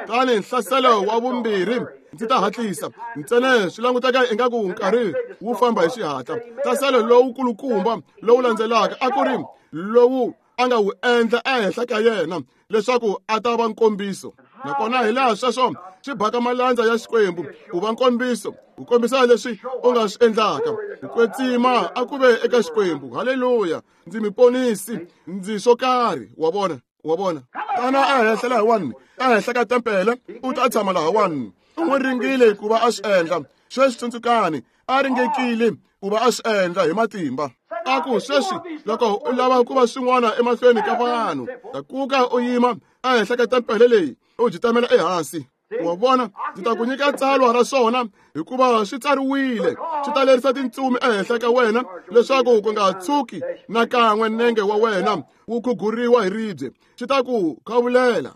Kutani nhlaselo wa vumbirhi, ndzi ta hatlisa ntsena swi languteka ingaku nkarhi wu famba hi xihatla. Nhlaselo lowukulukumba lowu landzelaka a ku ri lowu a nga wu endla ehenhla ka yena leswaku a ta va nkombiso. Nakona hi laha sweswo swi baka malandza ya Xikwembu ku va nkombiso, ku kombisa leswi u nga swi endlaka. Ku kwetsima a ku ve eka Xikwembu. Haleluya! Ndzi mi ponisi, ndzi swo karhi. Wa vona, wa vona. Tana ehenhla lahawani, ehenhla ka tempele, u ta tshama lahawani. U n'wi ringile ku va a swi endla. Sweswi tsundzukani, a ringekile ku va a swi endla hi matimba. A ku, sweswi loko u lava ku va swin'wana emahlweni ka vanhu, tlakuka u yima ehenhla ka tempele leyi, u jitamela ehansi. Wa vona, ndzi ta ku nyika tsalwa ra swona, hikuva swi tsariwile, swi ta lerisa tintsumi ehenhla ka wena leswaku ku nga tshuki nakan'we nenge wa wena wu khuguriwa hi ribye. Swi ta ku khavulela.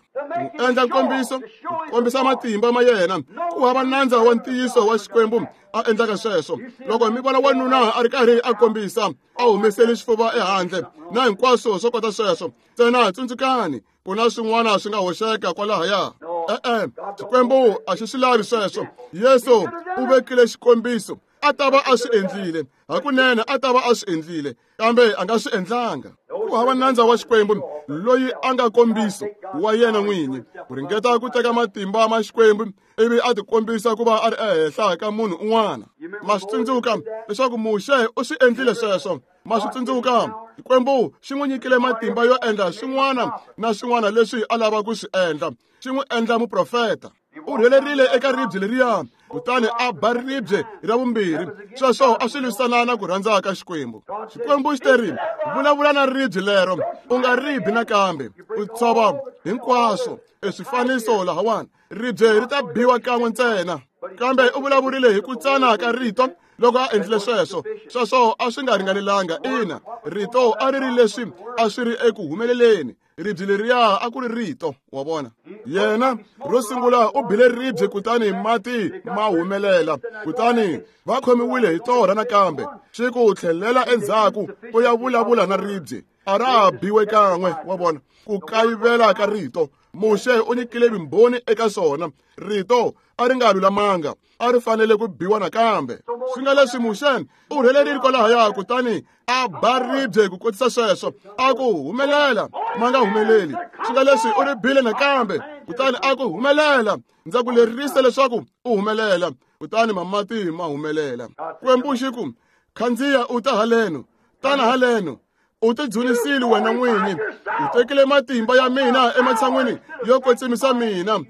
Ku endla nkombiso, ku kombisa matimba ma yena. Ku hava nandza wa ntiyiso wa Xikwembu a endlaka sweswo. Loko mi vona wanuna a ri karhi a kombisa, a humeseli xifuva ehandle na hinkwaswo swo kota sweswo, ntsena tsundzukani, ku na swin'wana swi nga hoxeka kwalahaya. E-e, Xikwembu a xi swi lavi sweswo. Yesu u vekile xikombiso, A ta va a swi endlile, hakunene a ta va a swi endlile, kambe a nga swi endlanga. Ku hava nandza wa Xikwembu loyi a nga kombiso wa yena n'winyi ku ringeta ku teka matimba ma Xikwembu ivi a tikombisa ku va a ri ehenhla ka munhu un'wana. Ma swi tsundzuka leswaku Muxe u swi endlile sweswo. Ma swi tsundzuka Xikwembu xi n'wi nyikile matimba yo endla swin'wana na swin'wana leswi a lava ku swi endla, xi n'wi endla muprofeta. U rhelerile eka ribye leriya kutani a ba ribye ra vumbirhi. Sweswo a swi lwisana na ku rhandza ka Xikwembu. Xikwembu xi teri, vulavula na ribye lero, u nga ribi nakambe, u tshova hinkwaswo e swifaniso lahawani. Ribye ri ta biwa kan'we ntsena. Kambe u vulavurile hi ku tsana ka rito loko a endlile sweswo. Sweswo a swi nga ringanelanga. Ina, rito a ri ri leswi a swi ri eku humeleleni. Ribye leriya a ku ri rito, wa vona. Yena ro sungula u bile ribye kutani mati ma humelela, kutani va khomiwile hi torha nakambe. Xi ku tlhelela endzhaku u ya vulavula na ribye, a ra biwe kan'we, wa vona. Ku kayivela ka rito, Muxe u nyikile vumbhoni eka swona. Rito a ri nga lulamanga, a ri fanele ku biwa nakambe. Swi nga leswi Muxe u rhelerile kwalahaya kutani a ba ribye ku kotisa sweswo, a ku humelela, ma nga humeleli. Swi nga leswi u ri bile nakambe kutani a ku humelela, ndza ku lerisa leswaku u humelela, kutani mamati ma humelela. Xikwembu xi ku, khandziya u ta haleno, tana haleno. U tidzunisile wena n'winyi, u tekile matimba ya mina ematshan'wini yo kwetsimisa mina.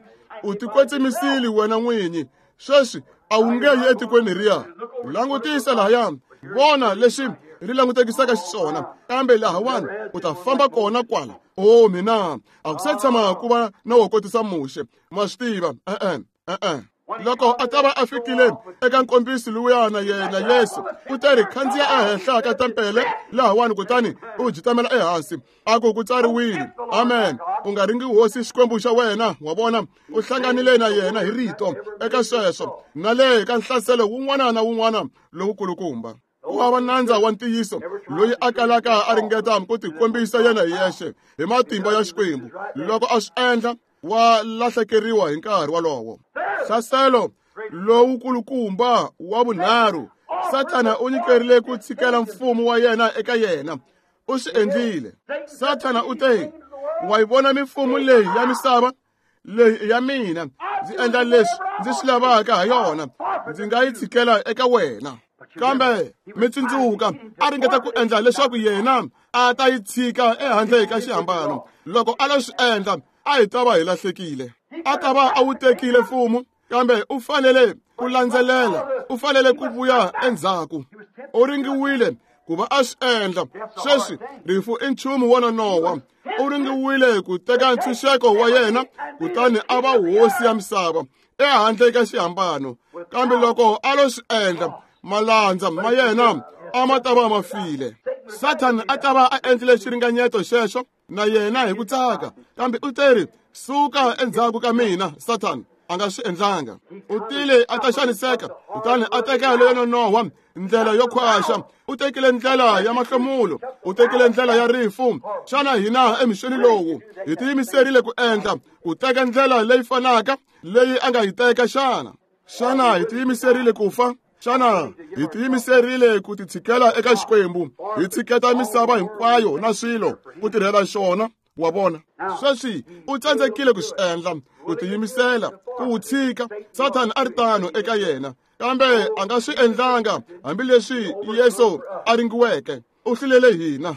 U tikwetsimisile wena n'winyi, sweswi a wu nge yi etikweni leriya. Langutisa lahaya, vona leswi ri langutekisaka xiswona, kambe lahawani u ta famba kona kwala. O mina, a ku se tshama ku va na wo kotisa Muxe. Ma swi tiva, e-e, e-e. Loko a ta va a fikile eka nkombiso luya na yena Yesu, u ta ri khandziya ehenhla ka tempele lahawani kutani u jitamela ehansi, a ku ku tsariwile. Amen. U nga ringi hosi Xikwembu xa wena, wa vona. U hlanganile na yena hi rito eka sweswo na le ka nhlaselo wun'wana na wun'wana lowukulukumba. Ku hava nandza wa ntiyiso loyi a kalaka a ringeta ku tikombisa yena hi yexe hi matimba ya Xikwembu. Loko a swi endla, wa lahlekeriwa hi nkarhi wolowo. Hlaselo lowukulukumba wa vunharhu, Sathana u nyikerile ku tshikela mfumo wa yena eka yena. U swi endlile. Sathana u te, wa yi vona mimfumo leyi ya misava, leyi i ya mina, ndzi endla leswi ndzi swi lavaka ha yona, ndzi nga yi tshikela eka wena. Kambe mi tsundzuka, a ringeta ku endla leswaku yena a ta yi tshika ehandle ka xihambano. Loko a lo swi endla, a hi ta va hi lahlekile. A ta va a wu tekile mfumo, kambe u fanele ku landzelela, u fanele ku vuya endzhaku. U ringiwile ku va a swi endla. Sweswi rifu i nchumu wo nonoha. U ringiwile ku teka ntshunxeko wa yena kutani a va hosi ya misava ehandle ka xihambano. Kambe loko a lo swi endla, malandza ma yena a ma ta va ma file. Sathana a ta va a endlile xiringanyeto xexo na yena hi ku tsaka, kambe u teri, suka endzhaku ka mina, Sathana. A nga swi endlanga. U tile a ta xaniseka, kutani a teka leyo nonoha ndlela yo khwaxa. U tekile ndlela ya mahlomulo, u tekile ndlela ya rifu. Xana hina emixweni lowu hi tiyimiserile ku endla ku teka ndlela leyi fanaka leyi a nga yi teka xana? Xana hi tiyimiserile ku fa? Xana hi tiyimiserile ku titshikela eka Xikwembu, hi tshiketa misava hinkwayo na swilo ku tirhela xona? Wa vona, sweswi u tsandzekile ku swi endla, ku tiyimisela ku wu tshika. Sathana a ri tano eka yena, kambe a nga swi endlanga hambileswi Yesu a ringiweke. U hlulele hina.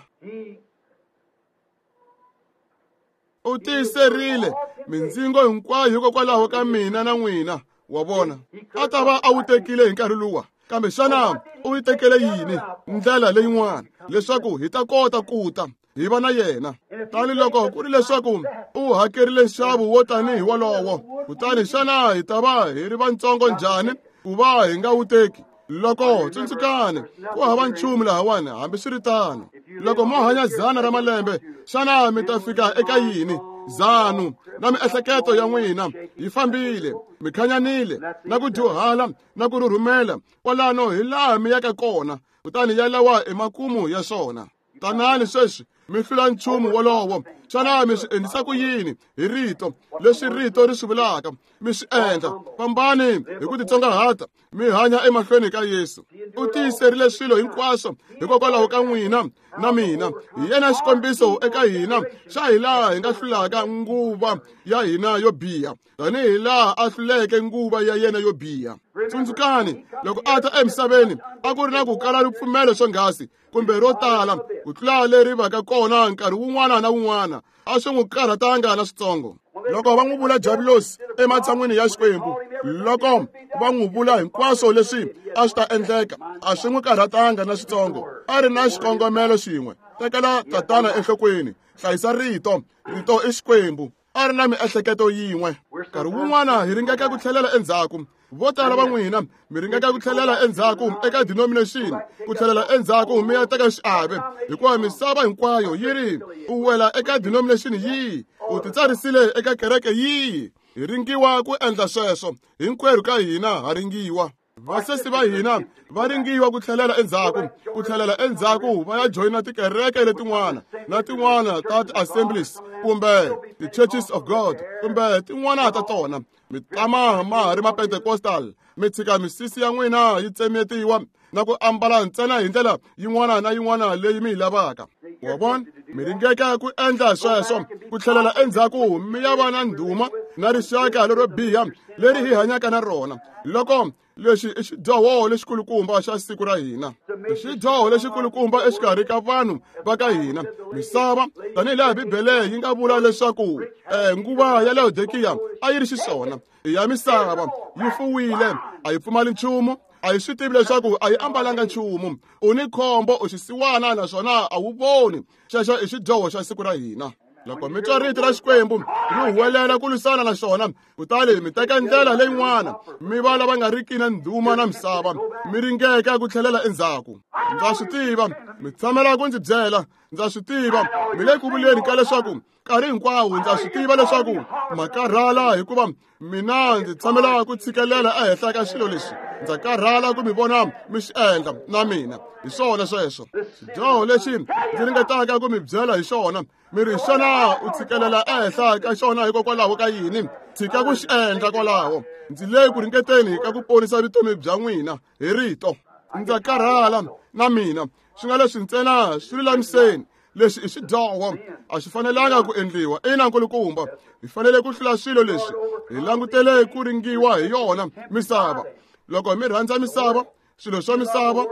U tiyiserile mindzingo hinkwayo hikokwalaho ka mina na n'wina. Wa vona, a ta va a wu tekile hi nkarhi luwa, kambe xana u yi tekele yini ndlela leyin'wana leswaku hi ta kota ku ta hi va na yena? Tani loko ku ri leswaku u hakerile nxavo wo tanihi wolowo, kutani xana hi ta va hi ri vatsongo njhani ku va hi nga wu teki? Loko tsundzukani, ku hava nchumu lahawani hambiswiritano. Loko mo hanya dzana ra malembe, xana mi ta fika eka yini? Zanu na miehleketo ya n'wina yi fambile, mi khanyanile na ku dyuhala na ku rhurhumela kwalano hi laha mi yaka kona, kutani yalawa i makumu ya swona. Tanani sweswi mi hlula nchumu wolowo Xana mi swi endlisa ku yini? Hi rito, leswi rito ri swi vulaka, mi swi endla. Fambani hi ku titsongahata, mi hanya emahlweni ka Yesu. U tiyiserile swilo hinkwaswo hikokwalaho ka n'wina na mina. Hi yena xikombiso eka hina xa hi laha hi nga hlulaka nguva ya hina yo biha, tanihi laha a hluleke nguva ya yena yo biha. Tsundzukani, loko a ta emisaveni a ku ri na ku kala ripfumelo swonghasi kumbe ro tala ku tlula leri vaka kona nkarhi wun'wana na wun'wana, a swi n'wi karhatanga na switsongo. Loko va n'wi vula Diabulosi ematshan'wini ya Xikwembu, loko va n'wi vula hinkwaswo leswi a swi ta endleka, a swi n'wi karhatanga na switsongo. A ri na xikongomelo xin'we: tekela Tatana enhlokweni, hlayisa rito, rito i Xikwembu. A ri na miehleketo yin'we. Nkarhi wun'wana hi ringeka ku tlhelela endzhaku. Vo tala va n'wina mi ringeka ku tlhelela endzhaku eka denomination, ku tlhelela endzhaku mi ya teka xiave, hikuva misava hinkwayo yi ri u wela eka denomination yihi, u titsarisile eka kereke yihi. Hi ringiwa ku endla sweswo, hinkwerhu ka hina ha ringiwa. Vasesi va hina va ringiwa ku tlhelela endzhaku, ku tlhelela endzhaku va ya joyina tikereke letin'wana na tin'wana ta ti-assemblies kumbe ti-churches of God kumbe tin'wana ta tona. Mi tama ma ha ri ma-Pentecostal, mi tshika misisi ya n'wina yi tsemetiwa na ku ambala ntsena hi ndlela yin'wana na yin'wana leyi mi yi lavaka. Wa vona, mi ringeka ku endla sweswo, ku tlhelela endzhaku mi ya va na ndhuma na rixaka lero biha leri hi hanyaka na rona. Loko lexi i xidyoho lexikulukumba xa siku ra hina, i xidyoho lexikulukumba exikarhi ka vanhu va ka hina. Misava, tanihi laha Bibele yi nga vula leswaku eh, nguva ya Laodikiya a yi ri xiswona, i ya misava, yi fuwile, a yi pfumali nchumu, a yi swi tivi leswaku a yi ambalanga nchumu. U ni khombo, u xisiwana, naswona a wu voni. Xexo i xidyoho xa siku ra hina. Loko mi twa rito ra Xikwembu ri huwelela ku lwisana na xona, kutani mi teka ndlela leyin'wana, mi va lava nga riki na ndhuma na misava, mi ringeka ku tlhelela endzhaku. Ndza swi tiva, mi tshamela ku ndzi byela, ndza swi tiva, mi le ku vuleni ka leswaku nkarhi hinkwawo ndza swi tiva leswaku ma karhala, hikuva mina ndzi tshamela ku tshikelela ehenhla ka swilo leswi. Ndza karhala ku mi vona mi swi endla na mina. Hi swona sweswo xidyoho lexi ndzi ringetaka ku mi byela hi xona. Mi ri, xana u tshikelela ehenhla ka xona hikokwalaho ka yini? Tshika ku xi endla kwalaho. Ndzi le ku ringeteni ka ku ponisa vutomi bya n'wina hi rito. Ndza karhala na mina, swi nga leswi ntsena swi lulamiseni. Leswi i xidyoho, a swi fanelanga ku endliwa. Ina, nkulukumba, hi fanele ku hlula swilo leswi. Hi langutele ku ringiwa hi yona misava. Loko mi rhandza misava, swilo swa misava,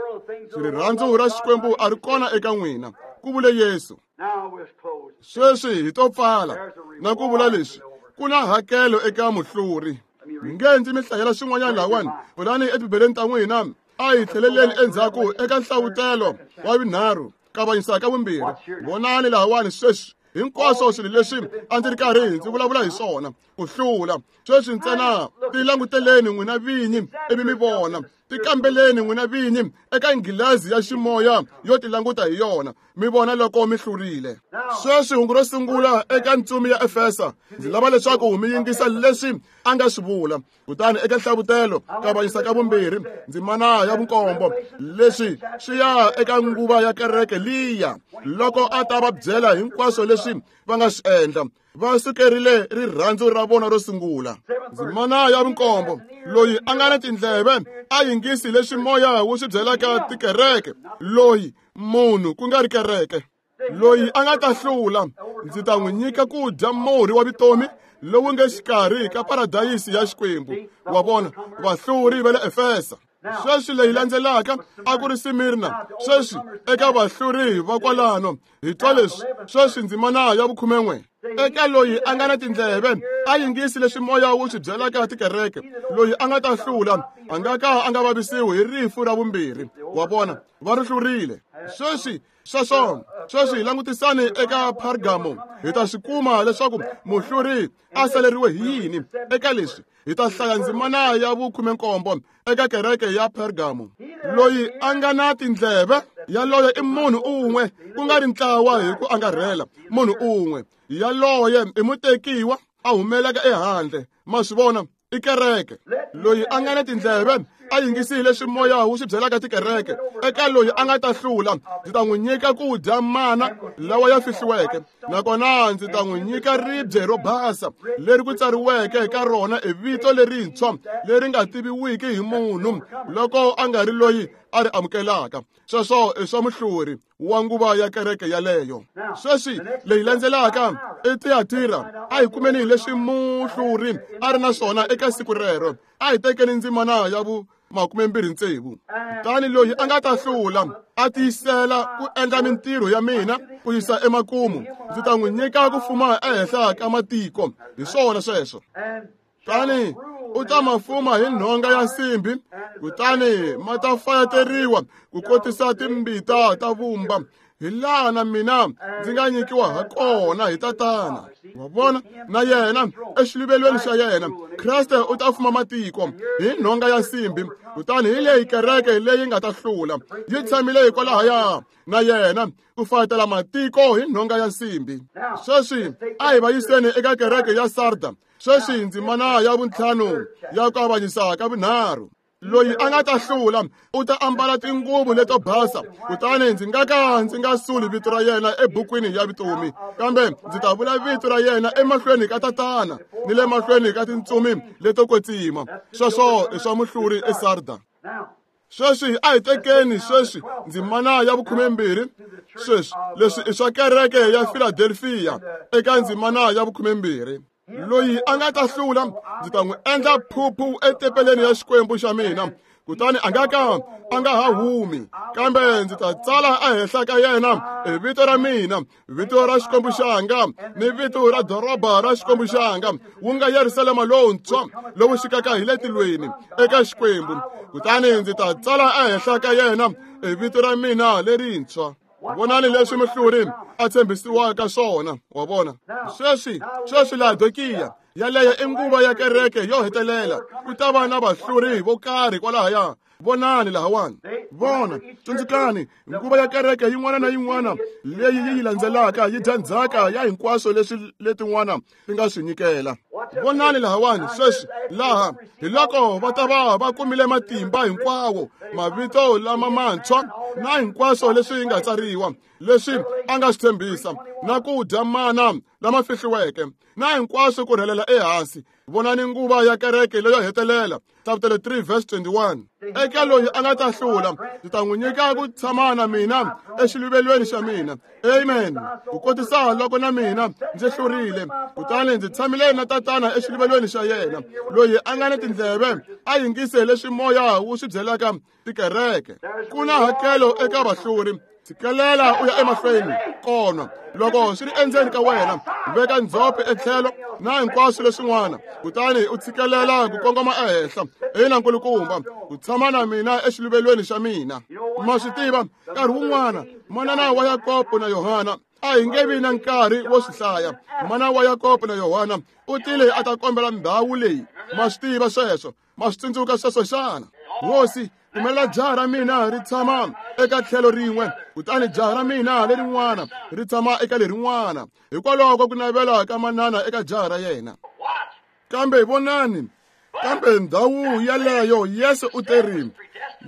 rirhandzu ra Xikwembu a ri kona eka n'wina, ku vule Yesu. Sweswi hi to pfala na ku vula leswi: ku na hakelo eka muhluri. Mi nge ndzi mi hlayela swin'wanyana lahawani, pfulani etibibeleni ta n'wina. A hi tlheleleni endzhaku eka nhlavutelo wa vunharhu, kavanyisa ka vumbirhi. Vonani lahawani sweswi hinkwaswo swilo leswi a ndzi ri karhi ndzi vulavula hi swona, ku hlula. Sweswi ntsena tilanguteleni n'wina vinyi ivi mi vona, tikambeleni n'wina vinyi eka nghilazi ya ximoya yo tilanguta hi yona, mi vona loko mi hlurile. Sweswi hungu ro sungula eka ntsumi ya Efesa, ndzi lava leswaku mi yingisa leswi a nga swi vula. Kutani eka nhlavutelo kavanyisa ka vumbirhi, ndzimana ya vunkombo, leswi swi ya eka nguva ya kereke liya, loko a ta va byela hinkwaswo leswi va nga swi endla. Va sukerile rirhandzu ra vona ro sungula. Ndzimana ya vunkombo, loyi a nga na tindleve a yingisi leswi moya wu swi byelaka tikereke, loyi munhu ku nga ri kereke, loyi a nga ta hlula, ndzi ta n'wi nyika ku dya murhi wa vutomi lowu nge xikarhi ka paradayisi ya Xikwembu. Wa vona, vahluri va le Efesa. Sweswi leyi landzelaka a ku ri Simirna. Sweswi eka vahluri va kwalano hi twa leswi. Sweswi ndzimana ya vukhumen'we, eka loyi a nga na tindleve a yingisi leswi moya wu swi byelaka tikereke, loyi a nga ta hlula a nga ka a nga vavisiwi hi rifu ra vumbirhi. Wa vona, va ri hlurile. Sweswi sweswo sweswi hi langutisani eka Pergamo, hi ta swi kuma leswaku muhluri a saleriwe hi yini eka leswi. Hi ta hlaya ndzimana ya vukhumenkombo eka kereke ya Pergamo. Loyi a nga na tindleve, yaloye i munhu un'we, ku nga ri ntlawa hi ku angarhela, munhu un'we. Yaloye i mutekiwa a humelaka ehandle. Ma swi vona, i kereke. Loyi a nga na tindleve a yingisile leswi moya wu swi byelaka tikereke. Eka loyi a nga ta hlula, ndzi ta n'wi nyika ku dya mana lawa ya fihliweke, nakona ndzi ta n'wi nyika ribye ro basa leri ku tsariweke eka rona e vito lerintshwa leri nga tiviwiki hi munhu loko a nga ri loyi a ri amukelaka. Sweswo i swa muhluri wa nguva ya kereke yaleyo. Sweswi leyi landzelaka i Tiyatira. A hi kumeni leswi muhluri a ri na swona eka siku rero. A hi tekeni ndzimana ya vu makume mbirhi tsevu. Kutani loyi a nga ta hlula a tiyisela ku endla mintirho ya mina ku yisa emakumu, ndzi ta n'wi nyika ku fuma ehenhla ka matiko. Hi swona sweswo. Tani u ta ma fuma hi nhonga ya nsimbi, kutani ma ta fayateriwa ku kotisa timbita ta vumba, hi laha na mina ndzi nga nyikiwa ha kona hi Tatana. Wa vona, na yena exiluvelweni xa yena Kreste u ta fuma matiko hi nhonga ya nsimbi. Kutani hi leyi kereke leyi nga ta hlula yi tshamile hikwalahaya na yena ku fayetela matiko hi nhonga ya nsimbi. Sweswi a hi va yiseni eka kereke ya Sarda. Sweswi ndzimana ya vuntlhanu ya ku avanyisa ka vunharhu. Loyi a nga ta hlula u ta ambala tinguvu leto basa, kutani ndzi nga ka ndzi nga suli vito ra yena ebukwini ya vutomi, kambe ndzi ta vula vito ra yena emahlweni ka Tatana ni le mahlweni ka tintsumi leto kwetsima. Sweswo i swa muhluri eSarda. Sweswi a hi tekeni sweswi ndzimana ya vukhumembirhi. Sweswi leswi i swa kereke ya Philadelphia eka ndzimana ya vukhumembirhi. Loyi a nga ta hlula ndzi ta n'wi endla phuphu etempeleni ya Xikwembu xa mina, kutani a nga ka a nga ha humi, kambe ndzi ta tsala ehenhla ka yena e vito ra mina, vito ra Xikwembu xanga ni vito ra doroba ra Xikwembu xanga, wu nga Yerusalema lowuntshwa lowu xikaka hi le tilweni eka Xikwembu, kutani ndzi ta tsala ehenhla ka yena e vito ra mina lerintshwa. Vonani leswi muhluri a tshembisiwaka swona. Wa vona, sweswi sweswi Laodikiya yaleyo i nguva ya kereke yo hetelela. Ku ta va na vahluri vo karhi kwalahaya. Vonani lahawani. Vona, tsundzukani, nguva ya kereke yin'wana na yin'wana leyi yi yi landzelaka yi dya ndzhaka ya hinkwaswo leswi letin'wana ti nga swi nyikela. Vonani lahawani sweswi laha hi loko va ta va va kumile matimba hinkwawo, mavito lama mantshwa na hinkwaswo leswi nga tsariwa, leswi a nga swi tshembisa, na ku dya mana lama fihliweke, na hinkwaswo ku rhelela ehansi. Vonani nguva ya kereke leyo hetelela, chapter three verse twenty-one. Eka loyi a nga ta hlula ndzi ta n'wi nyika ku tshama na mina exiluvelweni xa mina. Amen. Ku kotisa loko na mina ndzi hlurile, kutani ndzi tshamile na Tatana exiluvelweni xa yena. Loyi a nga ni tindleve a yingise leswi moya wu swi byelaka tikereke. Ku na hakelo eka vahluri. Tshikelela u ya emahlweni kona loko swi ri endzeni ka wena, veka ndzhope etlhelo na hinkwaswo leswin'wana, kutani u tshikelela ku kongoma ehenhla. Ina nkulukumba, ku tshama na mina exiluvelweni xa mina. Ma swi tiva, nkarhi wun'wana manana wa Yakobo na Yohana, a hi nge vi na nkarhi wo swi hlaya. Mana wa Yakobo na Yohana u tile a ta kombela ndhawu leyi. Ma swi tiva sweswo, ma swi tsundzuka sweswo xana? Hosi, pfumelela jaha ra mina ri tshama eka tlhelo rin'we, kutani jaha ra mina lerin'wana ri tshama eka lerin'wana. Hikwalaho ku navela ka manana eka jaha ra yena. Kambe vonani, kambe ndhawu yaleyo Yesu u terile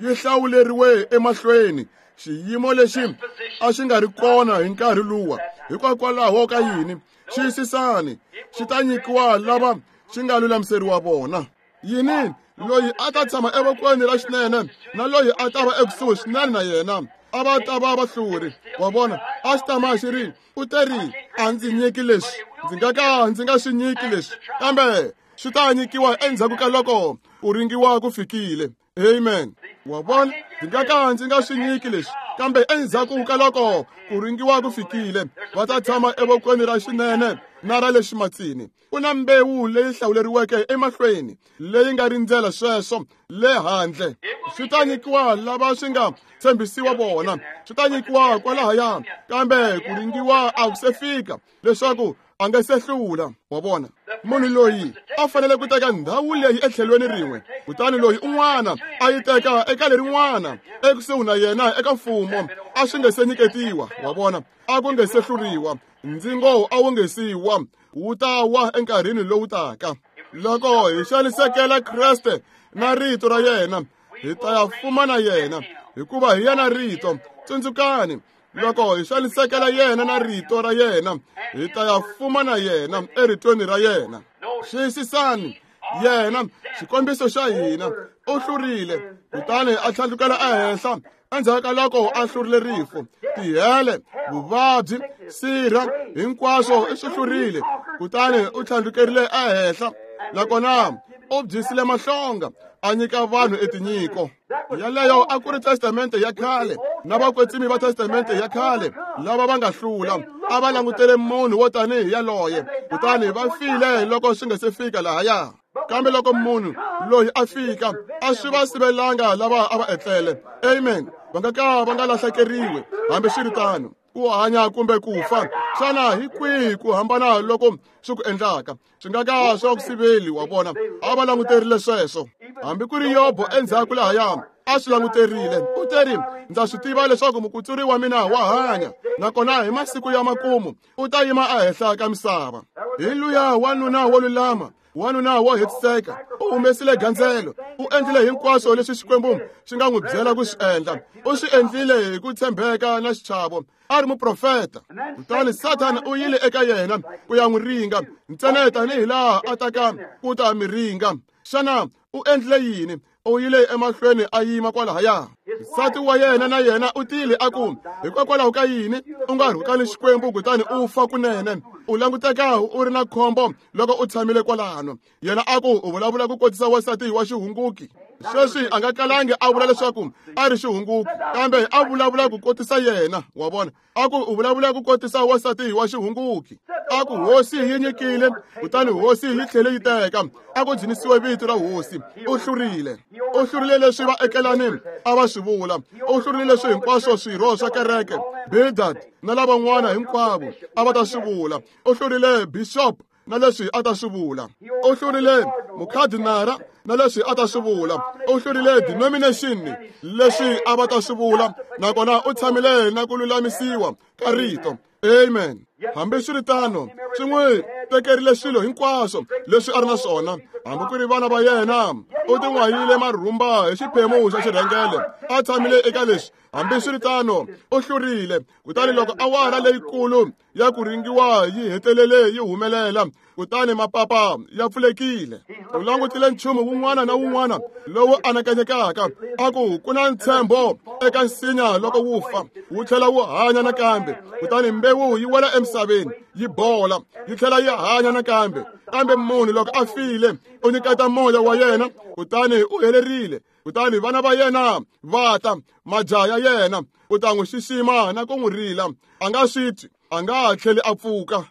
yi hlawuleriwe emahlweni, xiyimo lexi a xi nga ri kona hi nkarhi luwa. Hikokwalaho ka yini? Xiyisisani, xi ta nyikiwa lava xi nga lulamiseriwa vona. Yini? Loyi a ta tshama evokweni ra xinene na loyi a ta va ekusuhi swinene na yena a va ta va vahluri. Wa vona, a xi tama xi ri u teri a ndzi nyiki leswi, ndzi nga ka ndzi nga swi nyiki leswi, kambe swi ta nyikiwa endzhaku ka loko ku ringiwa ku fikile. Amen. Wa vona, ndzi nga ka ndzi nga swi nyiki leswi, kambe endzhaku ka loko ku ringiwa ku fikile, va ta tshama evokweni ra xinene na ra le ximatsini. Ku na mbewu leyi hlawuleriweke emahlweni leyi nga rindzela sweswo le handle. Swi ta nyikiwa lava swi nga tshembisiwa vona, swi ta nyikiwa kwalahaya, kambe ku ringiwa a ku se fika leswaku a nga se hlula. Wa vona, munhu loyi a fanele ku teka ndhawu leyi etlhelweni rin'we, kutani loyi un'wana a yi teka eka lerin'wana ekusuhi na yena eka mfumo, a swi nge se nyiketiwa. Wa vona, a ku nge se hluriwa, ndzingo a wu nge siwa, wu ta wa enkarhini lowu taka. Loko hi xanisekela Kreste na rito ra yena, Hi ta ya fuma na yena, hikuva hi yena rito. Tsundzukani, loko hi xanisekela yena na rito ra yena, hi ta ya fuma na yena eritweni ra yena. Xiyisisani, yena xikombiso xa hina u hlurile, kutani a tlhandlukela ehenhla endzhaku ka loko a hlurile rifu, tihele, vuvabyi, sirha, hinkwaswo i swi hlurile, kutani u tlhandlukerile ehenhla. Nakona u byisile mahlonga, a nyika vanhu etinyiko. Yaleyo a ku ri testamente ya khale na vakwetsimi va testamente ya khale lava va nga hlula, a va langutele munhu wo tanihi yaloye, kutani va file loko swi nga se fika lahaya. Kambe loko munhu loyi a fika, a swi va sivelanga lava a va etlele. Amen. Va nga ka va nga lahlekeriwi hambi swi ri tano, ku hanya kumbe ku fa. Xana hi kwihi ku hambana loko swi ku endlaka? Swi nga ka swa ku siveli, wa vona. A va languterile sweswo. Hambi ku ri Yobo endzhaku lahaya a swi languterile. U teri, ndza swi tiva leswaku mukutsuri wa mina wa hanya, nakona hi masiku ya makumu u ta yima ehenhla ka misava. Hi luya wanuna wo lulama, wanuna wo hetiseka, u humesile gandzelo, u endlile hinkwaswo leswi Xikwembu xi nga n'wi byela ku swi endla. U swi endlile hi ku tshembeka na xichavo, a ri muprofeta. Kutani Sathana u yile eka yena ku ya n'wi ringa, ntsena tanihi laha a taka ku ta mi ringa. Xana u endlile yini? U yile emahlweni a yima kwalahaya. Nsati wa yena na yena u tile a ku, hikokwalaho ka yini u nga rhukani Xikwembu kutani u fa kunene? U languteka u ri na khombo loko u tshamile kwalano. Yena a ku, u vulavula ku kotisa wansati wa xihunguki. Sweswi a nga kalangi a vula leswaku a ri xihunguki, kambe a vulavula ku kotisa yena, wa vona. A ku u vulavula ku kotisa wansati wa xihunguki. A ku hosi yi nyikile, kutani hosi yi tlhele yi teka. A ku dzunisiwe vito ra hosi. U hlurile. U hlurile leswi vaekelani a va swi vula. U hlurile leswi hinkwaswo swirho swa kereke, Bildad na lavan'wana hinkwavo a va ta swi vula. U hlurile bishop na leswi a ta swi vula. U hlurile mukhadinara na leswi a ta swi vula. U hlurile denomination leswi a va ta swi vula. Nakona u tshamile na ku lulamisiwa ka rito. Amen. Hambi swi ri tano, swi n'wi tekerile swilo hinkwaswo leswi a ri na swona, hambi ku ri vana va yena. U tin'wayile marhumba hi xiphemu xa xirhengele, a tshamile eka leswi. Hambi swi ri tano, u hlurile. Kutani loko awara leyikulu ya ku ringiwa yi hetelele yi humelela, kutani mapapa ya pfulekile. U langutile nchumu wun'wana na wun'wana lowu anakanyekaka, a ku ku na ntshembo eka nsinya loko wu fa, wu tlhela wu hanya nakambe. Kutani mbewu yi wela emisaveni, yi bola, yi tlhela yi hanya nakambe. Kambe munhu loko a file, u nyiketa moya wa yena, kutani u helerile. Kutani vana va yena va ta, majaha ya yena, u ta n'wi xixima na ku n'wi rila. A nga swi twi, a nga ha tlheli a pfuka.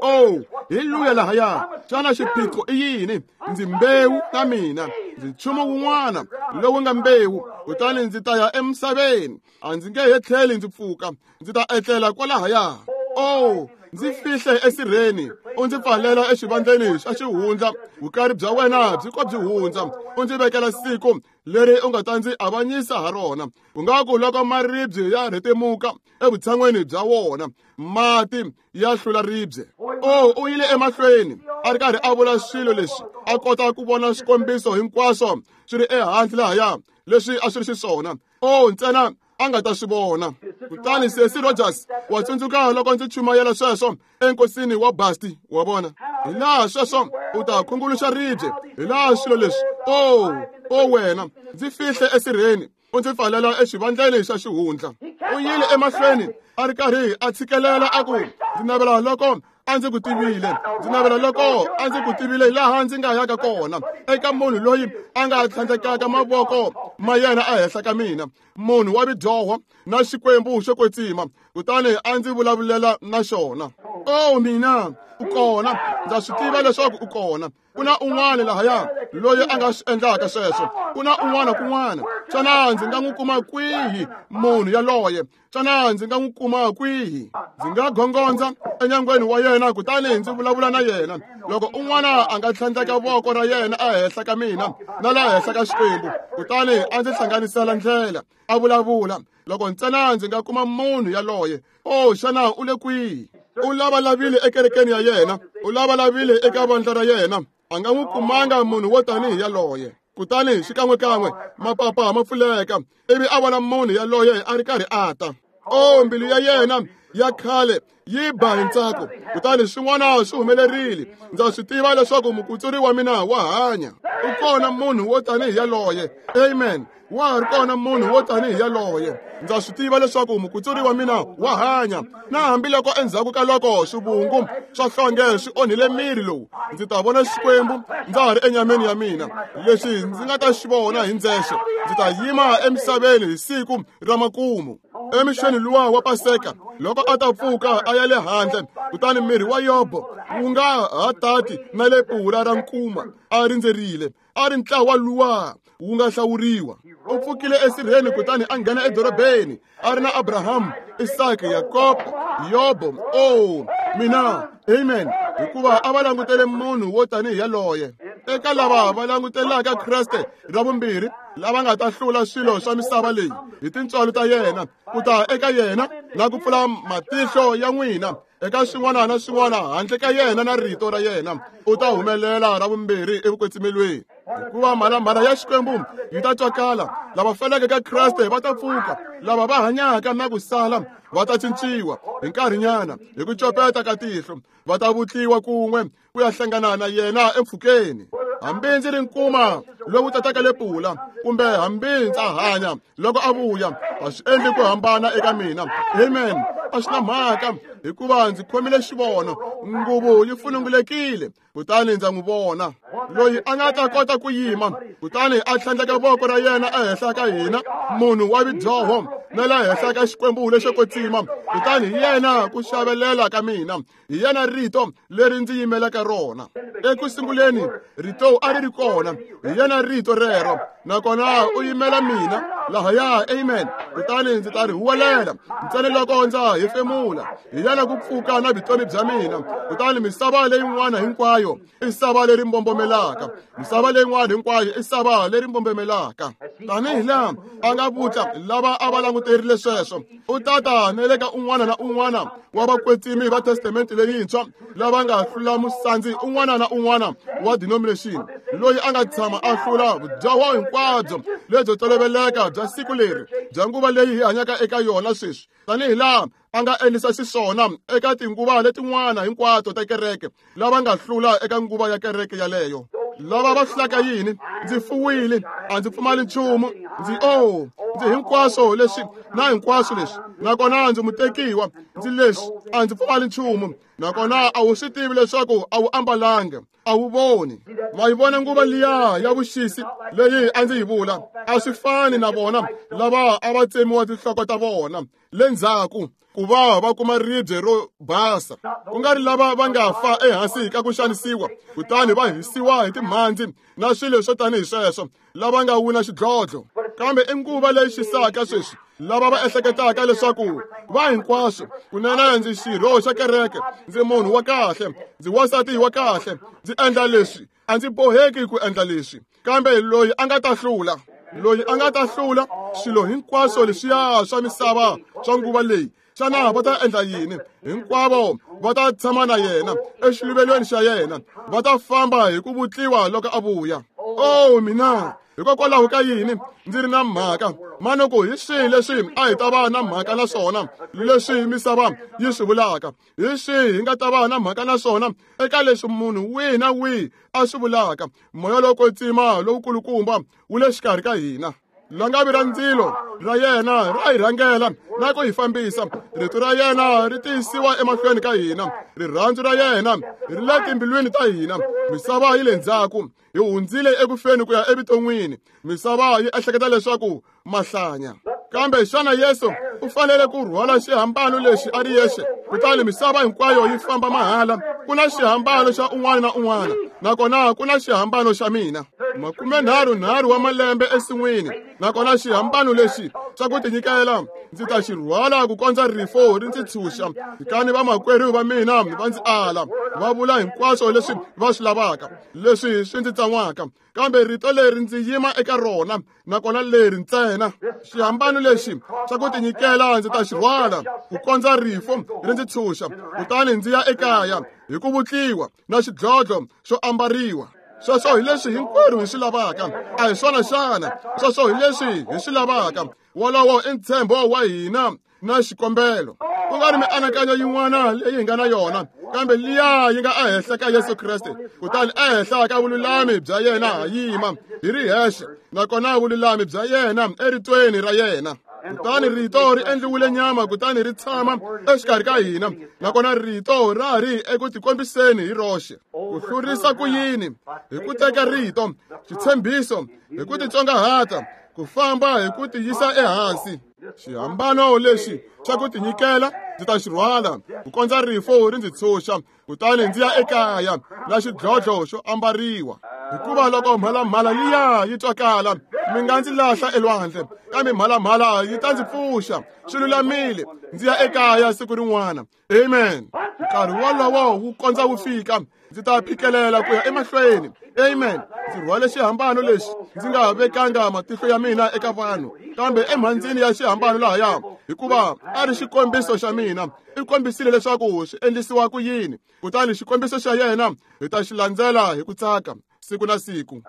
Oh, hi luya lahaya. Xana xiphiqo i yini? Ndzi mbewu na mina, ndzi nchumu wun'wana lowu nga mbewu, kutani ndzi ta ya emisaveni. A ndzi nge he tlheli ndzi pfuka, ndzi ta etlela kwalahaya. Oh, ndzi fihle esirheni, u ndzi pfalela exivandleni xa xihundla. Vukari bya wena byi ko byi hundza, u ndzi vekela siku leri u nga ta ndzi avanyisa ha rona. Ku nga ku loko maribye ya rhetemuka evutshan'weni bya wona, mati ya hlula ribye. Oh, u yile emahlweni a ri karhi a vula swilo leswi, a kota ku vona swikombiso hinkwaswo swi ri ehansi lahaya leswi a swi ri xiswona. Oh, ntsena a nga ta swi vona. Kutani Ceci Rogers wa tsundzuka loko ndzi chumayela sweswo enkosini wa Basti, wa vona. Hi laha sweswo u ta khunguluxa ribye, hi laha swilo leswi. Oh, oh wena, ndzi fihle esirheni, u ndzi pfalela exivandleni xa xihundla. U yile emahlweni a ri karhi a tshikelela a ku, ndzi navela loko a ndzi ku tivile, ndzi navela loko a ndzi ku tivile laha ndzi nga yaka kona, eka munhu loyi a nga tlhandlekaka mavoko ma yena ehenhla ka mina, munhu wa vidyoho na Xikwembu xo kwetsima, kutani a ndzi vulavulela na xona. Oh mina, u kona, ndza swi tiva leswaku u kona. Ku na un'wana lahaya loyi a nga swi endlaka sweswo. Ku na un'wana kun'wana. Xana ndzi nga n'wi kuma kwihi munhu yaloye? Xana ndzi nga n'wi kuma kwihi? Ndzi nga gongondza enyangweni wa yena kutani ndzi vulavula na yena. Loko un'wana a nga tlhandleka voko ra yena ehenhla ka mina na laha henhla ka Xikwembu, kutani a ndzi hlanganisela ndlela, a vulavula. Loko ntsena ndzi nga kuma munhu yaloye, oh, xana u le kwihi? U lavalavile ekerekeni ya yena, u lavalavile eka vandla ra yena, a nga n'wi kumanga munhu wo tanihi yaloye. Kutani xikan'wekan'we mapapa ma pfuleka, ivi a vona munhu yaloye a ri karhi a ta. O, mbilu ya yena ya khale yi ba hi ntsako. Kutani swin'wana swi humelerile. Ndza swi tiva leswaku mukutsuri wa mina wa hanya. U kona munhu wo tanihi yaloye. Amen. Wa ha ri kona munhu wo tanihi yaloye. Ndza swi tiva leswaku mukutsuri wa mina wa hanya. Na hambiloko endzhaku ka loko swivungu swa hlonge swi onhile miri lowu, ndzi ta vona Xikwembu ndza ha ri enyameni ya mina. Leswi ndzi nga ta xi vona hi ndzexe, ndzi ta yima emisaveni hi siku ra makumu. Emixweni luwa wa Paseka, loko a ta pfuka a ya le handle, kutani miri wa Yobo wu nga ha tati na le pura ra nkuma a rindzerile, a ri ntlawa luwa wu nga hlawuriwa. U pfukile esirheni kutani a nghena edorobeni a ri na Abrahamu, Isaka, Yakobo, Yobo. Oh, mina, amen. Hikuva a va langutele munhu wo tanihi yaloye. Eka lava va langutelaka Kreste ra vumbirhi, lava nga ta hlula swilo swa misava leyi hi tintswalo ta yena, ku ta eka yena na ku pfula matihlo ya n'wina eka swin'wana na swin'wana handle ka yena na rito ra yena, u ta humelela ra vumbirhi evukwetsimelweni. Hikuva mhalamhala ya Xikwembu yi ta twakala, lava feleke ka Kreste va ta pfuka, lava va hanyaka na ku sala va ta cinciwa hi nkarhinyana hi ku copeta ka tihlo, va ta vutliwa kun'we ku ya hlangana na yena empfhukeni. Hambi ndzi ri nkuma lowu tataka lepula, kumbe hambi ndza hanya loko a vuya, a swi endli ku hambana eka mina. Amen. A swi na mhaka, hikuva ndzi khomile xivono, nguvu yi funungulekile, kutani ndza n'wi vona. Loyi a nga ta kota ku yima, kutani a tlhandleka voko ra yena ehenhla ka hina, munhu wa vidyoho, na le henhla ka Xikwembu lexo kwetsima, kutani hi yena ku xavelela ka mina, hi yena rito leri ndzi yimelaka rona. Eku sunguleni rito a ri ri kona, hi yena rito rero, nakona u yimela mina lahaya. Amen. Kutani ndzi ta ri huwelela ntsena loko ndza hefemula, hi yena ku pfuka na vutomi bya mina. Kutani misava leyin'wana hinkwayo i sava leri mbombomelaka, misava leyin'wana hinkwayo i sava leri mbombomelaka. Tanihi laha a nga vutla lava a va languterile sweswo, u tata na le ka un'wana na un'wana wa vakwetsimi va testamente leyintshwa lava nga hlula musandzi un'wana na un'wana wa denomination, loyi a nga tshama a hlula vudyoho hinkwabyo lebyo toloveleka bya siku leri, bya nguva leyi hi hanyaka eka yona sweswi, tanihi laha a nga endlisa xiswona eka tinguva letin'wana hinkwato ta kereke, lava nga hlula eka nguva ya kereke yaleyo. Lava va hlulaka yini? Ndzi fuwile, a ndzi pfumali nchumu, ndzi oh, ndzi hinkwaswo leswi na hinkwaswo leswi, nakona ndzi mutekiwa, ndzi leswi, a ndzi pfumali nchumu. Nakona a wu swi tivi leswaku a wu ambalanga, a wu voni. Ma yi vona nguva liya ya vuxisi leyi a ndzi yi vula? A swi fani na vona lava a va tsemiwa tinhloko ta vona le ndzhaku ku va va kuma ribye ro basa, ku nga ri lava va nga fa ehansi ka ku xanisiwa kutani va hisiwa hi timhandzi na swilo swo tanihi sweswo, lava nga wina xidlodlo. Kambe i nguva leyi xisaka sweswi, lava va ehleketaka leswaku va hinkwaswo, kunene ndzi xirho xa kereke, ndzi munhu wa kahle, ndzi wansati wa kahle, ndzi endla leswi, a ndzi boheki ku endla leswi. Kambe loyi a nga ta hlula, loyi a nga ta hlula swilo hinkwaswo leswiya swa misava swa nguva leyi, xana va ta endla yini? Hinkwavo va ta tshama na yena exiluvelweni xa yena, va ta famba hi ku vutliwa loko a vuya. Oh, mina, hikokwalaho ka yini ndzi ri na mhaka? Manuku hi swihi leswi a hi ta va na mhaka na swona leswi misava yi swi vulaka? Hi swihi hi nga ta va na mhaka na swona eka leswi munhu wihi na wihi a swi vulaka? Moya lowo kwetsima lowukulukumba wu le xikarhi ka hina. Langavi ra ndzilo ra yena ra hi rhangela na ku hi fambisa. Rito ra yena ri tiyisiwa emahlweni ka hina. Rirhandzu ra yena ri le timbilwini ta hina. Misava yi le ndzhaku, hi hundzile ekufeni ku ya evuton'wini. Misava yi ehleketa leswaku mahlanya. Kambe xana Yesu u fanele ku rhwala xihambano lexi a ri yexe, kutani misava hinkwayo yi famba mahala? Ku na xihambano xa un'wana na un'wana, nakona ku na xihambano xa mina. Makumenharhu nharhu wa malembe ensin'wini, nakona xihambano lexi xa ku tinyikela ndzi ta xi rhwala ku kondza rifo ri ndzi tshunxa. Kutani vamakwerhu va mina va ndzi ala, va vula hinkwaswo leswi va swi lavaka, leswi swi ndzi tsan'waka. Kambe rito leri ndzi yima eka rona, nakona leri ntsena. Xihambano lexi xa ku tinyikela ndzi ta xi rhwala ku kondza rifo ri ndzi tshunxa, kutani ndzi ya ekaya hi ku vutliwa na xidlodlo xo ambariwa. Sweswo hi leswi hinkwerhu hi swi lavaka. A hi swona xana? Sweswo hi leswi hi swi lavaka. Wolowo i ntshembo wa hina na xikombelo. Ku nga ri mianakanyo yin'wana leyi hi nga na yona, kambe liya yi nga ehenhla ka Yesu Kreste. Kutani ehenhla ka vululami bya yena ha yima hi ri hexe, nakona vululami bya yena eritweni ra yena. Kutani rito ri endliwile nyama, kutani ri tshama exikarhi ka hina, nakona rito ra ri eku tikombiseni hi roxe. Ku hlurisa ku yini? Hi ku teka rito, xitshembiso, hi ku titsongahata, ku famba hi ku tiyisa ehansi. Xihambano lexi xa ku tinyikela ndzi ta xi rhwala ku kondza rifo ri ndzi tshunxa, kutani ndzi ya ekaya na xidlodlo xo ambariwa. Hikuva loko mhalamhala liya yi twakala, mi nga ndzi lahla elwandle, kambe mhalamhala yi ta ndzi pfuxa. Swi lulamile, ndzi ya ekaya siku rin'wana. Amen. Nkarhi wolowo wu kondza wu fika, ndzi ta phikelela ku ya emahlweni. Amen. Ndzi rhwale xihambano lexi ndzi nga vekanga matihlo ya mina eka vanhu, kambe emhandzini ya xihambano lahaya, hikuva a ri xikombiso xa mina. I kombisile leswaku swi endlisiwa ku yini, kutani xikombiso xa yena hi ta xi landzela hi ku tsaka siku na siku.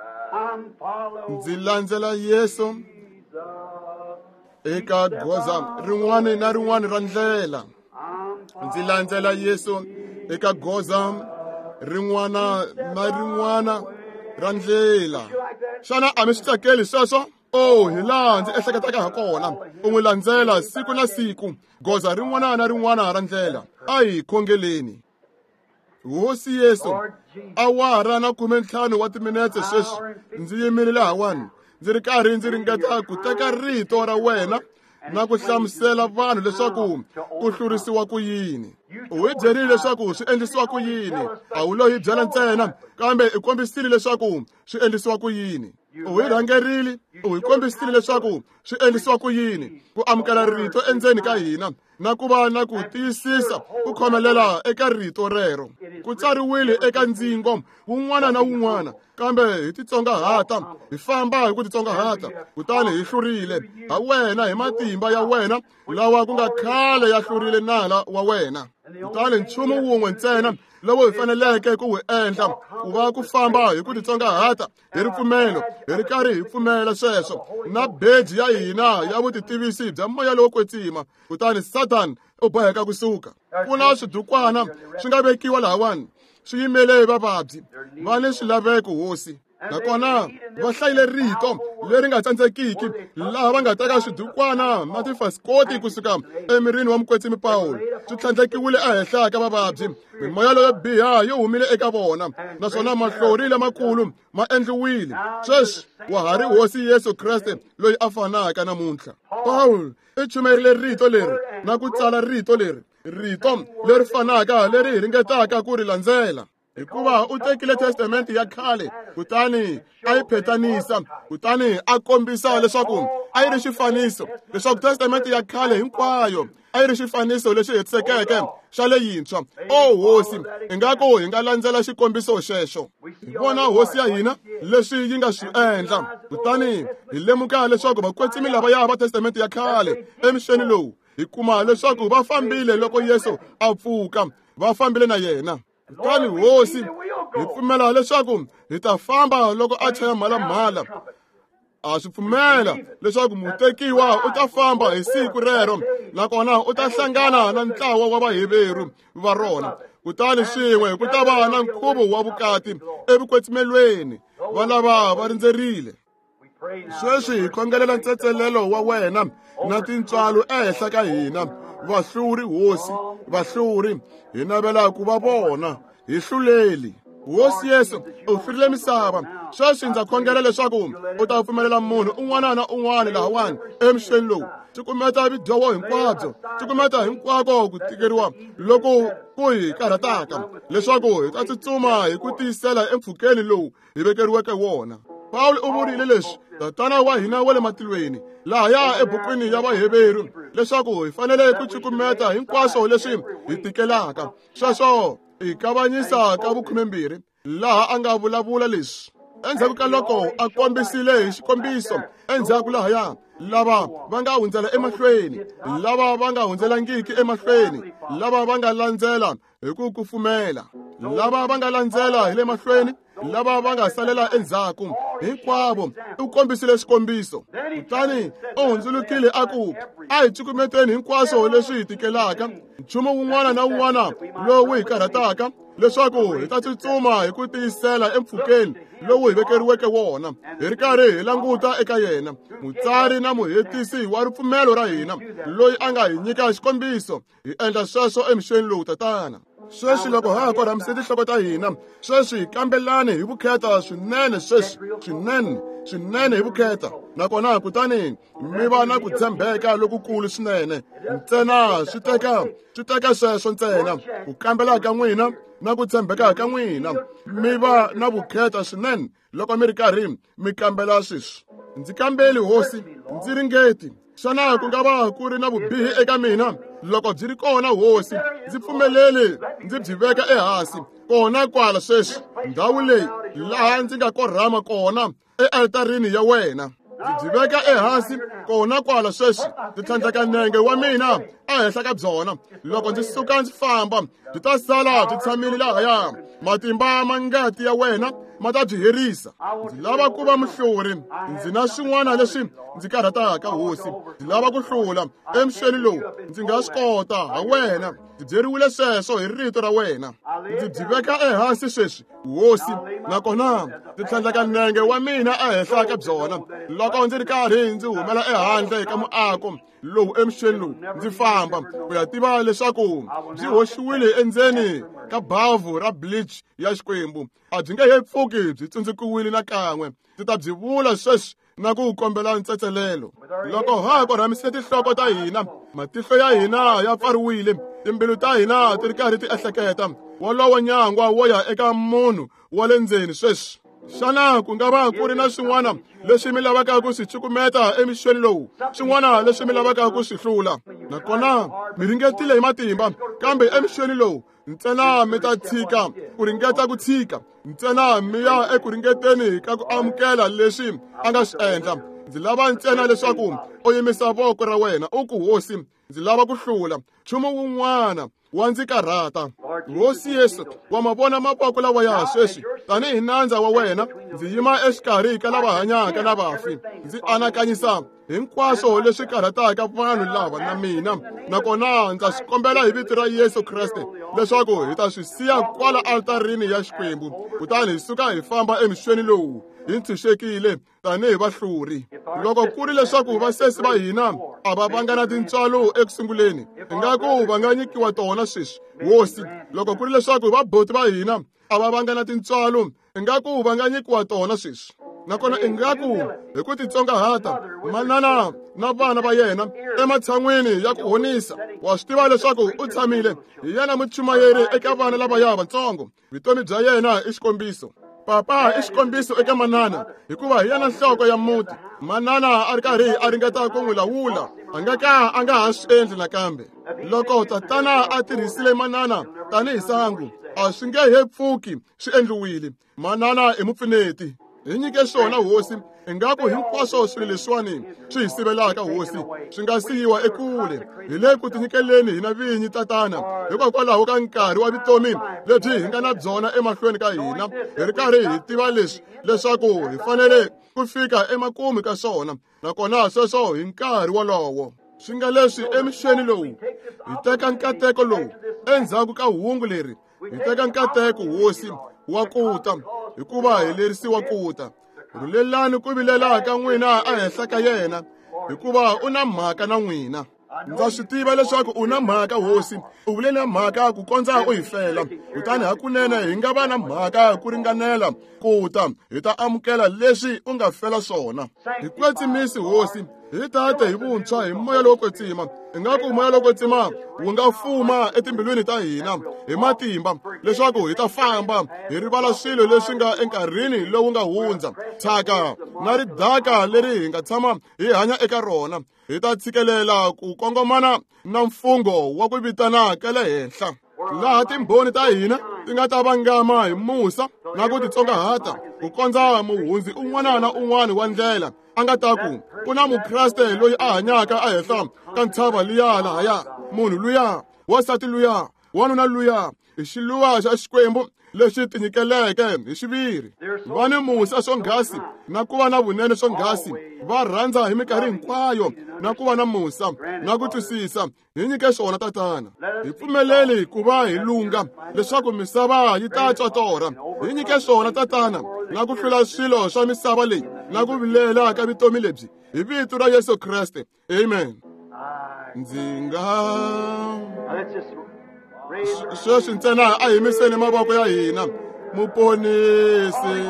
Ndzi landzela Yesu eka goza rin'wana na rin'wana ra ndlela. Ndzi landzela Yesu eka goza rin'wana na rin'wana ra ndlela. Xana a mi swi tsakeli sweswo? Oh, hi laha ndzi ehleketaka ha kona. U n'wi landzela siku na siku, goza rin'wana na rin'wana ra ndlela. A hi khongeleni. Hosi Yesu, awara na khume ntlhanu wa timinetse sweswi ndzi yimile lahawani, ndzi ri karhi ndzi ringeta ku teka rito ra wena na ku hlamusela vanhu leswaku ku hlurisiwa ku yini. U hi byerile leswaku swi endlisiwa ku yini. A wu lo hi byela ntsena, kambe i kombisile leswaku swi endlisiwa ku yini. U hi rhangerile, u hi kombisile leswaku swi endlisiwa ku yini ku amukela rito endzeni ka hina na ku va na ku tiyisisa ku khomelela eka rito rero. Ku tsariwile eka ndzingo wun'wana na wun'wana, kambe hi titsongahata, hi famba hi ku titsongahata, kutani hi hlurile ha wena hi matimba ya wena lawa ku nga khale ya hlurile nala wa wena. Kutani nchumu wun'we ntsena lowu hi faneleke ku wu endla ku va ku famba hi ku titsongahata hi ripfumelo, hi ri karhi hi pfumela sweswo na beji ya hina ya vutitivisi bya moya lowo kwetsima, kutani Satan u boheka kusuka. Ku na swidukwana swi nga vekiwa lahawani swi yimele vavabyi va ni swilaveko, Hosi. Nakona va hlayile rito leri nga tsandzekiki, laha va nga teka swidukwana na tifasikoti kusuka emirini wa mukwetsimi Pawulo, swi tlhandlekiwile ehenhla ka vavabyi. Mimoya leyo biha yi humile eka vona, naswona mahlori lamakulu ma endliwile. Sweswi wa ha ri Hosi Yesu Kreste loyi a fanaka namuntlha. Pawulo i chumerile rito leri na ku tsala rito leri, rito leri fanaka leri hi ringetaka ku ri landzela. Hikuva u tekile testamente ya khale, kutani a yi phetanisa, kutani a kombisa leswaku a yi ri xifaniso, leswaku testamente ya khale hinkwayo a yi ri xifaniso lexi hetisekeke xa leyintshwa. O Hosi, ingaku hi nga landzela xikombiso xexo. Hi vona Hosi ya hina leswi yi nga swi endla, kutani hi lemuka leswaku vakwetsimi lavaya va testamente ya khale emixeni lowu, hi kuma leswaku va fambile loko Yesu a pfuka, va fambile na yena. Kutani Hosi, hi pfumela leswaku hi ta famba loko a chaya mhalamhala. A swi pfumela leswaku mutekiwa u ta famba hi siku rero, nakona u ta hlangana na ntlawa wa vaheveru va rona, kutani swin'we ku ta va na nkhuvo wa vukati evukwetsimelweni. Va lava va rindzerile. Sweswi hi khongelela ntsetselelo wa wena na tintswalo ehenhla ka hina. Vahluri, Hosi, vahluri, hi navela ku va vona, hi hluleli. Hosi Yesu, u hlurile misava. Sweswi ndza khongela leswaku u ta pfumelela munhu un'wana na un'wana lahawani emixeni lowu, cukumeta vidyoho hinkwabyo, cukumeta hinkwako ku tikeriwa loko ku hi karhataka, leswaku hi ta tsutsuma hi ku tiyisela empfhukeni lowu hi vekeriweke wona. Pawulo u vurile leswi, Tatana wa hina wa le matilweni, lahaya ebukwini ya Vaheveru, leswaku hi fanele ku cukumeta hinkwaswo leswi hi tikelaka. Sweswo i kavanyisa ka vukhumembirhi, laha a nga vulavula leswi endzhaku ka loko a kombisile hi xikombiso endzhaku lahaya, lava va nga hundzela emahlweni, lava va nga hundzelangiki emahlweni, lava va nga landzela hi ku kufumela, lava va nga landzela hi le mahlweni lava va nga salela endzhaku hinkwavo u kombisile xikombiso. Kutani u hundzulukile a ku, a hi cukumeteni hinkwaswo leswi hi tikelaka, nchumu wun'wana na wun'wana lowu hi karhataka, leswaku hi ta tsutsuma hi ku tiyisela empfhukeni lowu hi vekeriweke wona, hi ri karhi hi languta eka yena, mutsari na muhetisi wa ripfumelo ra hina, loyi a nga hi nyika xikombiso. Hi endla sweswo emixeni lowu, Tatana. Sweswi loko ha ha korhamise tinhloko ta hina, sweswi kambelani hi vukheta swinene, sweswi swinene swinene hi vukheta, nakona kutani mi va na ku tshembeka lokukulu swinene. Ntsena swi teka swi teka sweswo ntsena ku kambela ka n'wina na ku tshembeka ka n'wina, mi va na vukheta swinene loko mi ri karhi mi kambela sweswi. Ndzi kambeli, Hosi, ndzi ringeti. Xana ku nga va ku ri na vubihi eka mina? Loko byi ri kona, Hosi, ndzi pfumeleli ndzi byi veka ehansi kona kwala sweswi, ndhawu leyi laha ndzi nga korhama kona ealtarini ya wena. Ndzi byi veka ehansi kona kwala sweswi, ndzi tlhandleka nenge wa mina ehenhla ka byona. Loko ndzi suka ndzi famba, byi ta sala byi tshamile lahaya. Matimba ma ngati ya wena ma ta byi herisa. Ndzi lava ku va muhluri. Ndzi na swin'wana leswi ndzi karhataka, Hosi. Ndzi lava ku hlula emixeni lowu. Ndzi nga swi kota ha wena. Ndzi byeriwile sweswo hi rito ra wena. Ndzi byi veka ehansi sweswi, Hosi, nakona ndzi tlhandleka nenge wa mina ehenhla ka byona. Loko ndzi ri karhi ndzi humela ehandle ka muako lowu emixeni lowu, ndzi famba ku ya tiva leswaku byi hoxiwile endzeni ka bavhu ra bleach ya Xikwembu. A byi nge he pfuki byi tsundzukiwile nakan'we. Ndzi ta byi vula sweswi na ku kombela ntsetselelo. Loko ha ha korhamisile tinhloko ta hina, matihlo ya hina ya pfariwile, timbilu ta hina ti ri karhi ti ehleketa, wolowo nyangwa wo ya eka munhu wa le ndzeni sweswi. Xana ku nga va ku ri na swin'wana leswi mi lavaka ku swi cukumeta emixeni lowu, swin'wana leswi mi lavaka ku swi hlula? Nakona mi ringetile hi matimba, kambe emixeni lowu ntsena mi ta tshika ku ringeta ku tshika, ntsena mi ya eku ringeteni ka ku amukela leswi a nga swi endla. Ndzi lava ntsena leswaku u yimisa voko ra wena u ku, Hosi, ndzi lava ku hlula nchumu wun'wana wa ndzi karhata. Hosi Yesu, wa ma vona mavoko lawa ya sweswi. Tanihi nandza wa wena, ndzi yima exikarhi ka lava hanyaka na vafi. Ndzi anakanyisa hinkwaswo leswi karhataka vanhu lava na mina, nakona ndza swi kombela hi vito ra Yesu Kreste leswaku hi ta swi siya kwala altarini ya Xikwembu, kutani hi suka hi famba emixeni lowu hi ntshunxekile tanihi vahluri. Loko ku ri leswaku vasesi va hina a va vanga na tintswalo ekusunguleni, ingaku va nga nyikiwa tona sweswi, Hosi. Loko ku ri leswaku vaboti va hina a va vanga na tintswalo, ingaku va nga nyikiwa tona sweswi. Nakona ingaku hi ku titsongahata manana na vana va yena ematshan'wini ya ku honisa, wa swi tiva leswaku u tshamile hi yena muchumayeri eka vana lavaya vatsongo. Vutomi bya yena i xikombiso. Papa i xikombiso eka manana, hikuva hi yena nhloko ya muti. Manana a ri karhi a ringeta ku n'wi lawula, a nga ka a nga ha swi endli nakambe. Loko tatana a tirhisile manana tanihi sangu, a swi nge he pfuki swi endliwile. Manana i mupfuneti. Hi nyike swona, Hosi. Ingaku hinkwaswo swilo leswiwani swi hi sivelaka, Hosi, swi nga siyiwa ekule. Hi le ku tinyikeleni hina vinyi, Tatana, hikokwalaho ka nkarhi wa vutomi lebyi hi nga na byona emahlweni ka hina, hi ri karhi hi tiva leswi leswaku hi fanele ku fika emakumu ka swona, nakona sweswo hi nkarhi wolowo. Swi nga leswi emixeni lowu hi teka nkateko lowu endzhaku ka hungu leri, hi teka nkateko, Hosi, wa ku ta, hikuva hi lerisiwa ku ta. Rhulelani ku vilela ka n'wina ehenhla ka yena, hikuva u na mhaka na n'wina. Ndza swi tiva leswaku u na mhaka, Hosi. U vule na mhaka ku kondza u hi fela, kutani hakunene hi nga va na mhaka ku ringanela ku ta hi ta amukela leswi u nga fela swona. Hi kwetsimisi, Hosi, hi tate hi vuntshwa hi moya lowo kwetsima. Ingaku moya lowo kwetsima wu nga fuma etimbilwini ta hina hi matimba, leswaku hi ta famba hi rivala swilo leswi nga enkarhini lowu nga hundza, thyaka na ridaka leri hi nga tshama hi hanya eka rona. Hi ta tshikelela ku kongomana na mfungho wa ku vitana ka le henhla, laha timbhoni ta hina ti nga ta vangama hi musa na ku titsongahata, ku kondza muhundzi un'wana na un'wana wa ndlela a nga ta ku, ku na mukreste loyi a hanyaka ehenhla ka ntshava liya lahaya, munhu luya, wansati luya, wanuna luya, i xiluva xa Xikwembu lexi tinyikeleke hi xiviri. Va ni musa swonghasi na ku va na vunene swonghasi, va rhandza hi minkarhi hinkwayo na ku va na musa na ku twisisa. Hi nyike swona Tatana. Hi pfumeleli ku va hi lunga leswaku misava yi ta twa torha. Hi nyike swona Tatana na ku hlula swilo swa misava leyi na ku vilela ka vutomi lebyi. Hi vito ra Yesu Kreste. Amen. Ndzi nga sweswi ntsena a yimiseni mavoko ya hina. Muponisi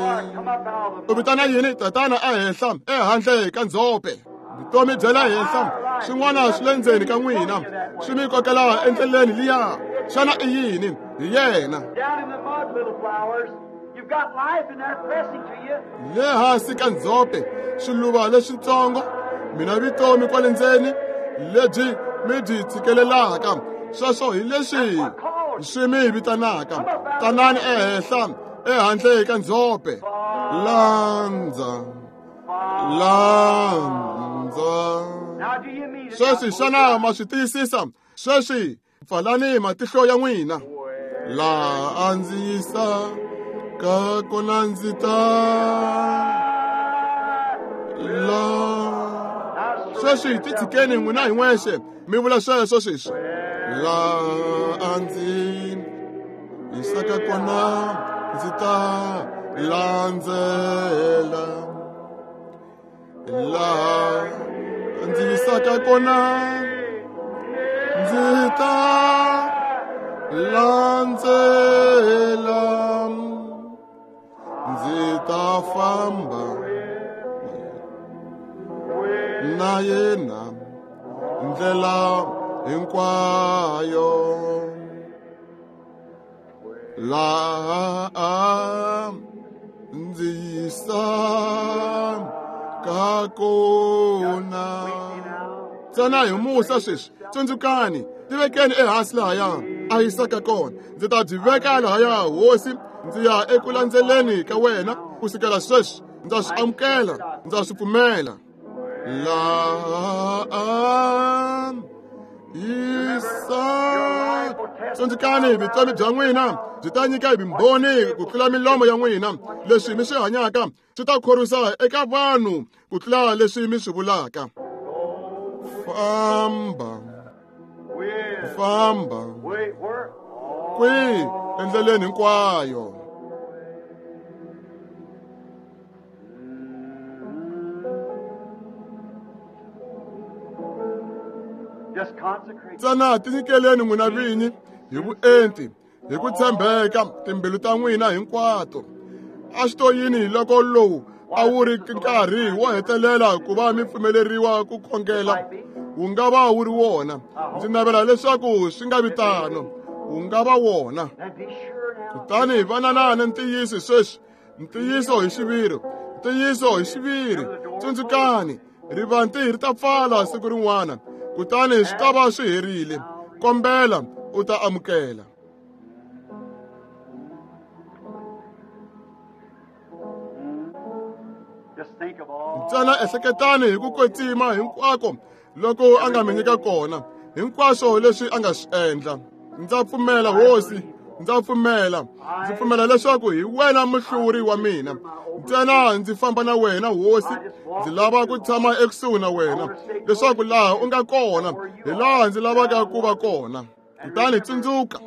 u vitana yini Tatana ehenhla ehandle ka ndzhope? Vutomi bya le henhla swin'wana swi le ndzeni ka n'wina swi mi kokela endleleni liya. Xana i yini? Hi yena. Le hansi ka ndzhope swiluva leswitsongo mina vutomi kwale ndzeni lebyi mi byi tshikelelaka. Sweswo hi leswi swi mi vitanaka. Tanani ehenhla ehandle ka ndzhope. Landza, landza. Sweswi xana ma swi tiyisisa? Sweswi pfalani matihlo ya n'wina. Laha a ndzi yisa ka kona ndzi ta la. Sweswi titshikeni n'wina hi n'wexe mi vula sweswo sweswi. Laha a ndzi yisaka kona ndzi ta landzela. Laha ndzi yisaka kona ndzi ta landzela. Ndzi ta famba na yena ndlela hinkwayo. Laha ndzi yisaka kona. Ntsena hi musa sweswi. Tsundzukani, tivekeni ehansi lahaya a yisaka kona. Ndzi ta byi veka lahaya Hosi, ndzi ya eku landzeleni ka wena kusukela sweswi. Ndza swi amukela, ndza swi pfumela. Laha yisa. Tsundzukani, vutomi bya n'wina byi ta nyika hi vumbhoni ku tlula milomo ya n'wina. Leswi mi swi hanyaka swi ta khorwisa eka vanhu ku tlula leswi mi swi vulaka. Famba, famba kwihi endleleni hinkwayo. Ntsena tinyikeleni n'wina vinyi hi vuenti hi ku tshembeka timbilu ta n'wina hinkwato. A swi to yini loko lowu a wu ri nkarhi wo hetelela ku va mi pfumeleriwa ku khongela? Wu nga va wu ri wona. Ndzi navela leswaku swi nga vi tano. Wu nga va wona. Kutani vanana na ntiyiso sweswi, ntiyiso hi xiviri, ntiyiso hi xiviri. Tsundzukani, rivanti ri ta pfala siku rin'wana, kutani swi ta va swi herile. Kombela u ta amukela. Ntsena ehleketani hi ku kwetsima hinkwako loko a nga mi nyika kona, hinkwaswo leswi a nga swi endla. Ndza pfumela Hosi, ndza pfumela. Ndzi pfumela leswaku hi wena muhluri wa mina. Ntsena ndzi famba na wena Hosi, ndzi lava ku tshama ekusuhi na wena, leswaku laha u nga kona hi laha ndzi lavaka ku va kona. Kutani tsundzuka,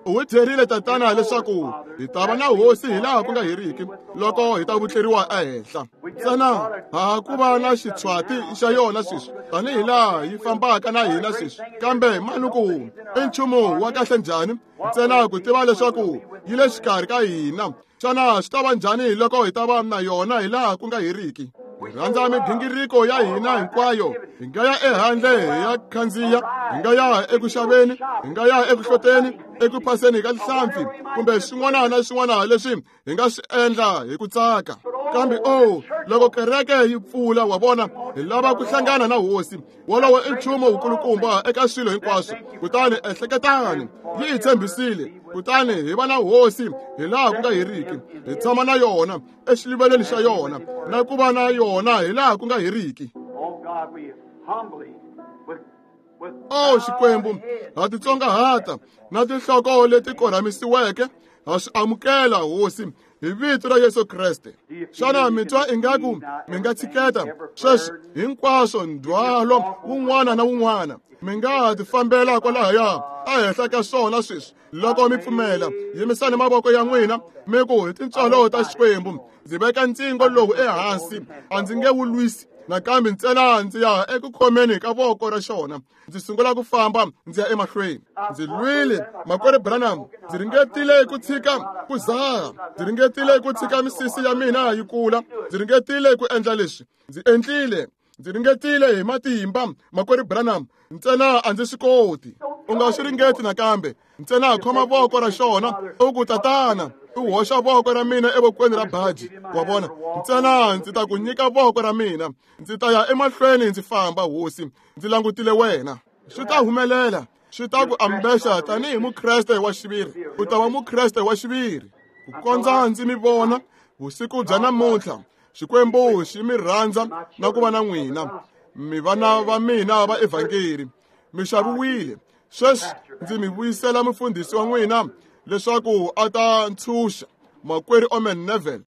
u hi byerile Tatana leswaku hi ta va na Hosi hi laha ku nga heriki loko hi ta vutleriwa ehenhla. Ntsena ha ku va na xitshwati xa yona sweswi tanihi laha yi fambaka na hina sweswi, kambe manuku i nchumu wa kahle njhani ntsena ku tiva leswaku yi le xikarhi ka hina. Xana swi ta va njhani loko hi ta va na yona hi laha ku nga heriki? Hi rhandza migingiriko ya hina hinkwayo. Hi nga ya ehandle hi ya khandziya, hi nga ya eku xaveni, hi nga ya eku hloteni, eku phaseni ka tinhlampfi, kumbe swin'wana na swin'wana leswi hi nga swi endla hi ku tsaka. Kambe oh, loko kereke yi pfula, wa vona, hi lava ku hlangana na Hosi. Wolowo i nchumu wukulukumba eka swilo hinkwaswo. Kutani ehleketani, yi hi tshembisile. Kutani hi va na Hosi hi laha ku nga heriki, hi tshama na yona exiluvelweni xa yona na ku va na yona hi laha ku nga heriki. O Xikwembu, ha titsongahata na tinhloko leti korhamisiweke Ha swi amukela Hosi hi vito ra Yesu Kreste. Xana mi twa ingaku mi nga tshiketa sweswi hinkwaswo ndzhwalo wun'wana na wun'wana? Mi nga ti fambela kwalahaya ehenhla ka swona sweswi loko mi pfumela. Yimisani mavoko ya n'wina mi ku hi tintswalo ta Xikwembu ndzi veka ntsingo lowu ehansi, a ndzi nge wu lwisi nakambe, ntsena ndzi ya eku khomeni ka voko ra xona, ndzi sungula ku famba ndzi ya emahlweni. Ndzi lwile makwerhu Branham, ndzi ringetile ku tshika ku zaha, ndzi ringetile ku tshika misisi ya mina yi kula, ndzi ringetile ku endla leswi, ndzi endlile, ndzi ringetile hi matimba makwerhu Branham, ntsena a ndzi swi koti. U nga swi ringeti nakambe, ntsena khoma voko ra xona u ku tatana, u hoxa voko ra mina evokweni ra baji, wa vona, ntsena ndzi ta ku nyika voko ra mina, ndzi ta ya emahlweni ndzi famba Hosi, ndzi langutile wena. Swi ta humelela, swi ta ku ambexa tanihi mukreste wa xiviri, u ta va mukreste wa xiviri. Ku kondza ndzi mi vona vusiku bya namuntlha, Xikwembu xi mi rhandza na ku va na n'wina, mi vana va mina va evhangeli, mi xaviwile. Sweswi ndzi mi vuyisela mufundhisi wa n'wina leswaku a ta ntshunxa makwerhu Omen Neville.